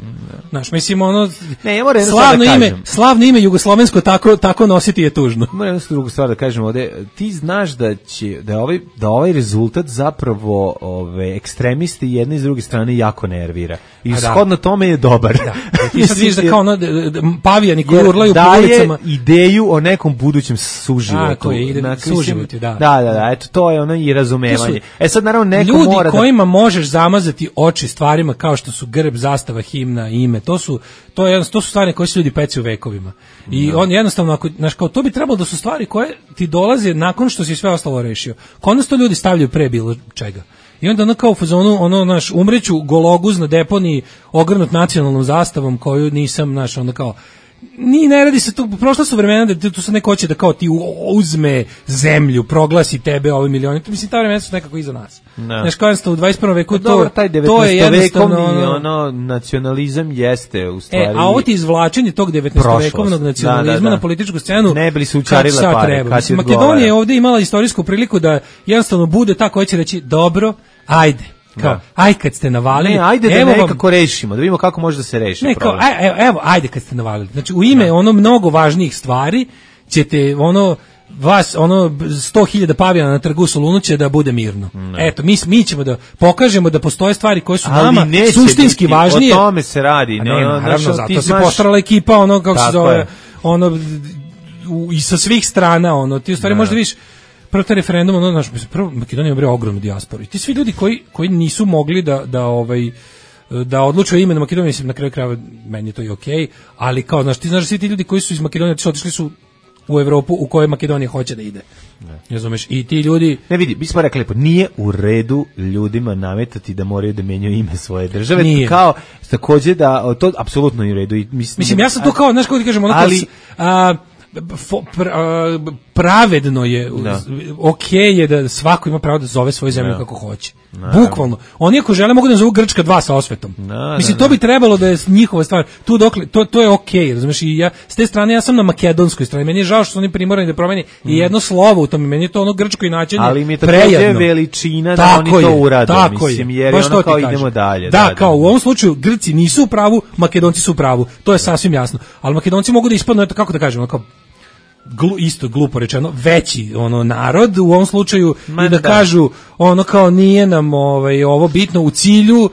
Znaš, mislim ono ne, ja moram slavno da ime, slavno ime jugoslovensko tako tako nositi je tužno. Moram jednu drugu stvar da kažem ovde. Ti znaš da će da ovaj da ovaj rezultat zapravo ove ekstremisti jedne i s druge strane jako nervira. I shodno tome je dobar. Da. Ti sad vidiš da kao ono pavijani koji urlaju po ulicama. Daje ideju o nekom budućem suživotu. Tako je, ide suživoti, da. Da, da, da, eto, to je ono i razumevanje. E sad, naravno, neko ljudi mora da... Ljudi kojima možeš zamazati oči stvarima kao što su grb, zastava, himna, ime, to su, to je, to su stvari koje se ljudi peci u vekovima. I on jednostavno, ako, znaš, kao, to bi trebalo da su stvari koje ti dolaze nakon što si sve ostalo rešio. Kod to ljudi stavljaju pre bilo čega. I onda ono kao u fazonu, ono, naš, umreću gologuz na deponiji ogrnut nacionalnom zastavom koju nisam, naš, onda kao, ni ne radi se tu, prošla su vremena da tu se neko hoće da kao ti uzme zemlju, proglasi tebe ovi milioni, mislim, ta vremena su nekako iza nas. No. Znaš, kao u dvadeset prvom veku, to, dobro, taj to je jednostavno... Ono, ono, nacionalizam jeste u stvari... E, a ovo ti izvlačenje tog devetnaestovekovnog nacionalizma da, da, da. na političku scenu, ne bili su učarile pare, kad ti Makedonija je ovdje imala istorijsku priliku da jednostavno bude ta koja će reći, dobro, ajde. Kao, da. Aj kad ste navalili, ne, ajde da evo nekako vam, rešimo, da vidimo kako može da se reši. Ne, kao, aj, evo, ajde kad ste navalili. Znači, u ime da. ono mnogo važnijih stvari ćete ono vas ono sto hiljada pavijana na trgu u Solunu će da bude mirno. Ne. Eto, mi mi ćemo da pokažemo da postoje stvari koje su ali nama suštinski biti, važnije. O tome se radi, ne, no, naravno, zato se znaš... postarala ekipa ono kako se zove, je. ono u, i sa svih strana ono ti u stvari možda vidiš prvo taj referendum, ono naš prvo Makedonija ima ogromnu dijasporu. I ti svi ljudi koji koji nisu mogli da da ovaj da odlučuju o imenu Makedonije, mislim na kraju krajeva meni je to i okej, okay, ali kao znaš ti znaš svi ti ljudi koji su iz Makedonije otišli su u Evropu u kojoj Makedonija hoće da ide. Ne. Razumeš? I ti ljudi... Ne vidi, mi smo rekli lepo, nije u redu ljudima nametati da moraju da menjaju ime svoje države. Nije. Kao, takođe da, to apsolutno nije u redu. I mislim, mislim, ja sam tu kao, znaš kako ti kažem, ono ali, a, fo, pra, a, pravedno je, da. ok je da svako ima pravo da zove svoju zemlju da. kako hoće. Da. Bukvalno. Oni ako žele mogu da zovu Grčka dva sa osvetom. Da, mislim, da, to bi trebalo da je njihova stvar. Tu dokle, to, to je ok, razumiješ? I ja, s te strane ja sam na makedonskoj strani. Meni je žao što su oni primorani da promeni mm. i jedno slovo u tome. Meni je to ono grčko inačenje prejedno. Ali mi je takođe veličina da tako oni to urade. Tako mislim, je. jer je ono kao idemo dalje. Da, da, kao u ovom slučaju Grci nisu u pravu, Makedonci su u pravu. To je sasvim jasno. Ali Makedonci mogu da ispadnu, eto kako da kažemo, kao Glu, isto glupo rečeno, veći ono narod u ovom slučaju Ma, i da, da kažu ono kao nije nam ovaj, ovo bitno u cilju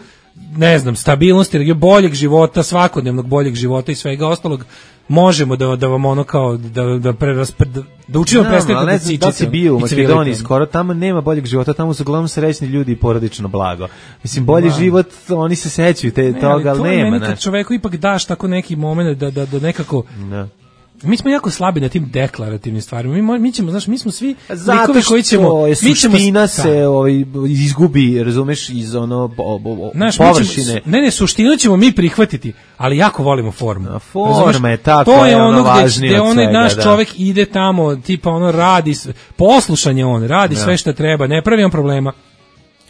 ne znam, stabilnosti, boljeg života, svakodnevnog boljeg života i svega ostalog, možemo da da vam ono kao da da preraspred da, da učimo no, prestati da si da si bio u Makedoniji, skoro tamo nema boljeg života, tamo su uglavnom srećni ljudi i porodično blago. Mislim bolji Man. život, oni se sećaju te ne, toga, ali, ali nema, kad čoveku ipak daš tako neki momenat da da da nekako ne. Mi smo jako slabi na tim deklarativnim stvarima. Mi, mi ćemo, znaš, mi smo svi likovi koji ćemo... Je suština se ovaj, izgubi, razumeš, iz ono o, o, znaš, površine. Ćemo, ne, ne, suštinu ćemo mi prihvatiti, ali jako volimo formu. A forma je tako, to je ono važnije gde, gde onaj naš da. čovek ide tamo, tipa ono radi, poslušan je on, radi da. sve što treba, ne pravi on problema.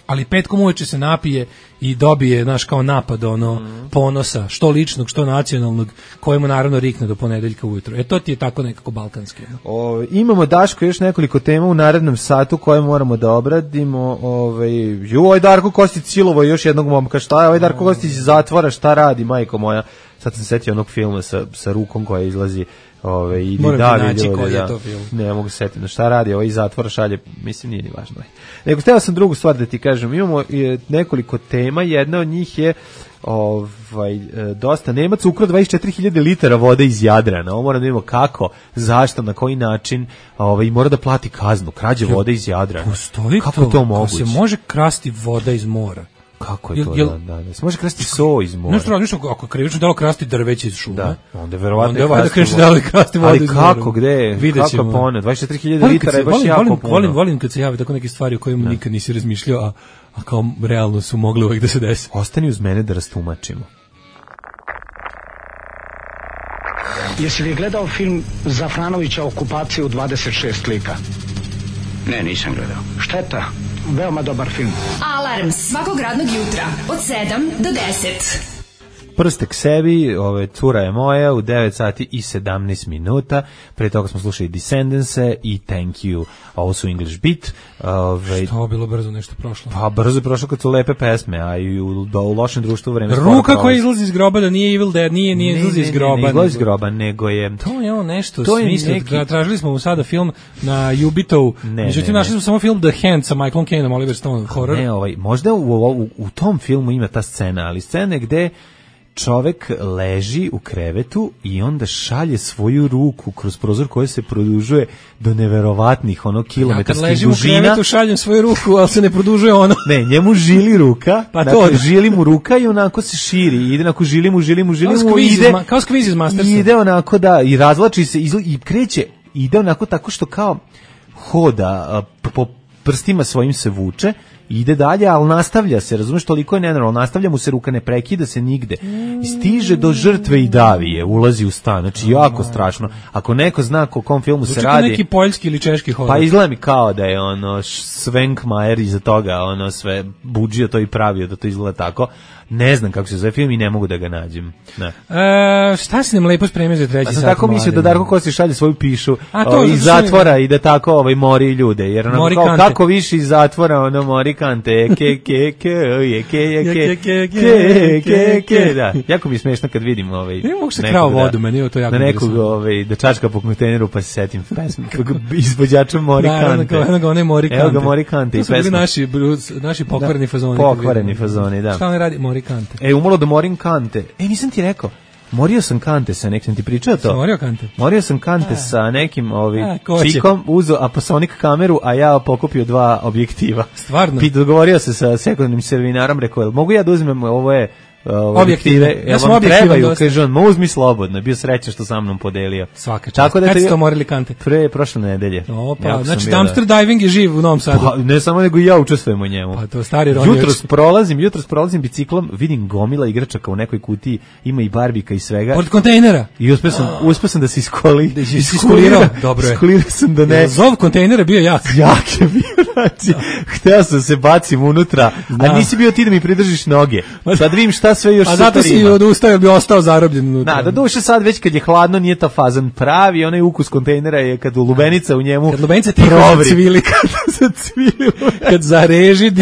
Ali petkom uveče se napije i dobije, znaš, kao napad ono mm. ponosa, što ličnog, što nacionalnog, kojemu naravno rikne do ponedeljka ujutro. E to ti je tako nekako balkanski. No? O, imamo, Daško, još nekoliko tema u narednom satu koje moramo da obradimo. Ovaj, ju, ovaj Darko Kostić silovo još jednog momka, šta je? Ovaj Darko Kostić iz zatvora, šta radi, majko moja? Sad sam se setio onog filma sa, sa rukom koja izlazi. Ove, i Moram da, ti naći koji da, je to film. Ne mogu se setiti šta radi, ovaj zatvor šalje, mislim nije ni važno. Nego hteo sam drugu stvar da ti kažem, imamo e, nekoliko tema, jedna od njih je ovaj, e, dosta Nemac ukrao dvadeset četiri hiljade litara vode iz Jadrana, ovo moram da vidimo kako, zašto, na koji način, ovaj, mora da plati kaznu, krađe vode iz Jadrana. Postoji kako to, to moguće? Se može krasti voda iz mora. Kako je to jel, da, da, da. Se može krasti so iz mora. Nešto radiš ako krivično delo krasti drveće iz šume. Da, onda verovatno je krasti. Krivično delo krasti vodu iz mora. Ali kako, gde? Kako pone? dvadeset četiri hiljade litara je baš volim, jako volim, puno. Volim, volim kad se jave tako neke stvari o kojima nikad nisi razmišljao, a, a kao realno su mogli uvek da se desi. Ostani uz mene da rastumačimo. Jesi li gledao film Zafranovića Okupacija u dvadeset šest lika? Ne, nisam gledao. Šteta. Veoma dobar film. Alarm svakog radnog jutra od sedam do deset. Prste k sebi, ove, cura je moja u devet sati i sedamnaest minuta. Pre toga smo slušali Descendance i Thank You. Ovo su English Beat. Ove, Što bilo brzo nešto prošlo? Pa brzo je prošlo kad su lepe pesme, a i u, do, u lošem društvu vreme. Ruka koja izlazi iz groba, da nije Evil Dead, nije, nije izlazi iz groba. Ne, ne, ne, iz groba, nego je... To je ono nešto smisla. Neki... Tražili smo mu sada film na Ubitovu. Međutim, našli smo samo film The Hand sa Michaelom Caineom, Oliver Stone, horror. Ne, ovaj, možda u, u, u tom filmu ima ta scena, ali scena gde čovek leži u krevetu i onda šalje svoju ruku kroz prozor koji se produžuje do neverovatnih ono kilometarskih dužina. Ja kad ležim u krevetu šaljem svoju ruku, ali se ne produžuje ono. Ne, njemu žili ruka, pa dakle to. Žili mu ruka i onako se širi, ide onako žili mu, žili mu, žili mu, ide, kao skviz iz Mastersa. Ide onako da, i razvlači se izla, i kreće, ide onako tako što kao hoda, po prstima svojim se vuče, ide dalje, ali nastavlja se, razumeš, toliko je nenormalno, nastavlja mu se ruka, ne prekida se nigde. I stiže do žrtve i davi je, ulazi u stan, znači jako strašno. Ako neko zna o kom filmu se radi... neki poljski ili češki horor. Pa izgleda mi kao da je ono Svenkmajer iza toga, ono sve buđio to i pravio da to izgleda tako. Ne znam kako se zove film i ne mogu da ga nađem. Ne. E, šta si nam lepo spremio za treći A sat? sam tako mislio da Darko Kostić šalje svoju pišu A to, ovaj, iz zato što zatvora i da tako ovaj, mori ljude. Jer ono, Mori kao, kante. kako više iz zatvora, ono mori kante, ke, ke, ke, je, ke, je, ke, Ke, ke, ke, ke, ke, ke, ke, da. Jako mi je smešno kad vidim ovaj, Ne mogu se nekog krao da- vodu, meni je to jako da nekog interesantno. ovaj, da čačka po kontejneru pa se setim pesme. Kako izvođača mori Da, eno kante. ga, eno ga, one Mori Evo ga Kante. Mori kante i To su bili pesma. naši, blues- naši pokvareni Da, fazoni. pokvareni fazoni, da. Šta on radi? Mori Kante. E, umalo da morim kante. E, nisam ti rekao. Morio sam kante sa nekim, ti pričao to? Si morio kante? Morio sam kante sa nekim ovaj, A, ko će? čikom, uzeo Apasonic kameru, a ja pokupio dva objektiva. Stvarno? Pit, dogovorio se sa sekundnim servinarom, rekao, jel mogu ja da uzmem, ovo je uh, Objektive. objektive, Ja jel sam vam objektivan trebaju? dosta. Kaže on, ma uzmi slobodno, bio srećan što sa mnom podelio. Svaka čast. Tako da Kad te- ste to morili kante? Pre prošle nedelje. Opa, Jako sam znači bio, dumpster diving je živ u Novom Sadu. Pa, ne samo nego i ja učestvujem u njemu. Pa to stari Ronjević. Jutros prolazim, jutros prolazim biciklom, vidim gomila igračaka u nekoj kutiji, ima i barbika i svega. Pored kontejnera. I uspeo sam, uspeo sam da se iskoli. Da si iskulirao. Dobro je. Iskulirao sam da ne. Jel Zov kontejnera bio jak. Jak je bio, znači, hteo sam se bacim unutra, Da. a nisi bio ti da mi pridržiš noge. Sad vidim šta sve još A super zato si ima. odustao jer bi ostao zarobljen unutra. Da, da duše sad već kad je hladno nije ta fazan pravi, onaj ukus kontejnera je kad lubenica u njemu Kad lubenica tiho provri. zacvili. Kad zacvili. Kad zareži.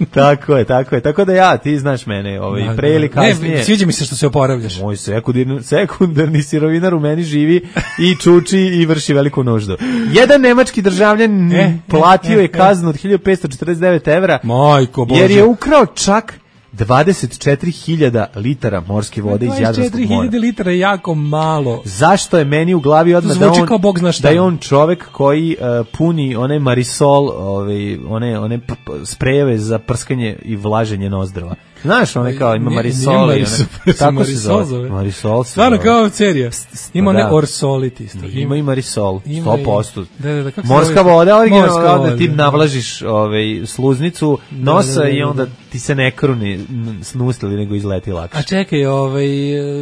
Tako je, tako je. Tako da ja, ti znaš mene, ovaj, Da, pre ili da. Ne, kasnije. sviđa mi se što se oporavljaš. Moj sekundarni, sekundarni sirovinar u meni živi i čuči i vrši veliku nuždu. Jedan nemački državljan E, platio e, je e. kaznu od hiljadu petsto četrdeset devet evra Majko Bože. jer je ukrao čak dvadeset četiri hiljade litara morske vode iz Jadranskog dvadeset četiri mora. hiljade litara je jako malo. Zašto je meni u glavi odmah To da zvuči on, kao Bog zna šta. da je on čovek koji uh, puni one Marisol, ovaj, one, one p- p- sprejeve za prskanje i vlaženje nozdrva. Znaš, one kao ima Nije- Marisol nije i Marisol, one, se tako se Marisol zove. zove. Marisol se Stvarno zove. kao serija. Ima da. one Orsolit isto. Ima i Marisol, Ima sto i- posto. Da, da, da, kako se Morska zove? voda, originalno, Morska onda voda, ti da. navlažiš ovaj, sluznicu nosa da, da, i da, onda da. ti se ne kruni n- snustili, nego izleti lakše. A čekaj, ovaj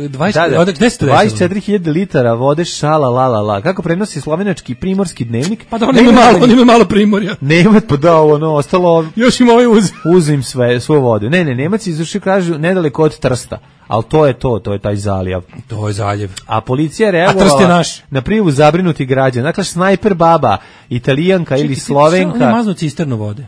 dvadeset Da, da. ovde- gde se to desilo? dvadeset četiri hiljade litara vode, šala, la, la, la. Kako prenosi slovenački primorski dnevnik? Pa da on ima malo, on ima malo primorja. Nema pa da ono ostalo Još ima ovaj uz. uzim sve svu vodu. Ne, ne, Nemac izvrši kažu nedaleko od Trsta. Al to je to, to je taj zalijav. To je zaljev. A policija je A Trst je reagovala naš. na prijavu zabrinuti građana. Dakle, snajper baba, Italijanka ili On je Slovenka. maznuo cisternu vode.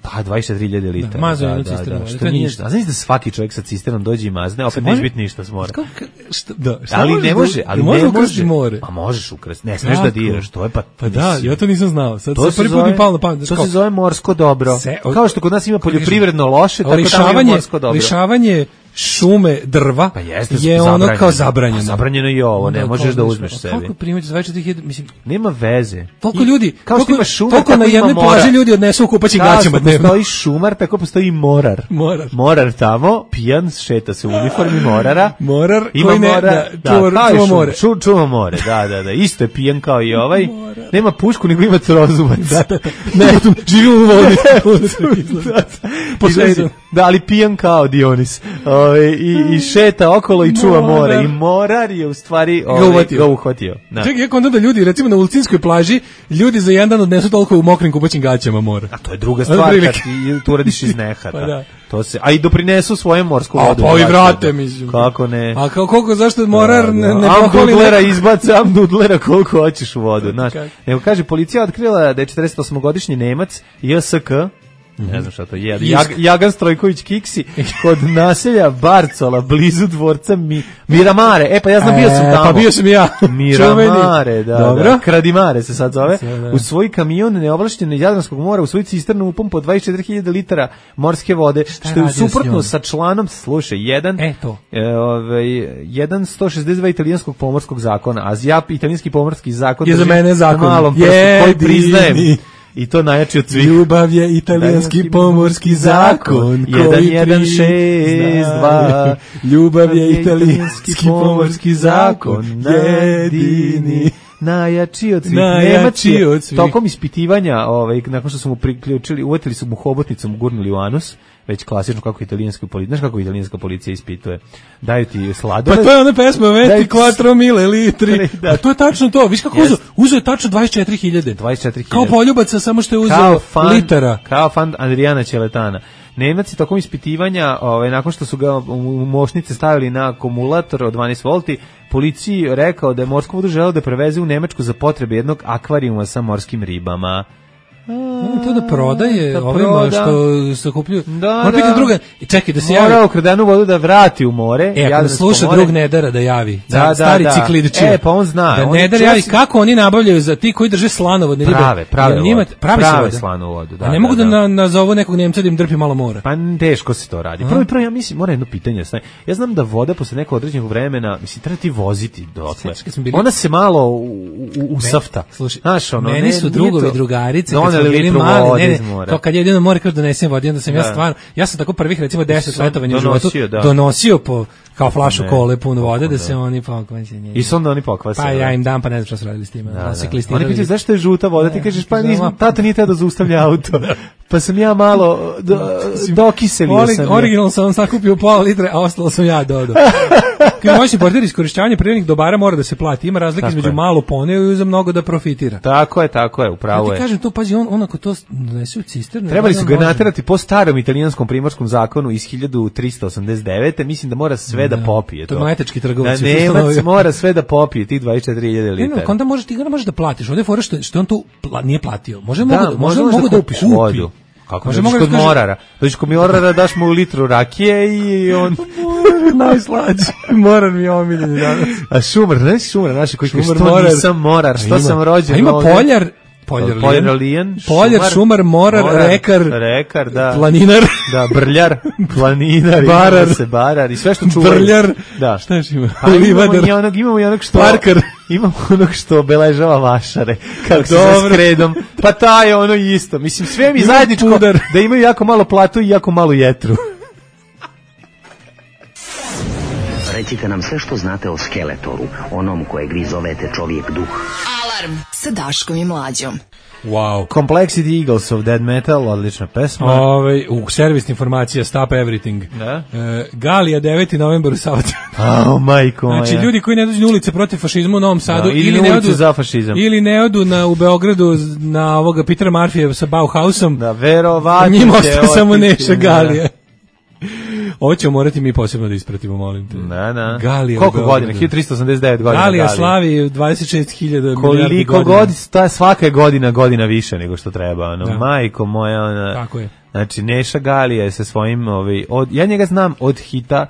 Pa dvadeset četiri hiljade litara. Da, mazao je jednu cisternu vode, Što to je nije ništa. ništa. A znaš da svaki čovjek sa cisternom dođe i mazne, opet može- neće biti ništa s mora. Kako, što, da, šta Ali možeš ne da- može, ali može ne ukrasti može. more. A možeš ukrasti. Ne smeš da Kako? diraš, to je pa. Pa da, mislim. ja to nisam znao. Sad To sad se prvi put zove, mi palo na pamet. to Kao- se zove morsko dobro. Se- o- Kao što kod nas ima poljoprivredno loše, tako tamo ima lišavanje, morsko dobro. lišavanje šume drva Pa jeste, je ono zabranjeno. kao zabranjeno. Pa zabranjeno je i ovo, Onda ne kao možeš da nešto- uzmeš a sebi. Koliko primati za dvadeset četiri hiljade, mislim, Nema veze. toliko I- ljudi, kao što toliko, ima šumar, toliko tako na ima jednoj morar. plaži ljudi odnesu u kupaćim Kao gaćama što dnevno. postoji šumar, tako postoji i morar. Morar. Morar tamo, pijan, šeta se u uniformi morara. Morar Ima koji ne, morar, da, čuva- kao i čuva šum- more. ču- čuva more, da, da, da. Isto je pijan kao i ovaj. Nema pušku, nego ima trozubac. Ne, živi u vodi. Posledno. Izlazi- Da, ali pijan kao Dionis. Ove, i, I šeta okolo i čuva more. Morar. I morar je u stvari Ga ovaj, uhvatio. ga uhvatio. Da. Čekaj, ja kontam da ljudi, recimo na Ulcinskoj plaži, ljudi za jedan dan odnesu toliko u mokrim kupaćim gaćama mora. A to je druga Ono stvar kad prilike. ti to uradiš iz nehata. Pa da. To se, a i doprinesu svoju morsku A vodu. pa i Znači, vrate, da. mislim. Kako ne? A kao koliko, zašto morar ne, ne am pohvali dudlera neko- izbaci, am dudlera koliko hoćeš u vodu, znaš. Kako? Nego kaže, policija otkrila da je četrdeset osmogodišnji Nemac, J S K, ne znam šta to je, Isk. Jag, Jagan Strojković Kiksi, kod naselja Barcola, blizu dvorca Mi, Miramare. E, pa ja znam, bio sam E, tamo. pa bio sam i ja. Miramare, Čuveni. da, Dobro. da. Kradimare se sad zove. Sve, da. U svoj kamion neovlašćene Jadranskog mora, u svoju cisternu upumpo dvadeset četiri hiljade litara morske vode, što je radio s njom? suprotno sa članom, slušaj, jedan, E, to. e, ovaj, jedan sto šezdeset dva italijanskog pomorskog zakona, a ja italijanski pomorski zakon Je za drži mene na zakon. malom prstu, koji Jedini. priznajem. I to najjači od svih. Ljubav je italijanski pomorski zakon jedan, koji jedan, šest, dva. priznaje. Ljubav je italijanski pomorski zakon jedini. Najjači od svih. Najjači Nemac je od svih. tokom ispitivanja, ovaj, nakon što su mu priključili, uvetili su mu hobotnicom, gurnuli u anus, već klasično kako italijanska policija, znaš kako italijanska policija ispituje. Daju ti sladoled. Pa to je ona pesma Daj Veti ti- quattro mille litri. Da. Pa to je tačno to. Viš kako Yes. uzeo? Uzeo je tačno dvadeset četiri hiljade. dvadeset četiri Kao hiljade. poljubaca, samo što je uzeo Kao fan, litara. kao fan Adriana Ćeletana. Nemac je tokom ispitivanja, ovaj, nakon što su ga u mošnice stavili na akumulator od dvanaest volti, policiji rekao da je morsku vodu želeo da preveze u Nemačku za potrebe jednog akvarijuma sa morskim ribama. A, to da prodaje da ovima proda. što se kupljuju. Da, Mora pitam da. druga, čekaj da se Mora javi. ukradenu vodu da vrati u more. E, ako da sluša more. drug Nedara da javi. Da, da, stari da. ciklidčija. E, pa on zna. Da On Nedar čuo javi si- kako oni nabavljaju za ti koji drže slanovodne ribe. Prave, prave Jer njima- vodu. pravi se Prave voda. slanu vodu, da, A ne da, mogu da, da. na, nazovu nekog Nemca da im drpi malo mora. Pa teško se to radi. Prvo i prvo, ja mislim, mora jedno pitanje. Staj. Ja znam da voda posle nekog određenog vremena, mislim, treba ti voziti dotle. Sjećaš kad smo bili- Ona se malo u, u, u safta. Slušaj, Znaš, ono, meni ne- su nije drugovi to- drugarice kad doneli smo bili litru mali, vode ne, ne, iz mora. to kad je jedino more kad donesem vode, onda sam ja Da. stvarno, ja sam tako prvih recimo deset Sam letovanja u donosio, životu da. donosio po kao flašu Ne, kole puno vode da da. se oni pokvase. I su onda oni pokvase. Pa ja im dam, pa ne znam šta su radili s time. Da, Da, da. se Oni klistirali. pitaju zašto je žuta voda, ti kažeš pa znam, nisam, a- tata nije teo da zaustavlja auto. Pa sam ja malo do, dokiselio Orig, sam. je. originalno sam vam sakupio pola litre, a ostalo sam ja dodao. Kao moćni portir, iskorišćavanje prirodnih dobara mora da se plati. Ima razlike Tako između je. malo poneo i za mnogo da profitira. Tako je, tako je, upravo Ja je. ti kažem to, pazi, on, on ako to donese u cisternu... Trebali su on ga može. naterati po starom italijanskom primorskom zakonu iz hiljadu trista osamdeset devete. Mislim da mora sve da, Da. popije To to. je mletački trgovac Da je Nemac ustanovio. mora sve da popije, tih dvadeset četiri hiljade Ne, litara. ne, onda možeš ti ga ne možeš da platiš. Ovdje je fora što, što on tu pla, nije platio. Može Da, mogu da, može možda mogu da da kupiš kupi. vodu. Kako Može možeš mogu kod da kaže- morara? Dođeš kod morara, daš mu litru rakije i on... Najslađi. Morar mi je omiljeni danas. A šumar, znaš šumar, naši koji kaže, Šumar, što morar. nisam morar, što A ima- sam rođen a ima ovdje? poljar, poljar, Poljar lijan, lijan, poljar, šumar, morar, rekar, rekar, da. planinar, Da, brljar, planinar, Barar. ima se barar i sve što čuvaju. brljar, Da. šta još ima? Pa imamo Livadar. i onog, imamo i onog što... Parkar. Imamo onog što obeležava vašare, kako se Dobro. sa skredom. Pa ta je ono isto. Mislim, sve mi Ima zajedničko pudar. da imaju jako malo platu i jako malu jetru. Recite nam sve što znate o Skeletoru, onom kojeg vi zovete čovjek duh. Alarm sa Daškom i Mlađom. Wow. Complexity Eagles of Dead Metal, odlična pesma. Ove, u servisna informacija Stop Everything. Da. E, Galija deveti novembar u Savađu. A, majko moja. Znači, ljudi koji ne dođu na ulice protiv fašizma u Novom Sadu Da, ili ili na ne ulicu odu za fašizam. ili ne odu na u Beogradu na ovoga Petera Marfija sa Bauhausom. Da, verovatno Njima će ostaje samo otići, Neša da. Galija. Ovo ćemo morati mi posebno da ispratimo, molim te. Da, da. Galija u Koliko Beogradu. godina? hiljadu trista osamdeset devet godina. Galija slavi dvadeset šest hiljada milijardi Koliko godina. god, ta svaka je godina godina više nego što treba, ono. Da. Majko moja, ona. Tako je. Znači Neša Galija je sa svojim, ovaj, od, ja njega znam od hita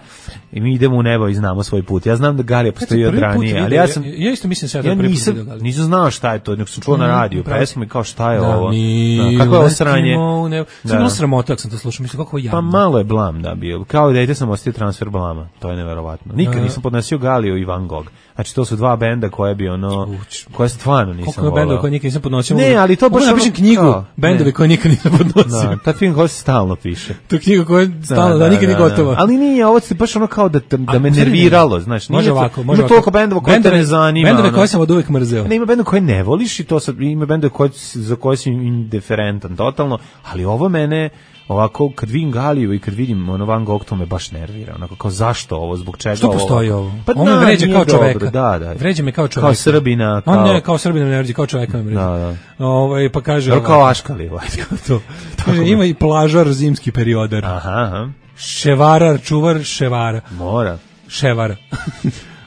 i mi idemo u nebo i znamo svoj put. Ja znam da Galija postoji od Prvi put ranije, ali vidio, ja sam ja, ja isto mislim sad ja da prvi put nisam, vidio Galiju. nisam znao šta je to, nego sam čuo na Mhm, radiju upravo. pesmu i kao šta je Da, ovo. mi Da, kako je ovo uletimo sranje? u nebo. Sad Da. bilo sramota ako sam to slušao, mislim kako je Pa jadno. malo je blam da bio. Kao dete sam ostio transfer blama. To je neverovatno. Nikad Da. nisam podnosio Galiju i Van Gogh. Znači to su dva benda koje bi ono koje stvarno nisam Koliko je bendova voleo. koje nikad nisam podnosio. Ne, mogu da- ali to mogu baš da napišem ono- knjigu, kao, bendovi ne. koje nikad nisam podnosio. Da, taj film koji se stalno piše. To je knjiga koja je stalno, da, nikad nije gotova. Ali nije, ovo se baš ono kao da, da, da me A, nerviralo, znaš. nije Može to- ovako, može ima ovako. toliko bendova koje te Bendove- ne zanima. Bendove ono. koje sam od uvek mrzeo. Ne, ima bendove koje ne voliš i to sad, ima bendove koje, za koje si indiferentan totalno, ali ovo mene, ovako, kad vidim Galiju i kad vidim ono Van Gogh, to me baš nervira. Onako, kao zašto ovo, zbog čega Što ovo? postoji ovo? Pa On me da, vređa nije kao dobro, čoveka. Da, da. Vređa me kao čoveka. Kao Srbina, kao... On ne, kao Srbina me ne vređa, kao čoveka me vređa. Da, da. Ovaj, pa kaže... Dobro, kao ovako. Aškali, ovaj, to. Kaže, ima i plažar zimski periodar. Aha, aha. Ševarar, čuvar, ševara. Mora. Ševara.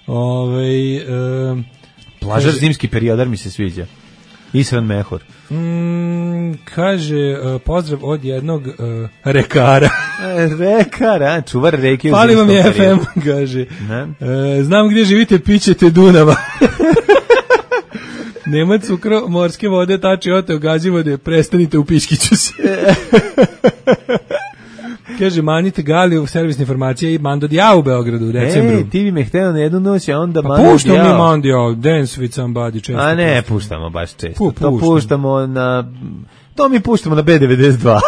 Ovaj um, Plažar kaže- zimski periodar mi se sviđa. Isran Mehur. Mm, kaže, uh, pozdrav od jednog uh, rekara. E, rekar, a, čuvar reke u Fali vam zimskom je F M, periodu. kaže. Ne? E, znam gdje živite, pićete Dunava. Nema cukro, morske vode, tači ote, gazivode, prestanite u piškiću se. Kaže, manite Galiju, servisne informacije i Mando Diao u Beogradu u decembru. E, ti bi me hteo na jednu noć, a onda Pa Mando puštamo mi Diao. Mando Diao, Dance with Somebody često. A ne, puštamo. puštamo baš često. Pu, to puštamo. puštamo na... To mi puštamo na B devedeset dva.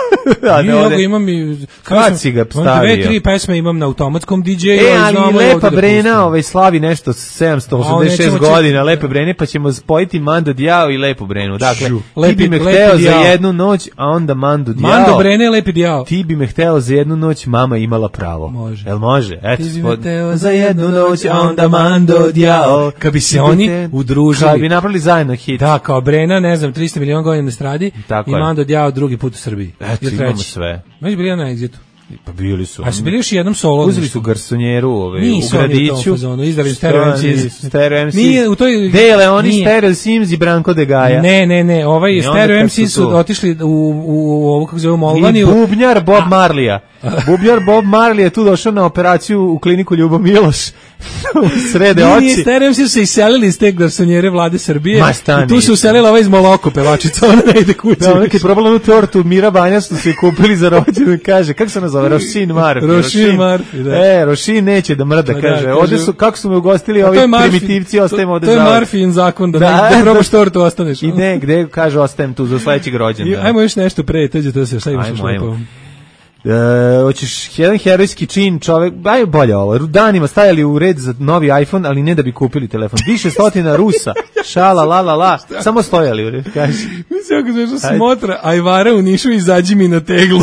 A I ne evo ode- ga imam i... Kad si ga Imam dve, stavio? tri pesme imam na automatskom D J-u. E, ali znamo i Lepa ovdje da Brena pustimo. ovaj, slavi nešto sedamsto osamdeset šest A, nećemo godina čekati. Lepe Brene, pa ćemo spojiti Mando Diao i Lepu Brenu. Dakle, Žu. ti Lepi- bi me Lepi hteo za Diao. jednu noć, a onda Mando Diao. Mando Brene, Lepi Diao. Ti bi me hteo za jednu noć, mama imala pravo. Može. Jel može? Eto, Ti bi me spod- hteo za jednu noć, a onda Mando Diao. Kad bi se Ti bi oni te- udružili. Kad bi napravili zajedno hit. Da, kao Brena, ne znam, tristo miliona godina na stradi Tako i Tako i je. Mando Djao drugi put u Srbiji. Eto, Ili imamo treći. sve. Već bili na Exitu. Pa bili su. A su bili još jednom solo. Uzeli su garsonjeru ovaj, Nisu u gradiću. oni u tom fazonu, izdali Stereo em si. Stereo em si. Nije, u toj... Dele oni nije. Stereo Sims i Branko de Gaja. Ne, ne, ne, ovaj I onda Stereo kad em si su su tu- otišli u, u, u ovo, kako se zove, I Molvaniju. bubnjar Bob Marlija. Bubnjar Bob Marley je tu došao na operaciju u kliniku Ljubo Miloš. Srede Nije, oči. nije, Stereo em si su se iselili iz te garsonjere vlade Srbije. Ma, stani. I tu se uselila ova iz Moloko pevačica, ona ne ide kući. Da, ona kad je probala onu tortu Mira Banja što su je kupili za rođendan, kaže, kako se nazove, Rošin Marfi. Rošin Marfi, da. E, Rošin neće da mrda, Pa da, kaže, kaže- ovde su, kako su me ugostili A ovi to je Marfin- primitivci, ostajemo ovde To je zauvek. Marfin zakon, da, Da, ne, da probaš da. tortu, ostaneš. I ne, gde, kaže, ostajem tu za sledećeg I, rođendana. ajmo još nešto pre, teđe to se, šta imaš još Ajmo, ajmo. lepo? E, hoćeš jedan herojski čin, čovek, aj bolje ovo, danima stajali u red za novi iPhone, ali ne da bi kupili telefon. Više stotina Rusa, šala, la, la, la, samo stojali u red, kaži. Mislim, ako smešno Ajde. smotra, Ajvara u Nišu, izađi mi na teglu.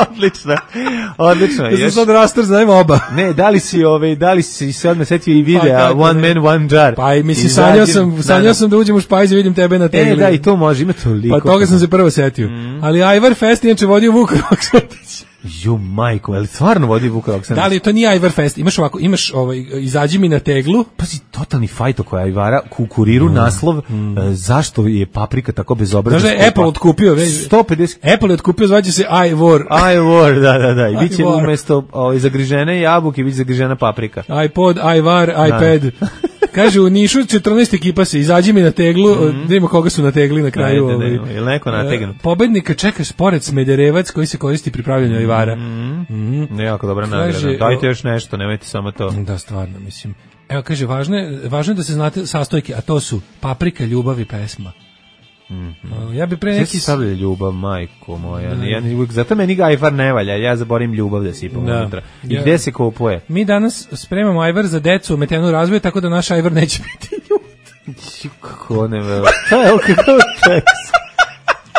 Odlično, odlično. Da se Još- sad rastor znajemo oba. Ne, da li si ovaj, da li si se odmah setio i videa Pa kako One ne. Man One Jar. Pa i mislim, Izađi- sanjao sam, Da, sanjao da. sam da uđem u špajz i vidim tebe na tegli. E, da, i to može, ima toliko. Pa toga sam se prvo setio. Ali Ajvar Fest inače vodio Vuk Roksatić. Ju, majko, ali stvarno vodi Vuk Roksanić? Da li to nije Ajvar Fest? Imaš ovako, imaš ovaj, izađi mi na teglu. Pazi, totalni fajt oko Ajvara, kukuriru naslov, e, zašto je paprika tako bezobrazno Znaš da je skupa? Apple otkupio, već, sto pedeset Apple je otkupio, zvaće se iWar. iWar, da, da, da. I bit će iWar. umesto ovaj, zagrižene jabuke, bit će zagrižena paprika. iPod, iWar, iPad. Kaže, u Nišu četrnaest ekipa se, izađi mi na teglu, da vidimo koga su nategli na kraju. Ajde, ovaj. da, je li neko nategnut? E, Pobednika čeka spored Smederevac koji se koristi pri pravljenju Ajvara. Mm. Jako dobra Kaže, nagrada. Dajte još nešto, nemojte samo to. Da, stvarno, mislim. Evo, kaže, važno je, važno je da se znate sastojke, a to su paprika, ljubav i pesma. Uh, ja bi pre Sve neki... si stavlja ljubav, majko moja. Ja, ja, uvijek- zato meni ga Ajvar ne valja, ja zaborim ljubav da sipam Da. unutra. I Ja- gde se kupuje? Mi danas spremamo Ajvar za decu umetenu u razvoju, tako da naš Ajvar neće biti ljud. Kako ne velo. Šta je ovo kakav tekst?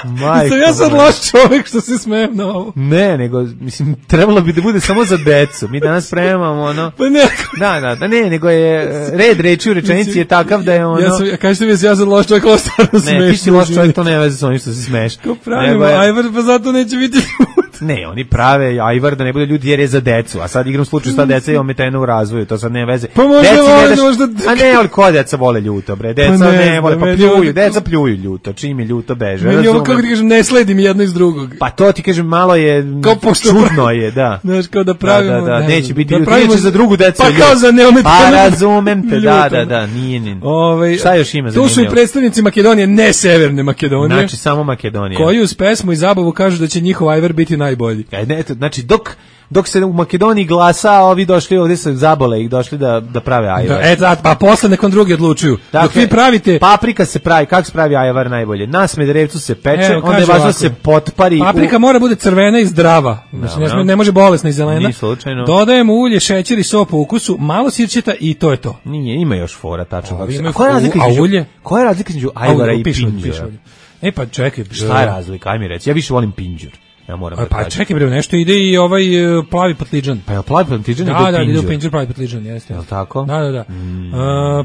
Majko Sam ja sad moja. loš čovek što se smejem na ovo. Ne, nego, mislim, trebalo bi da bude samo za decu. Mi danas spremamo ono... Pa ne, Da, da, da, ne, nego je e, red reči u rečenici je takav da je ono... ja sam, kažete mi, ja sad loš čovek, ovo stvarno smešno. Ne, ti si loš čovjek, to nema veze s onim što se smeš. Ko pravimo Nego je- Ajvar, pa zato neće biti ljud. Ne, oni prave Ajvar da ne bude ljudi jer je za decu, a sad igram slučaju sta deca je ometena u razvoju, to sad nema veze. Pa možda Deci ne vole, daš- možda- A ne, ali ko deca vole ljuto, bre, deca Pa ne ne, znam, vole, pa meni pljuju, ovo- deca pljuju ljuto, čim je ljuto beže, Meni ovo, razumem. kako ti kažem, ne sledim jedno iz drugog. Pa to ti kažem, malo je, Kao pošto- čudno je, da. Znaš, kao da pravimo... da, da, da, ne neće znam, biti da ljut, pravimo neće za drugu decu Pa ljut. kao za neometano. Pa razumem te, da, da, ljutom. da, nije ni. Ovaj, Šta još ima Tu su i zanimljivo? predstavnici Makedonije, ne severne Makedonije, Znači, samo Makedonija. koji uz pesmu i zabavu kažu da će njihov Ajvar biti najbolji. E, ne, eto, znači, dok, dok se u Makedoniji glasa, a ovi došli ovdje sa zabole i došli da, da prave ajvar. Da, e, da, pa posle nekom drugi odlučuju. Dok Dakle, vi pravite... paprika se pravi, kako se pravi ajvar najbolje? Na Smederevcu se peče, Evo, onda je kaže važno da ovako. se potpari. Paprika u... mora bude crvena i zdrava. Znači, ne, Dobro. sme- ne može bolesna i zelena. Ni slučajno. Dodajemo ulje, šećer i so po ukusu, malo sirćeta i to je to. Nije, ima još fora, tačno. Ovi kako se- imaju A koja je razlika fu- a između, ulje? koja je razlika između ajvara i piše, pinđura? piše ovdje. E pa čekaj. Šta je razlika? Aj mi reci, ja više volim pinđur. Ja moram A, da Pa kažem. čekaj bre, nešto ide i ovaj e, plavi patliđan. Pa je plavi plantiđan Da, ide da, u ide u pinđur. pinđur plavi patliđan, jeste. Jel tako? Da, da, da. E,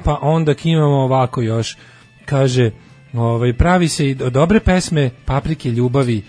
pa onda imamo ovako još. Kaže, ovaj, pravi se i do- dobre pesme, paprike, ljubavi.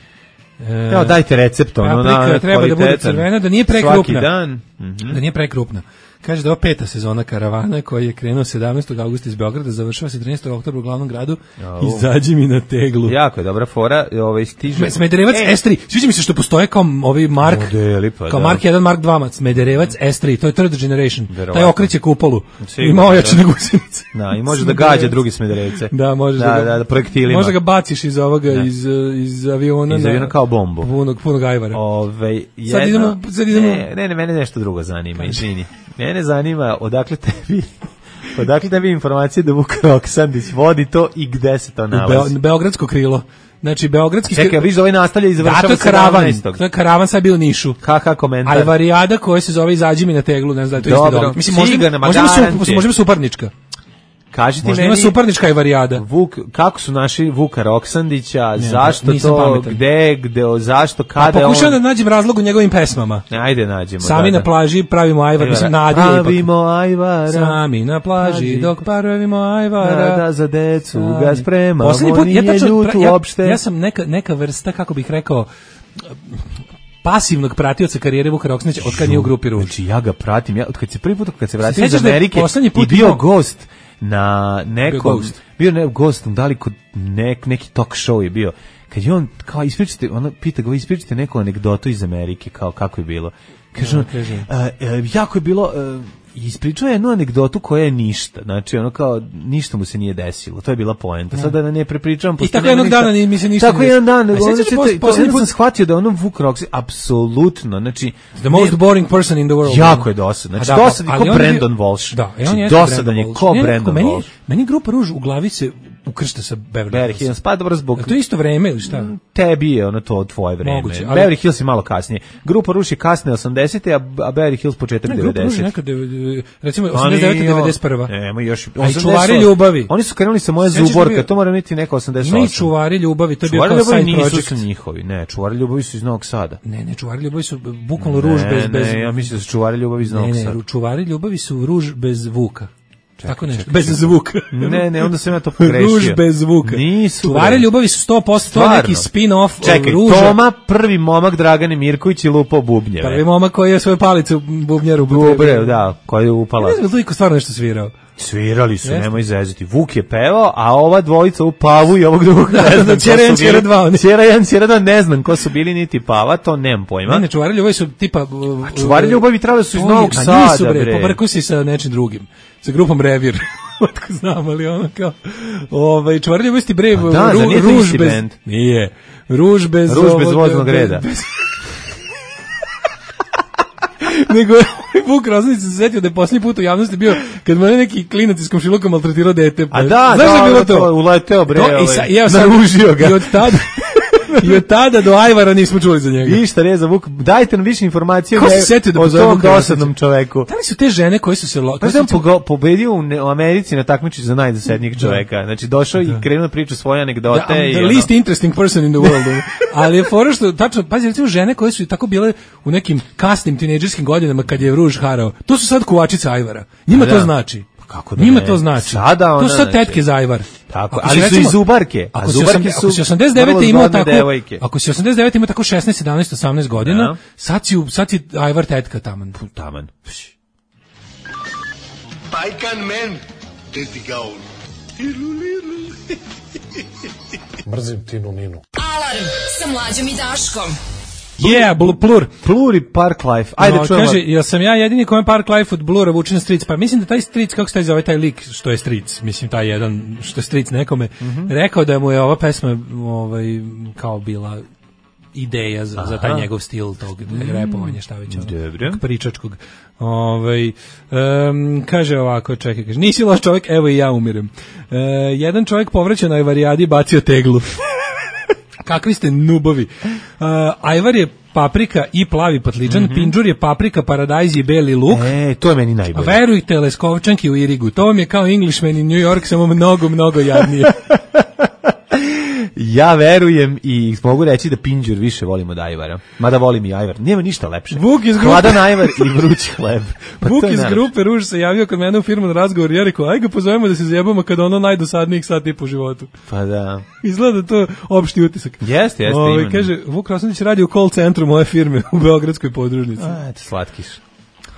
E, Evo, dajte recept, ono, paprika na treba da bude kvalitetan. crvena, da nije prekrupna. Svaki dan. Mhm. Da nije prekrupna. Kaže da je ovo peta sezona karavana koji je krenuo sedamnaestog avgusta iz Beograda, završava se trinaestog oktobra u glavnom gradu. Au. Izađi mi na teglu. Jako je dobra fora, ovaj stiže. Smederevac E, S tri. Sviđa mi se što postoje kao ovi Mark, Modeli, pa kao da. Mark jedan, Mark dva, Smederevac S tri, to je third generation. Verovatno. Taj okreće kupolu. Sigurno, Ima ojačane da. gusenice. Da, i može da gađa drugi Smederevce. Da, možeš da, da, ga, da, da, projektilima. Možda ga baciš iz ovoga, Da. iz, iz aviona. Iz na- aviona kao bombu. Punog, punog ajvara. Ove, jedna, Sad idemo- sad idemo- Ne, ne, ne, mene nešto drugo zanima, izvini. Mene zanima odakle tebi, odakle tebi informacije da Vuk Roksandić vodi to i gde se to U nalazi. Beo- Beogradsko krilo. Znači, Beogradski... Čekaj, viš da ovaj nastavlja i Da, to završava je karavan. sedamnaestog. To je karavan, sad je bio u Nišu. Kaka komentar? Ajvarijada koja se zove Izađi mi na teglu, ne znam da je to isti Dobro, događaj. Mislim, možda, sigurno, ma možda, ima su, garanti. možda ima suparnička. Kaži ti Možda meni, ima suparnička i varijada. Vuk, kako su naši Vuka Roksandića, Ne, zašto nisam to, pametan. gde, gde, o, zašto, Pa kada pokušavam on... da nađem razlog u njegovim pesmama. Ajde nađemo. Sami da, na plaži pravimo ajvar, mislim Nadija ipak. Pravimo ajvara. Sami na plaži dok pravimo ajvara. Da, da, za decu ga spremamo, Poslednji put, ja nije tačno, ljut ja, uopšte. ja sam neka, neka vrsta, kako bih rekao, pasivnog pratioca karijere Vuka Roksandića od kad nije u grupi Ruž. Znači ja ga pratim, ja od kad se prvi put kad se vratio iz Sjećaš da je Amerike poslednji put i bio imao- gost na nekom Bio bio, gost. ne gost, da li kod nek, neki talk show je bio. Kad je on kao ispričate, ona pita ga ispričate neku anegdotu iz Amerike kao kako je bilo. Kaže on, kaže. "A, e, jako je bilo e, ispričao je jednu anegdotu koja je ništa, znači ono kao ništa mu se nije desilo, to je bila poenta. Sada da ne prepričavam, I tako jednog dana ni mi se ništa tako ne jedan dan, desilo. A onda sjećaš ćete- pos- to- poslednji onda put- sam shvatio da ono Vuk Roxy apsolutno, znači The most boring person in the world. jako je dosadan, znači A da, dosadan ali ko on je bio- Brandon Walsh. Da, i on Znači, jeste dosadan je Brandon ko Walsh. Ne, nekako Brandon meni, Walsh. meni grupa Ruž u glavi se ukršta sa Beverly Beverly Hills. Hills, pa dobro zbog... A to je isto vreme ili šta? Tebi je ono to tvoje vreme. Moguće, ali- Beverly Hills je malo kasnije. Grupa Ruž je kasne osamdesete, a, a Beverly Hills početak Ne, grupa Ruž je devedesetih. neka, dev- recimo, Oni- osamdeset devete devedeset prva. Nema još... A i Čuvari ljubavi. Oni su krenuli sa moje Sjećaš da zuborka, bio- to mora biti neka osamdeset osam. Ima i Čuvari ljubavi, to je bio Čuvari kao ljubavi side nisu project. su njihovi, ne, Čuvari ljubavi su iz Novog Sada. Ne, ne, Čuvari ljubavi su bukvalno Ruž Ne, bez... bez ne, ja mislim da su Čuvari ljubavi iz Novog Ne, Sada. ne, Čuvari ljubavi su Ruž bez Vuka. Tako nešto, bez zvuka. Ne, ne, onda sam ja to pogrešio. Ruž bez zvuka. Nisu. Čuvari bre. ljubavi su sto posto, to je Stvarno. neki spin-off Čekaj, Ruža. Toma, prvi momak Dragane Mirković i lupao bubnjeve. Prvi momak koji je svoju palicu bubnjaru Dobre, da, koji je upala. Ne znam, to iko stvarno nešto svirao. Svirali su, Jeste? nemoj zezati. Vuk je pevao, a ova dvojica u Pavu i ovog drugog Da, ne znam da, ko Ćera su jedan, bili. Ćera dva, oni. Ćera jedan, Ćera dva, ne znam ko su bili, niti Pava, to nemam pojma. Ne, ne, Čuvari ljubavi su tipa... uh, Čuvari ljubavi trebali su iz to je- Novog a Sada, nisu, bre. bre. Pobrkao si sa nečim drugim. Sa grupom Revir. Otko znam, ali ono kao... Ovaj, Čuvari ljubavi su bre... Pa da, ru- zar nije to ruž isti bez... bend? Nije. Ruž bez... Ruž bez ovog- voznog reda. bez- Nego je Vuk Roksandić se setio da je posljednji put u javnosti bio kad mu je neki klinac iz komšiluka maltretirao dete. A da, Znaš da, je bilo to, to? uleteo bre, To, i, ovaj, sa, i, evo sad- naružio ga. I od tada... I od tada do Ajvara nismo čuli za njega. Ništa, reza Vuk, dajte nam više informacije Ko se ne- setio da o pozove tom Vuka Roksandića? dosadnom čoveku. Da li su te žene koje su se... Lo, Pa koje sam su- pogo- pobedio u, ne- u Americi na takmičenju za najdosadnijeg čoveka. Znači došao i krenuo da priča svoje anegdote. Da, I'm i the ono- least interesting person in the world. Ali je fora što, tačno, pazi, recimo žene koje su tako bile u nekim kasnim tinejdžerskim godinama kad je Ruž harao, to su sad kuvačice Ajvara. Njima Pa to da. znači. Kako da Njima ne? to znači. Sada to ona, su sad znači. tetke za Ajvar. Tako, Ako ali si, su recimo, i zubarke. A Ako si, zubarke osam- su ako si osamdeset devete vrlo imao zgodne tako, devojke. ako si osamdeset devete imao tako šesnaest, sedamnaest, osamnaest godina, Da. sad si, u- sad si Ajvar tetka taman. Taman. Pajkan men, te ti ga on. Mrzim Tinu Ninu. Alarm sa Mlađom i Daškom. Yeah, bl- plur. Pluri Park Life. Ajde No, čujemo. kaže, jel sam ja jedini kome Park Life od Blura vuče na Stric? Pa mislim da taj Stric, kako se taj zove taj lik što je Stric, mislim taj jedan što je Stric nekome, Mhm. rekao da mu je ova pesma ovaj, kao bila ideja za, za taj Aha. njegov stil tog repovanja, šta već ono, Dobro. tog pričačkog. Ovaj, em, kaže ovako, čekaj, kaže, nisi loš čovjek, evo i ja umirem. E, jedan čovjek povraća na Ajvarijadi bacio teglu. Kakvi ste nubovi. Uh, Ajvar je paprika i plavi patliđan, Mhm. Pinđur je paprika, paradajz i beli luk. E, to je meni A najbolje. verujte, Leskovčanki u Irigu, to vam je kao Englishman in New York, samo mnogo, mnogo jadnije. Ja verujem i mogu reći da Pinđur više volim od Ajvara. Mada volim i Ajvar. Nema ništa lepše. Vuk iz grupe- Hladan Ajvar i vruć hleb. Pa Vuk to je iz najlepše. grupe Ruž se javio kod mene u firmu na razgovor i ja rekao, aj ga pozovemo da se zajebamo kada ono najdosadnijih sat i po životu. Pa da. Izgleda to opšti utisak. Jeste, jeste, Ovaj, imeno. kaže, Vuk Roksandić radi u call centru moje firme u Beogradskoj podružnici. A, eto, slatkiš.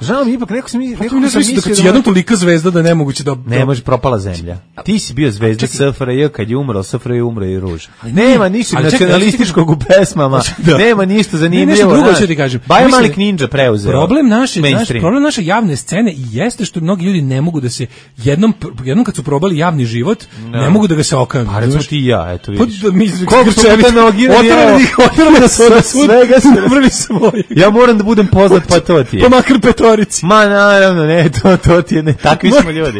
Žao mi, ipak neko sam, Pa neko to mi ne sam znam da kad mislio si da... jednom tolika zvezda da je nemoguće da... Ne, može, propala zemlja. Ti si bio zvezda Čekaj. S F R J, kad je umro, S F R J umro i Ruž. Ali Nema ne, ništa ali čekaj, nacionalističkog u pesmama, Da. nema ništa zanimljivo. Ne, nešto drugo znaš. ću ti kažem. Baja Mislim, Malik Ninja preuzeo. Problem naše, naš, mainstream. problem naše javne scene jeste što mnogi ljudi ne mogu da se jednom jednom kad su probali javni život, Da. ne mogu da ga se okanu. Pa recimo ti i ja, eto Pa vidiš. da mi Koliko smo puta nogirani, Otrali evo. ih, otrali nas od svud, Svega se- napravili svoje. Ja moram da budem poznat, pa to ti je. Pa makar petorici. Ma naravno, ne, to, to ti je, ne, takvi smo ljudi.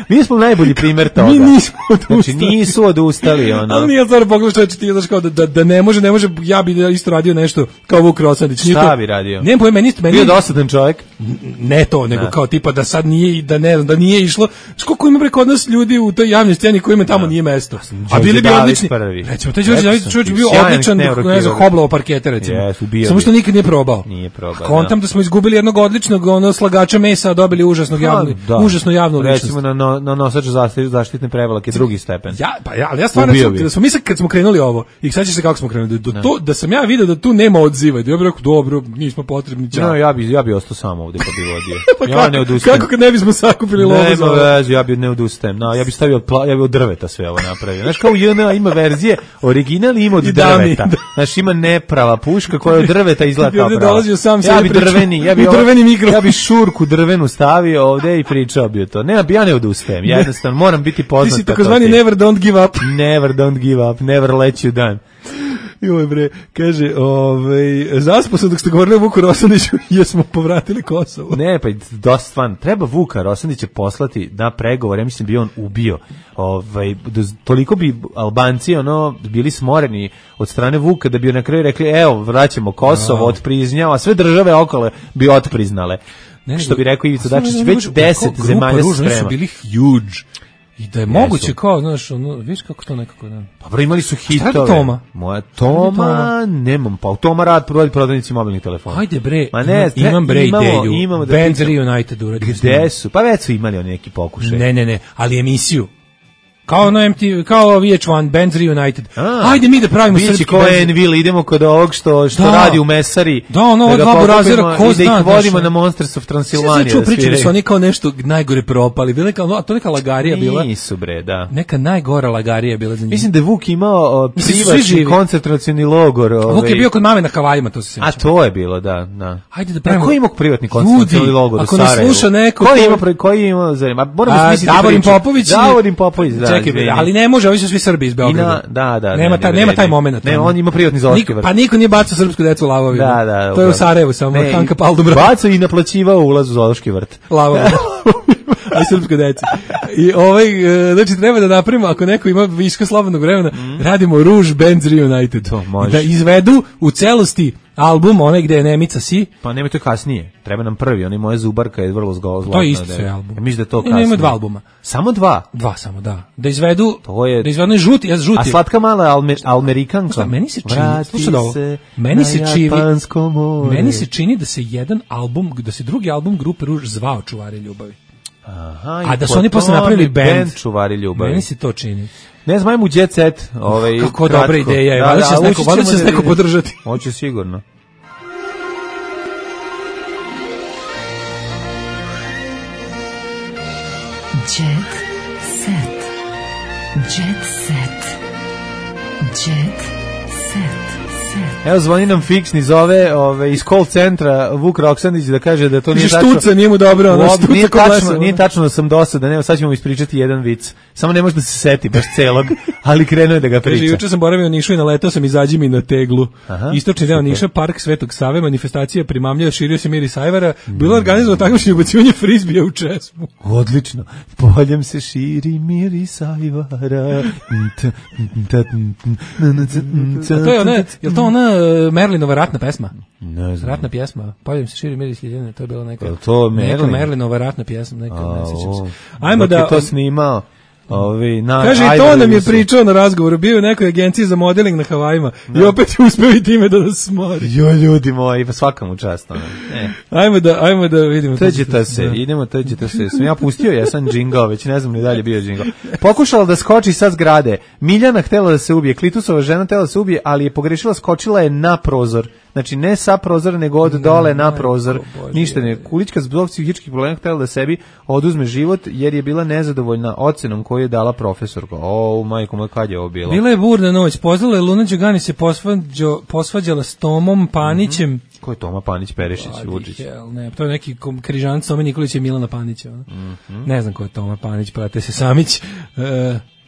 Mi smo najbolji primjer toga. Mi nismo odustali. Znači nisu odustali, ono. Ali nije stvarno pogledaj čovječe, ti znaš kao da, da, da ne može, ne može, ja bi isto radio nešto kao Vuk Rosandić. Šta to, bi radio? Nemam pojma, meni isto, meni... Bio dosadan čovjek? Ne to, nego da. Kao tipa da sad nije, da ne znam, da nije išlo. Koliko ima preko od nas ljudi u toj javnoj sceni kojima tamo da. Nije mesto. A bili bi odlični. Prvi. Recimo, taj Đorđe David čovjek bio odličan, ne znam, hoblovo parkete, recimo. Yes, samo što nikad nije probao. Nije probao. Kontam da smo izgubili jednog odličnog ono slagača mesa, a dobili užasnog javnog, da. užasno javnu ličnost. Recimo na, na, na nosač zaštitne prevlake drugi stepen. Ja, pa ja, ali ja stvarno da smo mi sad kad smo krenuli ovo, i sad će se kako smo krenuli, da, da. To, da sam ja video da tu nema odziva, da ja bih rekao, dobro, nismo potrebni, ćao. No, ja bi, ja bi ostao sam ovdje pa bi vodio. Pa ja kako, ne odustajem. kako kad ne bismo sakupili lovu za ovo? Nema veze, ja bi ne odustajem. No, ja bi stavio od, pla, ja bi od drveta sve ovo napravio. Znaš, kao u J N A ima verzije, original ima od drveta. Znaš, ima neprava puška koja od drveta izgleda kao prava. Sam ja bi drveni, ja bi, drveni mikro. Ja bi šurku drvenu stavio ovdje i pričao bi o to. Ne, ja ne odustajem. Ja jednostavno moram biti poznat. Ti si takozvani never don't give up. Never don't give up, never let you down. Joj bre, kaže, ovaj, zaspo sam dok ste govorili o Vuku Rosandiću, jesmo povratili Kosovo. Ne, pa dosta stvarno, treba Vuka Rosandića poslati na pregovor, ja mislim bi on ubio. Ovaj, toliko bi Albanci ono, bili smoreni od strane Vuka da bi na kraju rekli, evo, vraćamo Kosovo, no. Otpriznjava, sve države okolo bi otpriznale. Ne, što bi rekao Ivica Dačić, već deset zemalja se sprema. Su bili huge. I da je Jesu. Moguće kao, znaš, ono, viš kako to nekako, da. Pa bro, imali su hitove. Šta je Toma? Moja Toma, Toma? Nemam, pa Toma rad prodali prodavnici mobilnih telefona. Ajde bre, Ma ne, imam, imam bre imamo, ideju. Imamo da Bands Reunited uradili. Gde su? Pa već su imali oni neki pokušaj. Ne, ne, ne, ali emisiju. Kao ono M T V, kao V H jedan, Bands Reunited. A, ajde mi da pravimo srpski ko Envil, idemo kod ovog što, što da. Radi u Mesari. Da, ono, da dva burazira, ko zna. I da ih vodimo na Monsters of Transylvania. Sve pričali da su oni kao nešto najgore propali. Bila neka, a to neka lagarija bila. Nisu bre, da. Neka najgora lagarija bila za njih. Mislim da je Vuk imao privatni koncentracioni logor. Ovaj. Vuk je bio kod mame na Havajima, to se sjećam. A to je bilo, da. da. Ajde da pravimo. Ko ima privatni koncentracioni logor u Sarajevu? Ako nas sluša neko... Ko ima, koji ima, zanima? Moramo smisliti Davorin Popović. Davorin Popović, da. Čekaj, ali ne može, ovi su svi Srbi iz Beograda. Da, da, nema taj nema taj momenat. Ne, on ima privatni zoološki vrt. Pa niko nije bacao srpsku decu u lavovima. Da, da. To je u Sarajevu samo Hanka Paldubra. Bacao i naplaćivao ulaz u zoološki vrt. Lavovima. A srpska deca. I ovaj, znači treba da napravimo, ako neko ima viška slobodnog vremena, mm. radimo Rouge Bands Reunited. To može. Da izvedu u celosti album, onaj gde je Nemica si. Pa nemoj to kasnije. Treba nam prvi, onaj Moja zubarka je vrlo zlotna. To je isto sve album. Ja mislim da to kasnije. Ne, ima dva albuma. Samo dva? Dva samo, da. Da izvedu, to je... da izvedu žuti, ja žuti. A slatka mala alme, Almerikanka. Šta, meni se čini, slušaj ovo, meni se čini, meni se čini da se jedan album, da se drugi album grupe Rouge zvao Čuvari ljubavi. Aha, a da su oni posle napravili band, band Čuvari ljubavi. Meni se to čini. Ne znam, ajmo u Jet Set. Ovaj, kako kratko. Dobra ideja je, valjda će se neko, valjda će se neko podržati. Hoće sigurno. Jet Set. Jet Set. Jet Set. Evo zvoni nam fiksni, zove ove, iz call centra Vuk Roksandić da kaže da to nije tačno. Štuca, nije mu dobro. Ono, štuca nije, tačno, nije tačno da sam dosadan, evo sad ćemo ispričati jedan vic. Samo ne može da se seti baš celog, ali krenuo je da ga priča. Kaže, juče sam boravio u Nišu i naletao sam izađi mi na teglu. Aha, istočni deo Niša, park Svetog Save, manifestacija primamlja, širio se mir i sajvara, bilo organizovano takmičenje ubacivanje frizbija u česmu. Odlično. Poljem se širi mir i sajvara. A to je ona, je to ona Merlinova ratna pesma? Ne znam. Ratna pjesma. Poljem se širi mir i sajvara, to je bilo neka. Je to Merlin? Neka Merlinova ratna pjesma, neka, ne sjećam se. Ajmo da je to snimao. Ovi, na, kaže, i to nam je pričao na razgovoru, bio u nekoj agenciji za modeling na Havajima no. I opet je uspeo i time da nas smori. Jo, ljudi moji, pa svaka mu čast. Ne. Ajmo da, ajmo da vidimo. Teđete se, da. idemo, teđete se. Sam ja pustio, ja sam džingao, već ne znam ni dalje bio džingao. Pokušala da skoči sa zgrade. Miljana htjela da se ubije, Klitusova žena htjela da se ubije, ali je pogrešila, skočila je na prozor. Znači ne sa prozora, nego od dole na prozor. Ništa ne. Kulićka zbog psihičkih problema htjela da sebi oduzme život jer je bila nezadovoljna ocenom koju je dala profesorka. O, majko moj, kad je ovo bilo? Bila je burna noć. Pozvala je Luna Đugani se posvađo, posvađala s Tomom Panićem. Mm-hmm. Ko je Toma Panić, Perešić, Vučić? Ne, to je neki križanac Tome Nikolića i Milana Panića. Mm-hmm. Ne znam ko je Toma Panić, prate se Samić.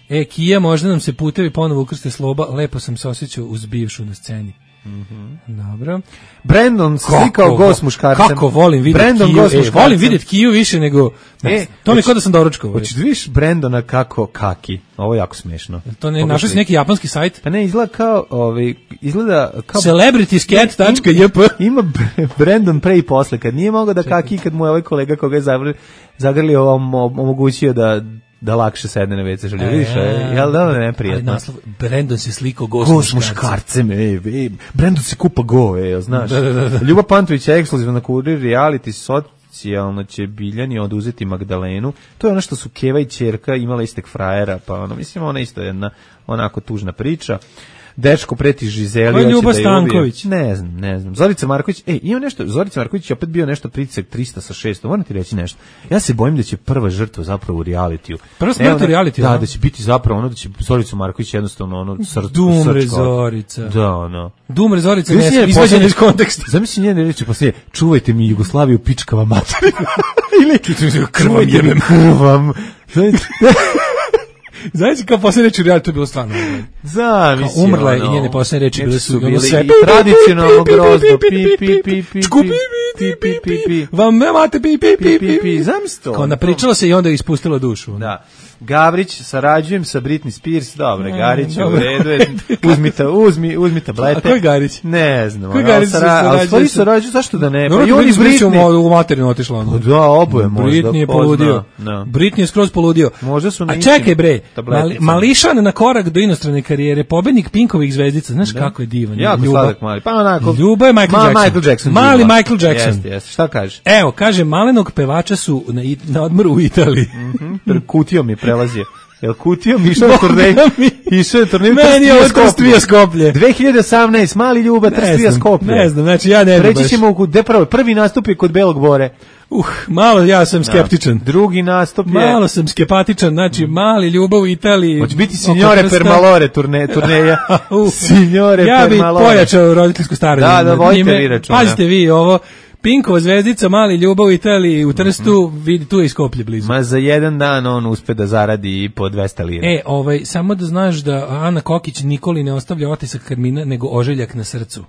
E, Kija, možda nam se putevi ponovo ukrste sloba. Lepo sam se osjećao uz bivšu na sceni. Mhm. Dobro. Brandon se slikao go s muškarcem. Kako volim vidjeti Brandon Kiju. go s E, muškarcem. volim vidjeti Kiju više nego... E, to mi je hoć- kao da sam doručkao. Hoćeš da vidiš Brandona kako kaki? Ovo je jako smešno. To ne, Pogledaj. našao si neki japanski sajt? Pa ne, izgleda kao, ovaj, izgleda kao... Celebrityscat tačka j p Ima Br- Brandon pre i posle, kad nije mogao da kaki, kad mu je ovaj kolega koga je zagrlio, zagrlio om- om- omogućio da da lakše sedne na ve ce želju. Vidiš, e, jel da ne Ali neprijatno? naslov, Brandon se slikao go s Go s muškarcem. muškarcem, ej, ej, Brandon se kupa go, ej, znaš. Da, da, da, da. Ljuba Pantović je ekskluzivno na Kurir reality, socijalno će Biljani oduzeti Magdalenu. To je ono što su Keva i ćerka imala istek frajera, pa ono, mislim, ona isto jedna onako tužna priča. Dečko preti Žizeli. Ko je hoće Ljuba da je ubije. Stanković? Ne znam, ne znam. Zorica Marković, ej, ima nešto, Zorica Marković je opet bio nešto pritisak trista sa šestom. Moram ti reći nešto. Ja se bojim da će prva žrtva zapravo u realitiju. Prva smrt Evo, u realitiju, Da, a? da će biti zapravo ono da će Zoricu Marković jednostavno ono srce. Dumre Zorica. Da, ono. Dumre Zorica, Zamisli ne, njene izvađena posljednje- iz konteksta. Zamisli njene reči poslije, čuvajte mi Jugoslaviju, pičkava materina. Ili krvam jebem. Krvam. Znači, kao posljednje reči u reality, to je bilo stvarno. Zamisli. Kao umrla je ono, i njene posljednje reči neki bile su bili ono sve i tradicionalno grozno. Pi, pi, pi, pi, Čku, pi, pi, pi, pi, pi. Vam imate pi, pi, pi, pi, pi. Zamisli to. Kao napričala se i onda je ispustila dušu. Da. Gavrić, sarađujem sa Britney Spears, dobro, Mm, Garić, u dobro. redu je, uzmi, ta, uzmi, uzmi tablete. A ko je Garić? Ne znam. Ko je ono, Garić sara- se ali sarađuje stvari sa- sarađuju, zašto da ne? Pa Dobro, i oni Britney Spears je Britney. u materinu otišla. ono. Da, oboje možda. Britney je ko poludio. zna, da. Britney je skroz poludio. Možda su na A istim čekaj bre, tableticama. mali, Mališan na korak do inostrane karijere, pobednik Pinkovih zvezdica, znaš kako je divan. Jako Ljuba. sladak mali. Pa onako. Ljuba je Michael Ma, Jackson. Michael Jackson. Mali Ljuba. Michael Jackson. Jeste, jeste. Šta kažeš? Evo, kaže, malenog pevača su na, i- na odmoru u Italiji. Mhm. Kutijom je prelazio. Jel kutijom išao na turnej? Išao je turnej. Meni je ovo Trstvija Skoplje. dve hiljade osamnaeste mali Ljuba, Ne Trstvija znam, Skoplje. ne znam, znači ja ne bi Reći baš. ćemo, u- gde prvo, prvi nastup je kod Belog Bore. Uh, malo ja sam skeptičan. Drugi nastup je... Malo sam skepatičan, znači mali Ljubav u Italiji. Hoće biti oko Signore Trsta. Permalore turne, turneja. Uh, Signore ja bi Permalore. pojačao roditeljsko staranje. Da, da, nad vodite njime. vi računa. Pazite vi ovo, Pinkova zvezdica, mali Ljubav u Italiji, u Trstu, vidi, tu je i Skoplje blizu. Ma za jedan dan on uspe da zaradi i po dvesta lira. E, ovaj, samo da znaš da Ana Kokić Nikoli ne ostavlja otisak karmina, nego oželjak na srcu.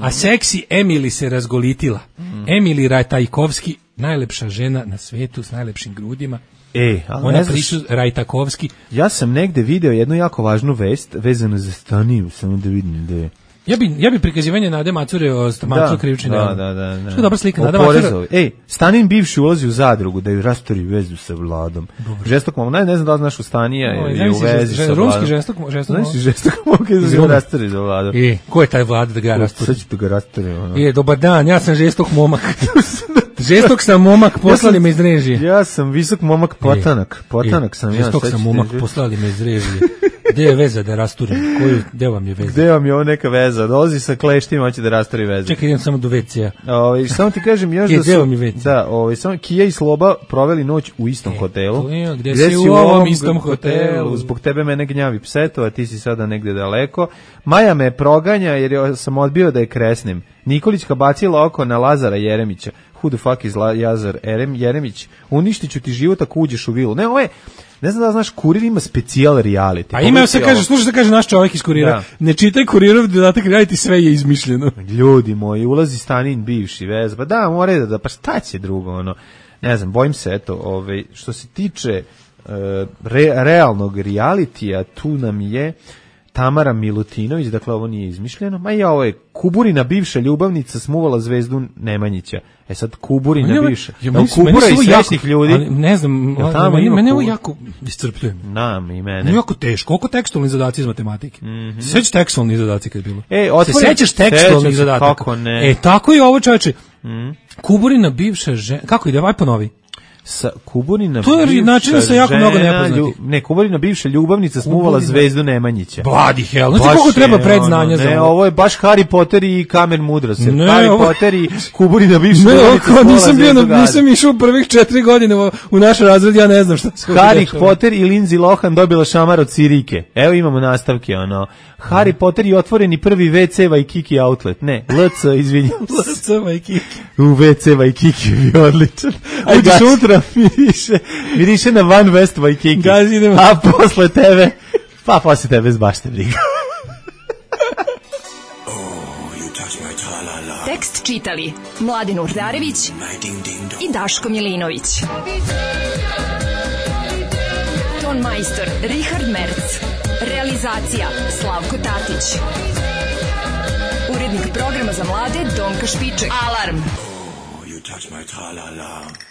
A seksi Emily se razgolitila. Emily Rajtajkovski, najlepša žena na svetu s najlepšim grudima. E, ali Ona ne znaš, priča Rajtakovski. ja sam negde video jednu jako važnu vest vezanu za Staniju, samo da vidim da je. Ja bi, ja bi prikazivanje Nade Macure o Macure krivični da, delo. da, da, da. Što je dobra slika. O Nada Macura. porezovi. Ej, Stanin bivši ulazi u zadrugu da ju rastori vezu sa Vladom. Žestok momak, ne, ne znam da li znaš u Stanija Oj, je znaš u si vezi žest- sa Vladom. rumski žestok, žestok Znaš momak? si žestok momak je Iz da Ruma. ga rastori za Vladom. E, ko je taj Vlada da ga rastori? Sad ću da ga rastori. Ono. E, dobar dan, ja sam žestok momak. žestok sam momak, poslali me iz režije. Ja sam visok momak potanak. Potanak sam ja. Žestok sad sam ću momak, ti- poslali me iz režije. Gde je veza da rasturim? Koju, gde vam je veza? Gde vam je ovo neka veza? Dolazi sa kleštima, hoće da rastori vezu. Čekaj, idem samo do ve ce-a. Ovaj samo ti kažem još E, da gde su vam je ve ce? da, ovaj samo Kija i Sloba proveli noć u istom hotelu. to je, gde si u ovom istom hotelu? Zbog tebe mene gnjavi pseto, a ti si sada negde daleko. Maja me proganja jer je- sam odbio da je kresnem. Nikolićka bacila oko na Lazara Jeremića. Who the fuck is La- Lazar Erem, Jeremić? Uništit ću ti život ako uđeš u vilu. Ne, ovo je, ne znam da znaš, Kurir ima specijal reality. A ima se kaže, slušaj šta kaže naš čovjek iz Kurira. Da. Ne čitaj Kurirov dodatak reality, sve je izmišljeno. Ljudi moji, ulazi Stanin bivši vez, pa da, mora da, da, pa šta će drugo, ono, ne znam, bojim se, eto, ovaj, što se tiče e, re, realnog realitija, tu nam je Tamara Milutinović, dakle ovo nije izmišljeno, ma i ovo je Kuburina bivša ljubavnica smuvala zvezdu Nemanjića. E sad Kuburina Meni ovo- bivša. ja, Jel meni su- Kubura meni su i ovo srećnih jako- ljudi? ali ne znam, Jel tamo meni, ima meni ovo Kubura? jako iscrpljujem. Nam i mene. Meni jako teško, koliko tekstualni zadaci iz matematike. Mhm. Se sećaš tekstualni zadaci kad je bilo? E, se otvori- sećaš Sećam tekstualnih se, zadataka? kako ne. E, tako i ovo čoveče. Mhm. Kuburina bivša žena, kako ide, aj ponovi. Sa Kuburina To je bivša način sa jako mnogo žena, nepoznatih. lju- ne, Kuburina bivša ljubavnica smuvala Kuburina- zvezdu Nemanjića. Bloody hell, znači Baš koliko treba je, predznanja ono, za ne, ovo? ovo je baš Harry Potter i Kamen Mudrosti. Ne, Harry ovo- Potter i Kuburina bivša Ne, ljubavnica oko, smuvala nisam bio, zvezdu na, Gade. nisam išao prvih četiri godine u, u naš razred, ja ne znam šta se ovdje Harry dešava. Potter i Lindsay Lohan dobila šamar od Sirike. Evo imamo nastavke, ono. Harry Potter i otvoreni prvi ve ce Waikiki outlet. Ne, L C, izvinjam se. L C Waikiki. U ve ce Waikiki je bio odličan. Aj, Uđeš gazi. unutra, miriše, miriše na Van West Waikiki. Gazi, idemo. A posle tebe, pa posle tebe zbašte briga. čitali Mladen Urdarević i Daško Milinović. Ton majstor Richard Merc. Realizacija Slavko Tatić. Urednik programa za mlade Donka Špiček. Alarm! You touch my tra-la-la.